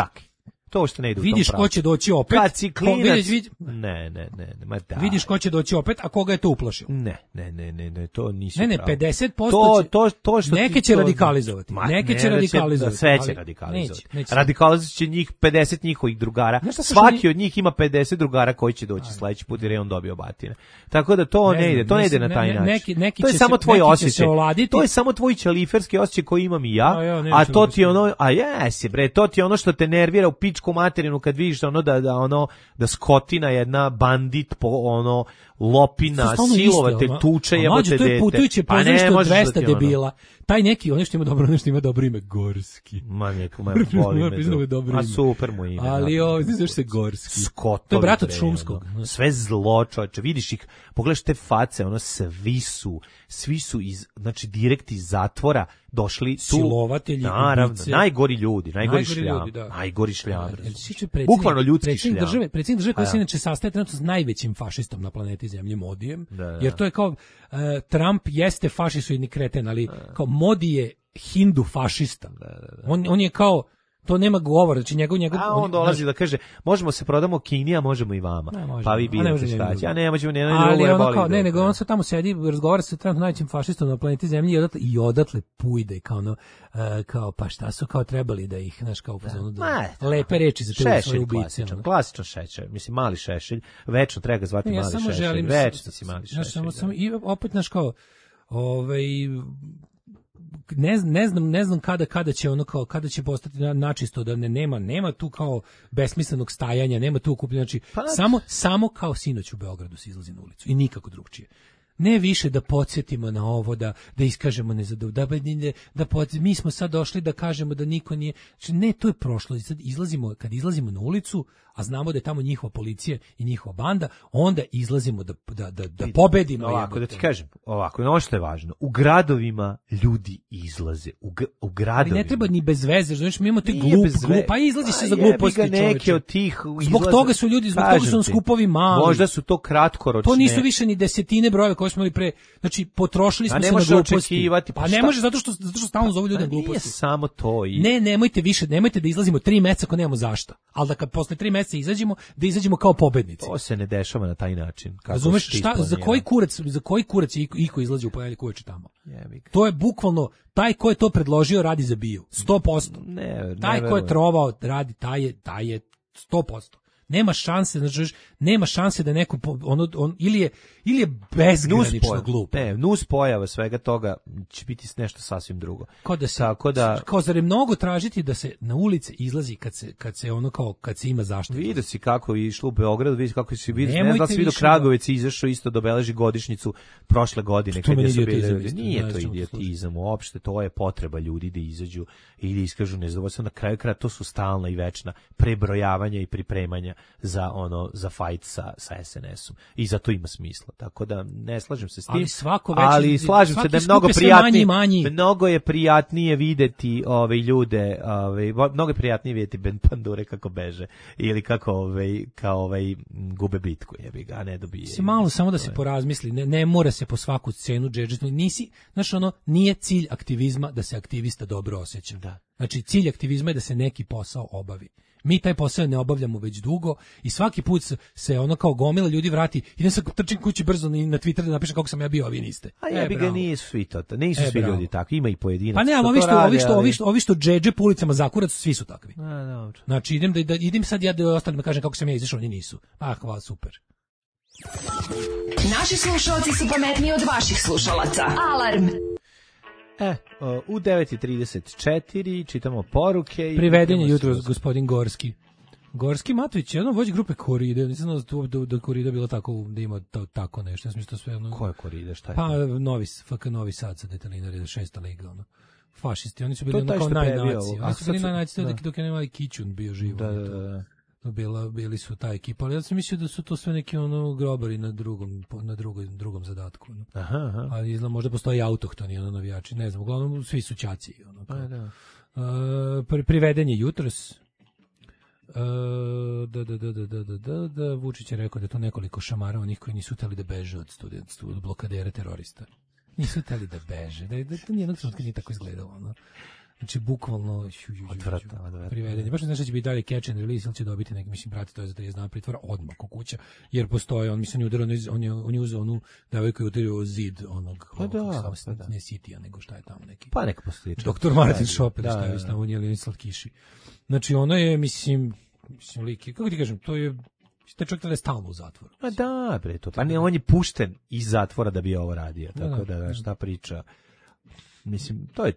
[SPEAKER 6] to što ne ide u
[SPEAKER 7] vidiš
[SPEAKER 6] tom
[SPEAKER 7] ko će doći opet.
[SPEAKER 6] Kad si klinac,
[SPEAKER 7] ko, vidiš, vidiš,
[SPEAKER 6] ne, ne, ne, ne, ma da.
[SPEAKER 7] Vidiš ko će doći opet, a koga je to uplašilo.
[SPEAKER 6] Ne, ne, ne, ne, ne, to nisi
[SPEAKER 7] Ne, ne,
[SPEAKER 6] pravo.
[SPEAKER 7] pedeset posto
[SPEAKER 6] to, to, to što
[SPEAKER 7] neke će
[SPEAKER 6] to,
[SPEAKER 7] radikalizovati.
[SPEAKER 6] Ma,
[SPEAKER 7] neke
[SPEAKER 6] ne,
[SPEAKER 7] će radikalizovati.
[SPEAKER 6] Da sve će radikalizovati.
[SPEAKER 7] Neće, neće.
[SPEAKER 6] Radikalizovat će njih pedeset njihovih drugara. Svaki od njih ima pedeset drugara koji će doći sledeći put jer je on dobio batine. Tako da to ne, ne ide, to ne ide na taj način.
[SPEAKER 7] Neki, neki
[SPEAKER 6] to je samo
[SPEAKER 7] se,
[SPEAKER 6] tvoj osjećaj.
[SPEAKER 7] To
[SPEAKER 6] je samo tvoj ćeliferski osjećaj koji imam i ja, a, ja a to ti je ono, a jesi bre, to ti je ono što te nervira u pičku materinu kad vidiš ono da da ono da skotina jedna bandit po ono lopina silovatelj tuče jebote dete.
[SPEAKER 7] To je putujuće pozorište od dvesta debila. Taj neki, on što ima dobro, nešto ima dobro ime Gorski.
[SPEAKER 6] Ma neko, ma voli me. A super mu ime.
[SPEAKER 7] Ali ovo, znaš se Gorski.
[SPEAKER 6] Skotovi.
[SPEAKER 7] To je brat od Šumskog.
[SPEAKER 6] Sve zlo, čoveče. Vidiš ih, pogledaš te face, ono svi su, svi su iz, znači direkt iz zatvora došli tu.
[SPEAKER 7] Silovatelji,
[SPEAKER 6] naravno,
[SPEAKER 7] ubice.
[SPEAKER 6] Najgori ljudi, najgori,
[SPEAKER 7] najgori
[SPEAKER 6] šljam.
[SPEAKER 7] Ljudi, da.
[SPEAKER 6] Najgori šljam.
[SPEAKER 7] Bukvalno
[SPEAKER 6] ljudski šljam.
[SPEAKER 7] Države, predsjednik države koji se inače sastaje trenutno s najvećim fašistom na planeti Zemlji, Modijem,
[SPEAKER 6] da, da.
[SPEAKER 7] Jer to je kao, uh, Trump jeste fašisoidni kreten, ali da. Kao Modi je hindu fašista.
[SPEAKER 6] Da, da, da.
[SPEAKER 7] On, on je kao, to nema govora, znači njegov njegov
[SPEAKER 6] a on dolazi da kaže možemo se prodamo Kini, a možemo i vama.
[SPEAKER 7] Ne,
[SPEAKER 6] pa vi birate šta će. A ne, možemo ne,
[SPEAKER 7] ali ono kao, ne, nego on se tamo sedi, razgovara sa trenutno najvećim fašistom na planeti Zemlji i odatle, i odatle pujde kao ono, uh, kao pa šta su kao trebali da ih, znaš, kao da, da, da lepe reči za te svoje ubice.
[SPEAKER 6] Klasičan, klasičan šešelj, mislim mali šešelj, večno treba ga zvati
[SPEAKER 7] ne, ja
[SPEAKER 6] mali šešelj.
[SPEAKER 7] Želim,
[SPEAKER 6] večno si mali šešelj.
[SPEAKER 7] Ja samo, samo, i opet, znaš, kao, ovaj, ne, ne znam ne znam kada kada će ono kao kada će postati načisto da ne nema nema tu kao besmislenog stajanja, nema tu okupljanja, znači pa, samo samo kao sinoć u Beogradu se izlazi na ulicu i nikako drugčije. Ne više da podsjetimo na ovo, da da iskažemo nezadovoljstvo, da, da pod, mi smo sad došli da kažemo da niko nije, znači ne, to je prošlo. Sad izlazimo, kad izlazimo na ulicu, a znamo da je tamo njihova policija i njihova banda, onda izlazimo da da da, da pobedimo.
[SPEAKER 6] Ovako da ti kažem, ovako, ono što je važno, u gradovima ljudi izlaze, u, u gradovima.
[SPEAKER 7] Ali ne treba ni bez veze, znači mi imamo te glup, glup, pa izlazi se za gluposti,
[SPEAKER 6] neke od tih
[SPEAKER 7] izlaze. Zbog toga su ljudi, zbog toga su nam skupovi mali.
[SPEAKER 6] Možda su to kratkoročne.
[SPEAKER 7] To nisu više ni desetine brojeva koje smo imali pre, znači potrošili smo se na gluposti.
[SPEAKER 6] Pa,
[SPEAKER 7] pa ne može zato što zato što stalno zovu ljude gluposti.
[SPEAKER 6] Nije samo to. I...
[SPEAKER 7] Ne, nemojte više, nemojte da izlazimo tri meseca ako nemamo zašto. Al da kad posle tri meseca izađemo, da izađemo kao pobednici.
[SPEAKER 6] To se ne dešava na taj način. Kako
[SPEAKER 7] razumeš šta, za koji kurac, za koji kurac je iko izlazi u ponedjeljak uveče tamo?
[SPEAKER 6] Jebik.
[SPEAKER 7] To je bukvalno taj ko je to predložio radi za biju. sto posto.
[SPEAKER 6] Ne, ne,
[SPEAKER 7] taj ko je trovao radi taj je taj je sto posto. nema šanse, znači nema šanse da neko ono on ili je ili je bezgranično glup.
[SPEAKER 6] Ne, nus pojava svega toga će biti nešto sasvim drugo.
[SPEAKER 7] Kao da se,
[SPEAKER 6] tako da
[SPEAKER 7] kao zar je mnogo tražiti da se na ulice izlazi kad se kad se ono kao kad se ima zaštitu.
[SPEAKER 6] Vidi si kako je išlo u Beogradu, vidi kako se vidi, ne znam da se vidi Kragujevac izašao isto da obeleži godišnjicu prošle godine kad su bili. Nije to idiotizam uopšte, to je potreba ljudi da izađu i da iskažu nezadovoljstvo. Na kraju kraja to su stalna i večna prebrojavanja i pripremanja za ono za fight sa sa es en esom. I zato ima smisla. Tako da ne slažem se s tim.
[SPEAKER 7] Ali svako veći,
[SPEAKER 6] ali slažem se da je mnogo prijatnije, manji, manji. mnogo je prijatnije videti ove ljude, ove mnogo je prijatnije videti bend pandure kako beže ili kako ovaj kao ovaj gube bitku, jebi ga, a ne dobije.
[SPEAKER 7] Se malo samo da se porazmisli, ne, ne mora se po svaku cenu džedžiti. Nisi, znaš ono, nije cilj aktivizma da se aktivista dobro osjeća.
[SPEAKER 6] Da.
[SPEAKER 7] Znači cilj aktivizma je da se neki posao obavi. Mi taj posao ne obavljamo već dugo i svaki put se ono kao gomila ljudi vrati. Idem sad trčim kući brzo na Twitter da napišem kako sam ja bio, a vi niste.
[SPEAKER 6] A ja bi ga nisu svi to, nisu
[SPEAKER 7] e,
[SPEAKER 6] svi ljudi tako, ima i pojedinac.
[SPEAKER 7] Pa ne, ali ovi što, ovi što, ovi što, ovi što džedže po ulicama zakurac, svi su takvi.
[SPEAKER 6] A, dobro.
[SPEAKER 7] Znači idem da, da idem sad ja da ostalim da kažem kako sam ja izašao, oni nisu. Ah, hvala, super.
[SPEAKER 4] Naši slušalci su pametniji od vaših slušalaca. Alarm.
[SPEAKER 6] E, u devet i trideset četiri čitamo poruke.
[SPEAKER 7] Priveden je jutro gospodin Gorski. Gorski Matović, jedan vođa grupe Koride, nisam znao da, da Korida bila tako, da ima to, tako nešto. Ja mislim, sve ono...
[SPEAKER 6] Ko je Korida, šta je?
[SPEAKER 7] Pa Novi, F K Novi Sad sa Detalinari, šesta liga, ono. Fašisti, oni su bili ono kao najnaci. Oni su bili najnaci dok, dok je nemali Kićun bio živo.
[SPEAKER 6] Da, da, da.
[SPEAKER 7] Bila, bili su ta ekipa, ali ja sam mislio da su to sve neki ono grobari na drugom, na drugom, drugom zadatku. Ono.
[SPEAKER 6] Aha, aha.
[SPEAKER 7] Ali izgleda, možda postoji autohtoni ono, navijači, ne znam, uglavnom svi su ćaci. Ono,
[SPEAKER 6] pa, da.
[SPEAKER 7] Uh, priveden je jutros. Uh, da, da, da, da, da, da, da, Vučić je rekao da je to nekoliko šamara onih koji nisu hteli da beže od studentstva, od blokadere terorista. Nisu hteli da beže, da, da to nijednog trenutka nije tako izgledalo. Ono. Znači, bukvalno
[SPEAKER 6] odvratno,
[SPEAKER 7] privedeni. Baš ne znaš da će biti dalje catch and release, ili će dobiti neki, mislim, brate, to je za trideset dana pritvora odmah ko kuća, jer postoje, on mislim, on je udarao, on je, on je uzeo onu devojku i udario zid onog,
[SPEAKER 6] pa da,
[SPEAKER 7] ovog,
[SPEAKER 6] pa da.
[SPEAKER 7] ne Sitija, nego šta je tamo neki.
[SPEAKER 6] Pa neka postoji.
[SPEAKER 7] doktor Martin Šopel, šta je tamo, on je li slatkiši. Znači, ono je, mislim, mislim, lik, kako ti kažem, to je, taj čovjek tada je stalno u zatvoru.
[SPEAKER 6] Pa da, bre, to. Pa ne, on je pušten iz zatvora da bi ovo radio, tako da, da šta priča. Mislim, to je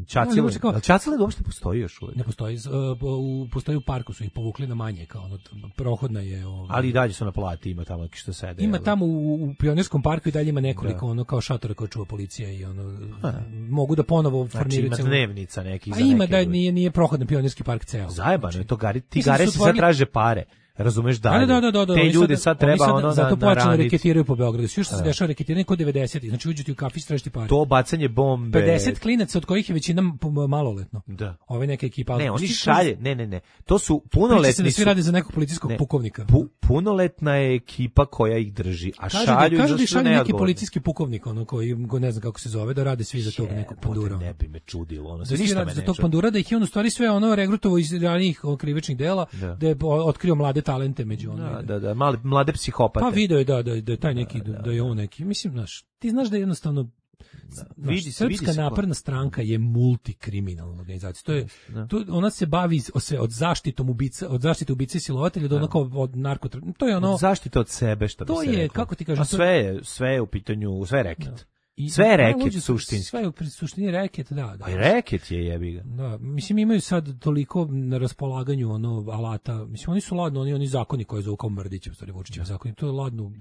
[SPEAKER 6] Čacile. No, Čacile uopšte postoji još uvijek?
[SPEAKER 7] Ne postoji, uh, postoji u parku, su ih povukli na manje, kao ono, prohodna je... Ovaj,
[SPEAKER 6] ali i dalje su na plati, ima tamo što sede.
[SPEAKER 7] Ima tamo u, u Pionirskom parku i dalje ima nekoliko, da. ono, kao šatora koje čuva policija i ono, a. mogu da ponovo formiraju...
[SPEAKER 6] Znači ima dnevnica nekih za
[SPEAKER 7] neke... A ima
[SPEAKER 6] neke
[SPEAKER 7] da nije, nije prohodan Pionirski park ceo.
[SPEAKER 6] Zajebano
[SPEAKER 7] znači,
[SPEAKER 6] je to, Gari, ti Gare si sad traže pare. Razumeš dalje.
[SPEAKER 7] Da, da, da, da,
[SPEAKER 6] te ljude sad, sad treba
[SPEAKER 7] sad,
[SPEAKER 6] ono
[SPEAKER 7] zato
[SPEAKER 6] na, na
[SPEAKER 7] počeli reketiraju po Beogradu. Sve što se dešava reketiranje kod devedesetih. Znači uđu ti u kafić tražiti pare.
[SPEAKER 6] To bacanje bombe.
[SPEAKER 7] pedeset klinaca od kojih je većina maloletno.
[SPEAKER 6] Da.
[SPEAKER 7] Ove neke ekipa.
[SPEAKER 6] Ne, oni šalje. Ne, ne, ne. To su punoletni.
[SPEAKER 7] Da svi rade za nekog policijskog
[SPEAKER 6] ne,
[SPEAKER 7] pukovnika.
[SPEAKER 6] Pu, punoletna je ekipa koja ih drži, a
[SPEAKER 7] kaže
[SPEAKER 6] šalju
[SPEAKER 7] da, kaže da
[SPEAKER 6] šalju
[SPEAKER 7] neki policijski pukovnik, ono koji go ne znam kako se zove, da rade svi za tog nekog pandura.
[SPEAKER 6] Ne bi me čudilo, ono
[SPEAKER 7] se ništa me za tog pandura da ih je on u stvari sve ono regrutovao iz ranijih krivičnih dela, da je otkrio mlade talente među ono.
[SPEAKER 6] Da, da, da, mali, mlade psihopate.
[SPEAKER 7] Pa video je da, da, da je taj neki, da, da, da je on neki, mislim, znaš, ti znaš da je jednostavno, da, znaš, vidi, Srpska vidi napredna stranka je multikriminalna organizacija. To je, da. to, ona se bavi sve od zaštitom ubica, od zaštite ubice i silovatelja do onako od narkotra. To je ono.
[SPEAKER 6] Od zaštite od sebe, što bi
[SPEAKER 7] to
[SPEAKER 6] se
[SPEAKER 7] je,
[SPEAKER 6] reklo.
[SPEAKER 7] kako ti kažem,
[SPEAKER 6] a sve je, sve je u pitanju, sve je reket. Da. I, sve je reket suštinski.
[SPEAKER 7] Sve je u suštini reket, da. da.
[SPEAKER 6] Pa i reket je jebi ga.
[SPEAKER 7] Da, mislim imaju sad toliko na raspolaganju ono alata. Mislim oni su ladno, oni oni zakoni koji zovu kao Mrdićev, stvari Vučićev zakoni. To je ladno,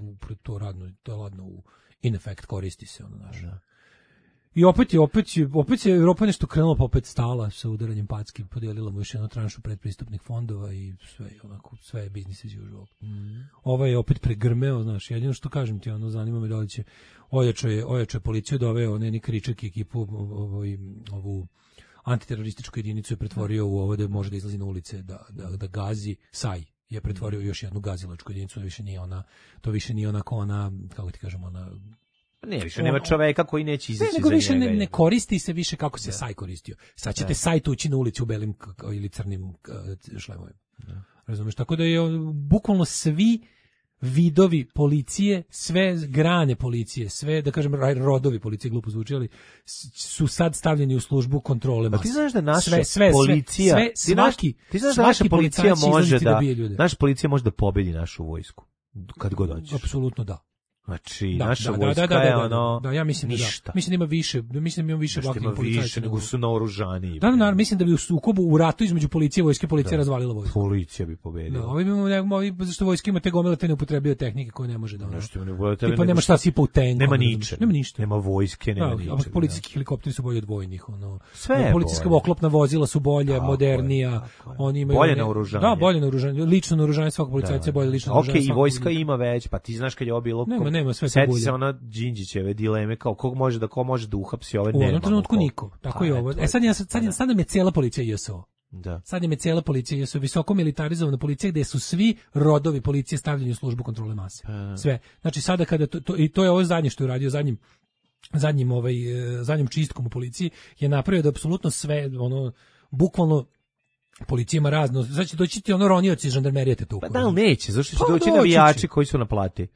[SPEAKER 7] to radno, to je ladno u in effect koristi se ono naš. Da. I opet je, opet je, opet je Evropa nešto krenula, pa opet stala sa udaranjem packi, podijelila mu još jednu tranšu predpristupnih fondova i sve, onako, sve je business as usual. Mm. Ovaj je opet pregrmeo, znaš, jedino što kažem ti, ono, zanima me da li će, ojačo je, ojačo je policiju, doveo Neni Kričak i ekipu, ovoj, ovu antiterorističku jedinicu je pretvorio u ovo da može da izlazi na ulice, da, da, da gazi, Saj je pretvorio još jednu gazilačku jedinicu, više nije ona, to više nije onako ona, kako ti kažem, ona,
[SPEAKER 6] ne, više nema čoveka koji neće izaći
[SPEAKER 7] ne, nego
[SPEAKER 6] za
[SPEAKER 7] više
[SPEAKER 6] njega.
[SPEAKER 7] Ne, ne koristi se više kako se da. Saj koristio. Sad ćete da. Saj tući na ulici u belim ili crnim šlemovima. Razumeš? Tako da je bukvalno svi vidovi policije, sve grane policije, sve, da kažem, rodovi policije, glupo zvuči, ali su sad stavljeni u službu kontrole mase.
[SPEAKER 6] Pa ti znaš da naša
[SPEAKER 7] sve, sve,
[SPEAKER 6] policija,
[SPEAKER 7] sve, sve, svaki,
[SPEAKER 6] ti znaš da naša policija može da,
[SPEAKER 7] da
[SPEAKER 6] naša policija može da pobedi našu vojsku, kad god hoćeš.
[SPEAKER 7] Apsolutno da.
[SPEAKER 6] Znači,
[SPEAKER 7] da,
[SPEAKER 6] naša
[SPEAKER 7] da,
[SPEAKER 6] vojska
[SPEAKER 7] da, da, da,
[SPEAKER 6] je
[SPEAKER 7] da,
[SPEAKER 6] ono
[SPEAKER 7] da, ja mislim
[SPEAKER 6] ništa.
[SPEAKER 7] Da, mislim da ima više, mislim da ima više
[SPEAKER 6] ovakvih policajaca nego su naoružani.
[SPEAKER 7] Da, naravno, mislim da bi u sukobu, u ratu između policije i vojske, policija da. razvalila vojsku.
[SPEAKER 6] Policija bi pobedila.
[SPEAKER 7] Da, ovi imamo, ovi, zašto vojska ima te gomile te neupotrebljive tehnike koje ne može da ono.
[SPEAKER 6] Nešto ne bude,
[SPEAKER 7] tipa nema šta sipa u tenku.
[SPEAKER 6] Nema ničega.
[SPEAKER 7] Nema ništa.
[SPEAKER 6] Nema vojske, nema
[SPEAKER 7] da,
[SPEAKER 6] ničega.
[SPEAKER 7] A policijski helikopteri su bolji od vojnih, ono.
[SPEAKER 6] Sve
[SPEAKER 7] policijska oklopna vozila su bolje, modernija, oni imaju
[SPEAKER 6] bolje naoružanje.
[SPEAKER 7] Da, bolje naoružanje, lično naoružanje svakog policajca je bolje lično naoružanje.
[SPEAKER 6] Okej, i vojska ima već, pa ti znaš kad je ovo bilo.
[SPEAKER 7] Nema, nema sve
[SPEAKER 6] to ona Đinđićeve dileme kao kog može da ko može da uhapsi ove nema.
[SPEAKER 7] U onom trenutku niko. Tako pa, je ovo. E sad je sad, sad, sad nam je cijela policija J S O.
[SPEAKER 6] Da.
[SPEAKER 7] Sad nam je cijela policija J S O, visoko militarizovana policija gde su svi rodovi policije stavljeni u službu kontrole mase. Pa. Sve. Znači sada kada to, to i to je ovo zadnje što je uradio zadnjim zadnjim ovaj zadnjim čistkom u policiji je napravio da apsolutno sve ono bukvalno policija ima razno. Znači doći ti ono ronioci iz žandarmerije te tu.
[SPEAKER 6] Pa da li neće, zašto će pa, doći navijači koji su na plati?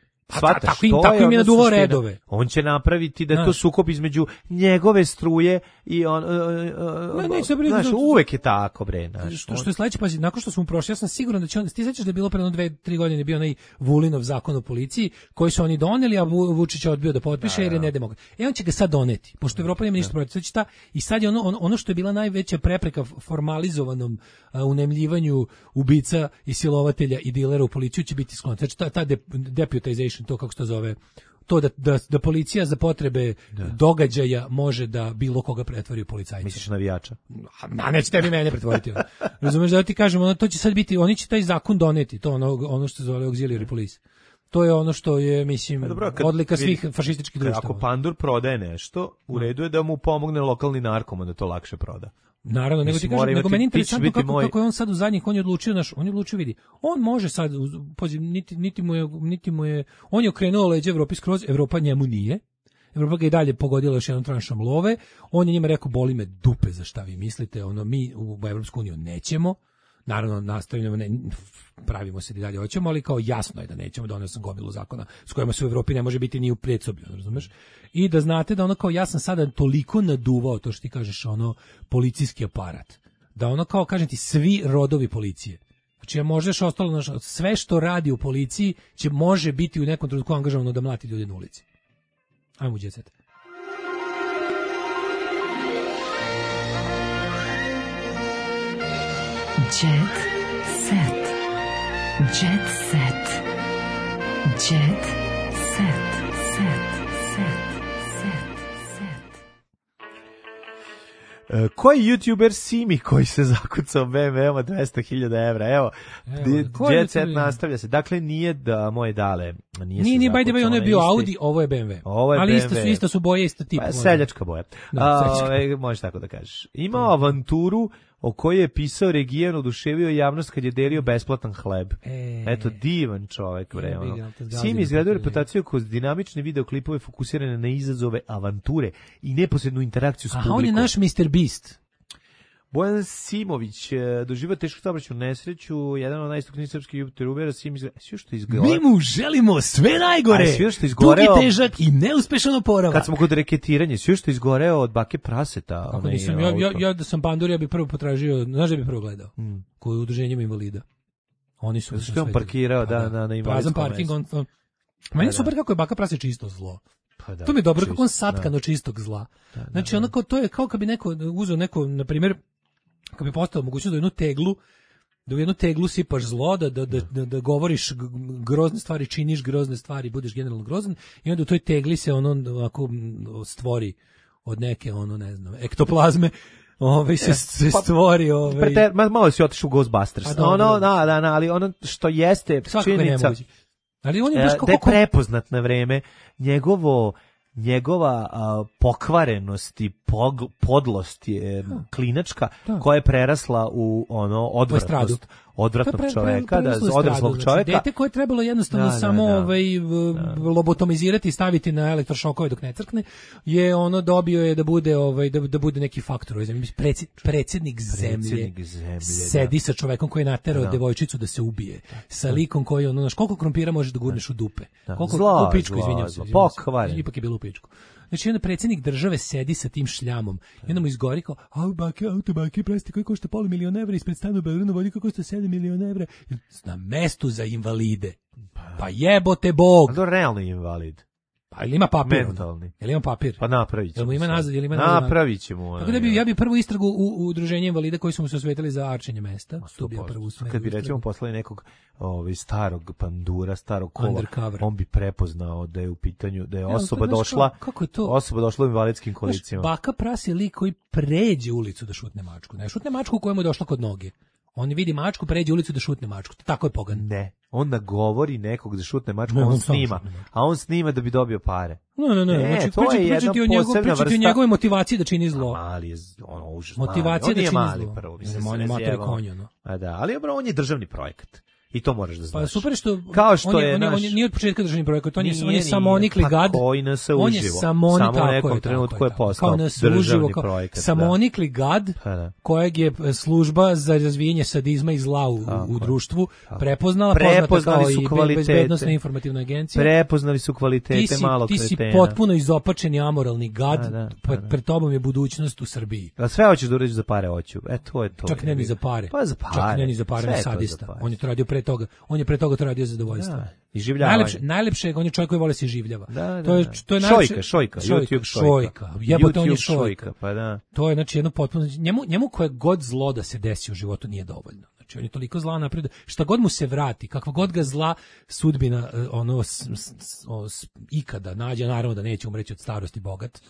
[SPEAKER 7] Pa tako im, tako im je naduvao redove.
[SPEAKER 6] On će napraviti da je to sukob između njegove struje i on... Uh, uh,
[SPEAKER 7] ne, neće
[SPEAKER 6] znaš, uvek je tako, bre. Znaš,
[SPEAKER 7] što, što je sledeće, pazi, nakon što smo prošli, ja sam siguran da će on... Ti sećaš da je bilo pre jedno dve, tri godine bio onaj Vulinov zakon o policiji, koji su oni doneli, a Vučić je odbio da potpiše da, jer je nedemokrat. E on će ga sad doneti, pošto Evropa nema ništa protiv. Znači ta, i sad je ono, ono, ono što je bila najveća prepreka formalizovanom uh, unemljivanju ubica i silovatelja i dilera u policiju će biti sklon. Znači ta, ta de, deputization, to kako se to zove, to da, da, da policija za potrebe da. događaja može da bilo koga pretvori u policajca.
[SPEAKER 6] Misliš navijača?
[SPEAKER 7] A neće tebi mene pretvoriti. Razumeš da ti kažem, ono, to će sad biti, oni će taj zakon doneti, to ono, ono što se zove auxiliary police. To je ono što je, mislim, dobro, kad, odlika svih vidi, fašističkih društava.
[SPEAKER 6] Ako Pandur prodaje nešto, u redu je da mu pomogne lokalni narkoman da to lakše proda.
[SPEAKER 7] Naravno, nego ti kažem, nego meni interesantno kako, moj... kako je on sad u zadnjih, on je odlučio, naš, on je odlučio, vidi, on može sad, poziv, niti, niti, mu je, niti mu je, on je okrenuo leđe Evropi skroz, Evropa njemu nije, Evropa ga i dalje pogodila još jednom tranšom love, on je njima rekao, boli me dupe za šta vi mislite, ono, mi u Evropsku uniju nećemo, naravno nastavljamo, ne, pravimo se da dalje hoćemo, ali kao jasno je da nećemo, donio sam gomilu zakona s kojima se u Evropi ne može biti ni u predsoblju, razumeš? I da znate da ono kao ja sam sada toliko naduvao to što ti kažeš, ono policijski aparat, da ono kao kažem ti svi rodovi policije. Znači ja možeš ostalo naš, sve što radi u policiji će može biti u nekom trenutku angažovano da mlati ljude na ulici. Ajmo u Jet Set.
[SPEAKER 4] Jet Set. Jet Set. Jet Set. Set.
[SPEAKER 6] Uh, koji YouTuber Simi koji se zakucao B M W-om dvesta hiljada evra? Evo, Evo Jet Set nastavlja se. Dakle, nije da moje dale. Nije,
[SPEAKER 7] nije, nije by the way, ono je bio isti, Audi, ovo je B M W.
[SPEAKER 6] Ovo je
[SPEAKER 7] ali
[SPEAKER 6] B M W.
[SPEAKER 7] isto su, isto su boje, isto tip.
[SPEAKER 6] Pa, seljačka boja. Da, seljačka. A, možeš tako da kažeš. Imao avanturu o kojoj je pisao Regijan, oduševio javnost kad je delio besplatan hleb. E, Eto, divan čovek, bre. Ono. Simi izgradio reputaciju kroz dinamične videoklipove fokusirane na izazove, avanture i neposrednu interakciju s publikom.
[SPEAKER 7] Aha, on je naš mister Beast.
[SPEAKER 6] Bojan Simović doživio tešku saobraćajnu nesreću, jedan od najistaknutijih srpskih youtubera. Sim izgleda, sve što izgore.
[SPEAKER 7] Mi mu želimo sve najgore.
[SPEAKER 6] Sve što izgoreo,
[SPEAKER 7] dugi, težak i neuspešan oporavak.
[SPEAKER 6] Kad smo kod reketiranja, sve što izgoreo od bake praseta.
[SPEAKER 7] Kako nisam, ja, ja, ja da sam Pandur, ja bih prvo potražio, znaš da bih prvo gledao? Hmm. Koji je udruženjem invalida. Oni su
[SPEAKER 6] što on parkirao da, da, na, na invalidskom
[SPEAKER 7] parking, on, on, meni je super kako je baka prase čisto zlo.
[SPEAKER 6] Pa da,
[SPEAKER 7] to mi je dobro,
[SPEAKER 6] čisto,
[SPEAKER 7] kako on satkano da. čistog zla. Da, da, znači, onako, to je kao kad bi neko uzeo neko, na primjer, kad bi postao mogućnost da jednu teglu, da u jednu teglu sipaš zlo, da, da, da, da, da govoriš grozne stvari, činiš grozne stvari, budeš generalno grozan, i onda u toj tegli se ono ovako stvori od neke, ono, ne znam, ektoplazme, Ove se, se stvori, ove.
[SPEAKER 6] Prete, malo si otišao u Ghostbusters. Ono, da, da, da, ali ono što jeste činjenica.
[SPEAKER 7] Ali on je baš kako
[SPEAKER 6] da je prepoznat na vreme njegovo njegova a, pokvarenost i pog, podlost je da. klinačka da. koja je prerasla u ono odvratnost. odvratnog
[SPEAKER 7] pre, pre,
[SPEAKER 6] čoveka,
[SPEAKER 7] pre,
[SPEAKER 6] da
[SPEAKER 7] pre,
[SPEAKER 6] odraslog
[SPEAKER 7] znači,
[SPEAKER 6] čoveka.
[SPEAKER 7] Dete koje je trebalo jednostavno
[SPEAKER 6] da, da,
[SPEAKER 7] samo
[SPEAKER 6] da.
[SPEAKER 7] ovaj da. lobotomizirati i staviti na elektrošokove dok ne crkne, je ono dobio je da bude ovaj da, da bude neki faktor, mislim predsjednik, predsjednik zemlje.
[SPEAKER 6] zemlje
[SPEAKER 7] sedi
[SPEAKER 6] da.
[SPEAKER 7] sa čovekom koji je naterao
[SPEAKER 6] da.
[SPEAKER 7] devojčicu da se ubije. Sa likom koji ono, znaš, koliko krompira možeš da gurneš u dupe.
[SPEAKER 6] Da.
[SPEAKER 7] Koliko
[SPEAKER 6] Zla,
[SPEAKER 7] u pičku,
[SPEAKER 6] zla,
[SPEAKER 7] izvinjavam
[SPEAKER 6] zla,
[SPEAKER 7] se.
[SPEAKER 6] pokvaren.
[SPEAKER 7] Ipak je bilo u pičku. Znači, onda predsjednik države sedi sa tim šljamom. I onda mu izgori kao, au, bake, auto, bake, presti, koji košta pola miliona evra, ispred stanu u Beogradu vodi koji košta sedam miliona evra. Na mestu za invalide. Pa jebote Bog.
[SPEAKER 6] A to je realni invalid.
[SPEAKER 7] Pa ili ima papir?
[SPEAKER 6] Mentalni.
[SPEAKER 7] Ili ima papir?
[SPEAKER 6] Pa napravit ćemo.
[SPEAKER 7] Jel mu ima nazad, jel ima
[SPEAKER 6] napravit ćemo.
[SPEAKER 7] Tako da bi, ja bi prvu istragu u, u udruženje invalida koji su mu se osvetili za arčenje mesta. To bi ja prvu
[SPEAKER 6] istragu. Kad bi recimo poslali nekog ovaj, starog pandura, starog kola,
[SPEAKER 7] undercover,
[SPEAKER 6] on bi prepoznao da je u pitanju, da je osoba ja, došla,
[SPEAKER 7] kako, kako je to?
[SPEAKER 6] osoba došla u invalidskim kolicima.
[SPEAKER 7] Znaš, baka Pras je lik koji pređe ulicu da šutne mačku. Ne šutne mačku kojemu je došla kod noge. On vidi mačku, pređe ulicu da šutne mačku. Tako je pogan.
[SPEAKER 6] Ne, on nagovori nekog da šutne mačku, ne, on, on snima, a on snima da bi dobio pare.
[SPEAKER 7] Ne, ne, ne,
[SPEAKER 6] ne
[SPEAKER 7] znači
[SPEAKER 6] to je jedna
[SPEAKER 7] pričati o njegov,
[SPEAKER 6] vrsta...
[SPEAKER 7] o njegove motivaciji da čini zlo.
[SPEAKER 6] A mali je, ono, užasno.
[SPEAKER 7] Motivacija da čini
[SPEAKER 6] mali,
[SPEAKER 7] zlo.
[SPEAKER 6] Prvo,
[SPEAKER 7] on je matori konja, no.
[SPEAKER 6] A da, ali on je državni projekat. I to moraš da znaš.
[SPEAKER 7] Pa super što,
[SPEAKER 6] kao što
[SPEAKER 7] on je,
[SPEAKER 6] je,
[SPEAKER 7] on je,
[SPEAKER 6] naš...
[SPEAKER 7] on je nije od početka državni projekat, on je,
[SPEAKER 6] nije,
[SPEAKER 7] on je samonikli gad.
[SPEAKER 6] On je
[SPEAKER 7] samoni,
[SPEAKER 6] samo u nekom
[SPEAKER 7] je,
[SPEAKER 6] trenutku je postao
[SPEAKER 7] državni
[SPEAKER 6] kao projekat.
[SPEAKER 7] Samonikli gad,
[SPEAKER 6] pa da.
[SPEAKER 7] kojeg je služba za razvijenje sadizma i zla u,
[SPEAKER 6] tako,
[SPEAKER 7] u društvu
[SPEAKER 6] tako.
[SPEAKER 7] prepoznala,
[SPEAKER 6] prepoznali
[SPEAKER 7] poznata
[SPEAKER 6] su
[SPEAKER 7] kao i bezbednosna informativna agencija.
[SPEAKER 6] Prepoznali su kvalitete
[SPEAKER 7] ti si,
[SPEAKER 6] malog
[SPEAKER 7] ti si
[SPEAKER 6] kretena.
[SPEAKER 7] potpuno izopačeni amoralni gad,
[SPEAKER 6] da, da,
[SPEAKER 7] pred, pred tobom je budućnost u Srbiji.
[SPEAKER 6] A sve hoćeš da uradiš za pare, hoću. E, to je to.
[SPEAKER 7] Čak ne ni za pare.
[SPEAKER 6] Pa za pare.
[SPEAKER 7] Čak ne ni za pare, ne sadista. On je to radio pre toga. On je pre toga to radio za zadovoljstvo.
[SPEAKER 6] Da, iživljavanje.
[SPEAKER 7] Najlepše, najlepše, on je čovjek koji voli se iživljava.
[SPEAKER 6] Da, da,
[SPEAKER 7] to je, to je
[SPEAKER 6] šojka, šojka,
[SPEAKER 7] šojka,
[SPEAKER 6] YouTube šojka.
[SPEAKER 7] šojka. Jebote, on je
[SPEAKER 6] šojka.
[SPEAKER 7] šojka.
[SPEAKER 6] Pa da.
[SPEAKER 7] To je, znači, jedno potpuno, njemu, njemu koje god zlo da se desi u životu nije dovoljno. Znači, on je toliko zla napred, šta god mu se vrati, kakva god ga zla sudbina, ono, s, s, s, ikada nađe, naravno da neće umreći od starosti bogat,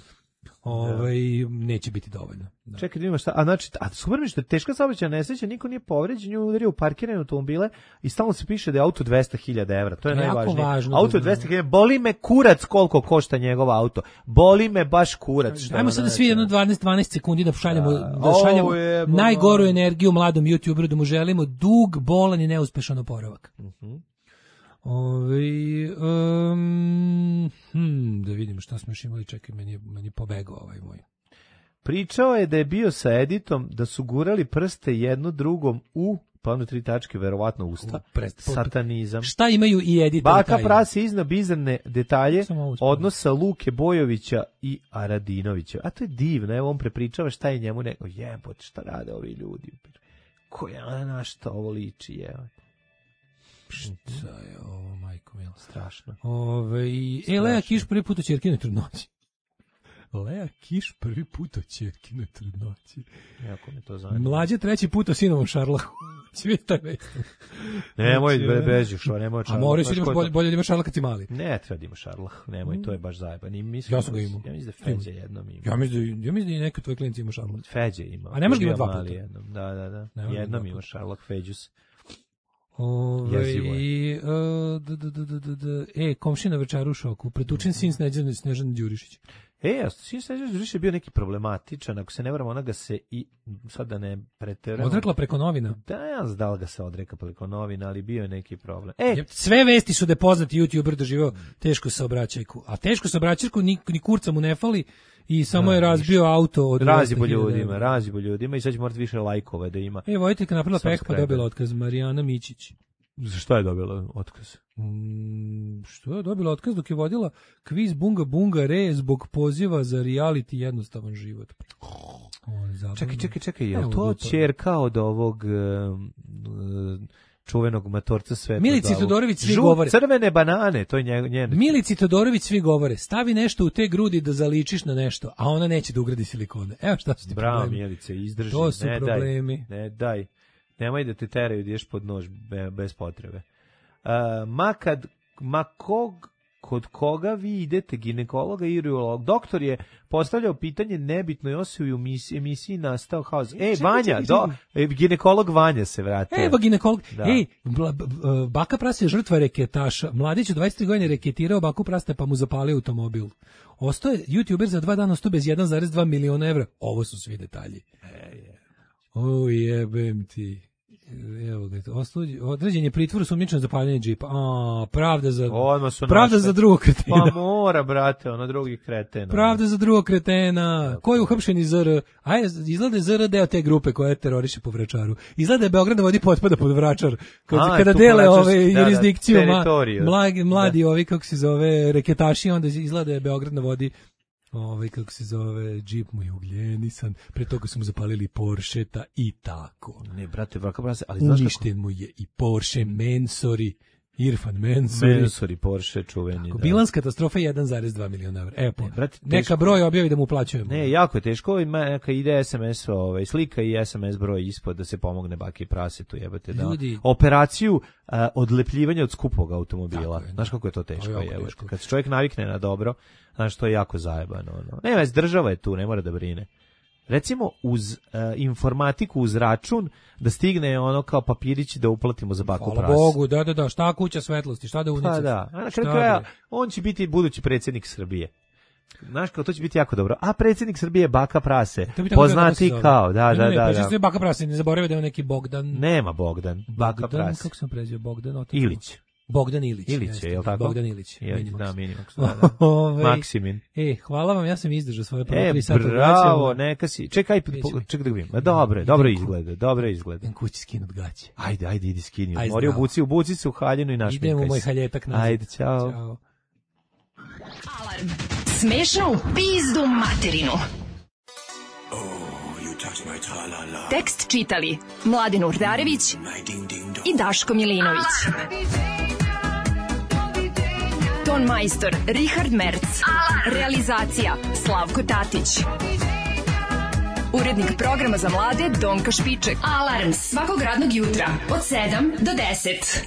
[SPEAKER 7] ovaj, neće biti dovoljno. Da.
[SPEAKER 6] Čekaj da ima šta, a znači, a super mi što je teška saobraćajna nesreća, niko nije povređen, nju udario u parkirane automobile i stalno se piše da je auto dvesta hiljada evra, to je
[SPEAKER 7] jako
[SPEAKER 6] najvažnije.
[SPEAKER 7] Važno
[SPEAKER 6] auto je dvesta hiljada, boli me kurac koliko košta njegov auto, boli me baš kurac. Što
[SPEAKER 7] ajmo sad da svi jedno dvanaest dvanaest sekundi da šaljemo, da, da šaljemo
[SPEAKER 6] je,
[SPEAKER 7] najgoru energiju mladom YouTuberu, da mu želimo dug, bolan i neuspešan oporavak.
[SPEAKER 6] Uh -huh.
[SPEAKER 7] Ove, um, hmm, da vidimo šta smo još imali, čekaj, meni je, meni je pobegao ovaj moj.
[SPEAKER 6] Pričao je da je bio sa Editom, da su gurali prste jedno drugom u, pa ono tri tačke, verovatno usta, Prest, satanizam.
[SPEAKER 7] Šta imaju i Edit?
[SPEAKER 6] Baka Prasi izna bizarne detalje odnosa Luke Bojovića i Aradinovića. A to je divno, evo on prepričava šta je njemu neko, jebote, šta rade ovi ljudi. Koja na šta ovo liči, evo.
[SPEAKER 7] Šta je ovo, majko mila?
[SPEAKER 6] Strašno.
[SPEAKER 7] Ove, e, Lea Kiš prvi put u ćerkinoj trudnoći. Lea Kiš prvi put u ćerkinoj trudnoći.
[SPEAKER 6] Jako me to zanima.
[SPEAKER 7] Mlađe treći put u sinovom šarlahu. Svi taj već.
[SPEAKER 6] Nemoj beži šo, nemoj šarlah.
[SPEAKER 7] A moraš da imaš bolje, bolje da imaš šarlah kad si mali.
[SPEAKER 6] Ne, treba da imaš šarlah. Nemoj, mm. to je baš zajeban.
[SPEAKER 7] Ja sam ga imao.
[SPEAKER 6] Ja mislim da Feđa jednom ima.
[SPEAKER 7] Ja mislim da, ja mislim da i neki tvoj klijent ima šarlah.
[SPEAKER 6] Feđa ima.
[SPEAKER 7] A ne možeš ga imati dva puta.
[SPEAKER 6] Jednom. Da, da, da. Ne jednom ima šarlah Feđus.
[SPEAKER 7] Ove, i, uh, d, d, d, d, d, e, komšina večera u šoku. Pretučen sin Snežan, Snežan Đurišić.
[SPEAKER 6] E, a sin Snežan Đurišić je bio neki problematičan, ako se ne varam, ona ga se i, sad da ne preteramo.
[SPEAKER 7] Odrekla preko novina.
[SPEAKER 6] Da, ja znam da li ga se odreka preko novina, ali bio je neki problem. E,
[SPEAKER 7] sve vesti su da je poznati YouTuber doživao tešku saobraćajku, a tešku saobraćajku ni, ni kurca mu ne fali i samo da, je razbio ništa. Auto od
[SPEAKER 6] razibo ljudima, razibo ljudima i sad će morati više lajkova da ima.
[SPEAKER 7] E, Vojteljka napravila peh pa dobila otkaz, Marijana Mićić.
[SPEAKER 6] Za što je dobila otkaz?
[SPEAKER 7] Mm, što je dobila otkaz dok je vodila kviz Bunga Bunga Re zbog poziva za reality jednostavan život.
[SPEAKER 6] O, čekaj, čekaj, čekaj, je li to ćerka od ovog uh, čuvenog matorca sveta?
[SPEAKER 7] Milici Todorović svi
[SPEAKER 6] Žut,
[SPEAKER 7] govore.
[SPEAKER 6] Crvene banane, to je njen.
[SPEAKER 7] Milici Todorović svi govore. Stavi nešto u te grudi da zaličiš na nešto, a ona neće da ugradi silikone. Evo šta su ti
[SPEAKER 6] Bravo,
[SPEAKER 7] problemi.
[SPEAKER 6] Bravo, Milice, izdrži.
[SPEAKER 7] To su
[SPEAKER 6] ne,
[SPEAKER 7] problemi.
[SPEAKER 6] Daj, ne, daj. Nemoj da te teraju da ješ pod nož be, bez potrebe. Uh, ma kad, ma kog, kod koga vi idete, ginekologa i urolog, doktor je postavljao pitanje nebitno i osobi u emisiji, emisiji nastao haos. Ej, Vanja, do, e, ginekolog Vanja se vratio.
[SPEAKER 7] Evo ginekolog, da. Ej, bla, b, baka Prasta je žrtva reketaša. Mladić u dvadeset tri godine reketirao baku Prasta pa mu zapalio automobil. Ostao je YouTuber za dva dana, ostao bez jedan zarez dva miliona evra. Ovo su svi detalji.
[SPEAKER 6] E, je.
[SPEAKER 7] O, jebem ti. Evo ga, osuđen, određen je pritvor sumnjičan za paljenje džipa. A, pravda za pravda
[SPEAKER 6] našle.
[SPEAKER 7] za drugog kretena.
[SPEAKER 6] Pa mora, brate, ono drugi kreten.
[SPEAKER 7] Pravda za drugog kretena. Ko je uhapšen iz Z R? Aj, izgleda Z R deo te grupe koja teroriše po Vračaru. Izgleda je Beograd na vodi potpada pod Vračar. Kad, A, kada dele ove da, jurisdikciju, da, mladi, mladi da. ovi, kako se zove, reketaši, onda izgleda je Beograd na vodi. Ovaj, kako se zove, džip mu je ugljenisan, pre toga su mu zapalili Porscheta i tako.
[SPEAKER 6] Ne, brate, braka, brate, ali znaš
[SPEAKER 7] uništen kako... mu je i Porsche Mensori, Irfan Mensori.
[SPEAKER 6] Mensori, Porsche, čuveni.
[SPEAKER 7] Tako, da. Bilans katastrofe jedan zarez dva miliona evra. Evo, ne, brate, neka broj objavi da mu uplaćujemo.
[SPEAKER 6] Ne, jako je teško, ima neka ide es em es, ovaj, slika i es em es broj ispod da se pomogne baki i prasetu, jebate, da. Ljudi... Operaciju uh, odlepljivanja od skupog automobila. Je, znaš kako je to teško, to je jebate. Teško. Kad se čovjek navikne na dobro, znaš, to je jako zajebano. No. Ne, već država je tu, ne mora da brine. Recimo, uz uh, informatiku, uz račun, da stigne ono kao papirići da uplatimo za baku prase.
[SPEAKER 7] Hvala Bogu, da, da, da, šta kuća svetlosti, šta da unicef.
[SPEAKER 6] Pa da, a na kraju kraja, on će biti budući predsjednik Srbije. Znaš, kao to će biti jako dobro. A predsjednik Srbije je baka prase. Poznati kao, da, da,
[SPEAKER 7] ne,
[SPEAKER 6] da.
[SPEAKER 7] Ne,
[SPEAKER 6] da,
[SPEAKER 7] ne, da. Baka prase, ne zaboravio da je neki Bogdan.
[SPEAKER 6] Nema Bogdan, baka
[SPEAKER 7] Bogdan,
[SPEAKER 6] prase.
[SPEAKER 7] Kako sam prezio, Bogdan? Otak.
[SPEAKER 6] Ilić.
[SPEAKER 7] Bogdan Ilić.
[SPEAKER 6] Ilić je, je li tako?
[SPEAKER 7] Bogdan Ilić.
[SPEAKER 6] Je, da, Minimax. Da, da. Ove, Maksimin.
[SPEAKER 7] E, hvala vam, ja sam izdržao svoje prvo
[SPEAKER 6] e,
[SPEAKER 7] tri sata.
[SPEAKER 6] E, bravo, neka si. Čekaj, čekaj da vidim. Dobro, dobro izgleda, dobro izgleda.
[SPEAKER 7] Idem kući skinut gaće.
[SPEAKER 6] Ajde, ajde, idi skini. Mori obuci, obuci se u haljinu i našminkaj se.
[SPEAKER 7] Idem u moj haljetak nazad.
[SPEAKER 6] Ajde, čao.
[SPEAKER 7] Ćao.
[SPEAKER 4] Alarm. Smešno u pizdu materinu. Tekst čitali Mladen Urdarević i Daško Milinović. Ton majstor Richard Merc. Realizacija Slavko Tatić. Urednik programa za mlade Donka Špiček. Alarms svakog radnog jutra od sedam do deset.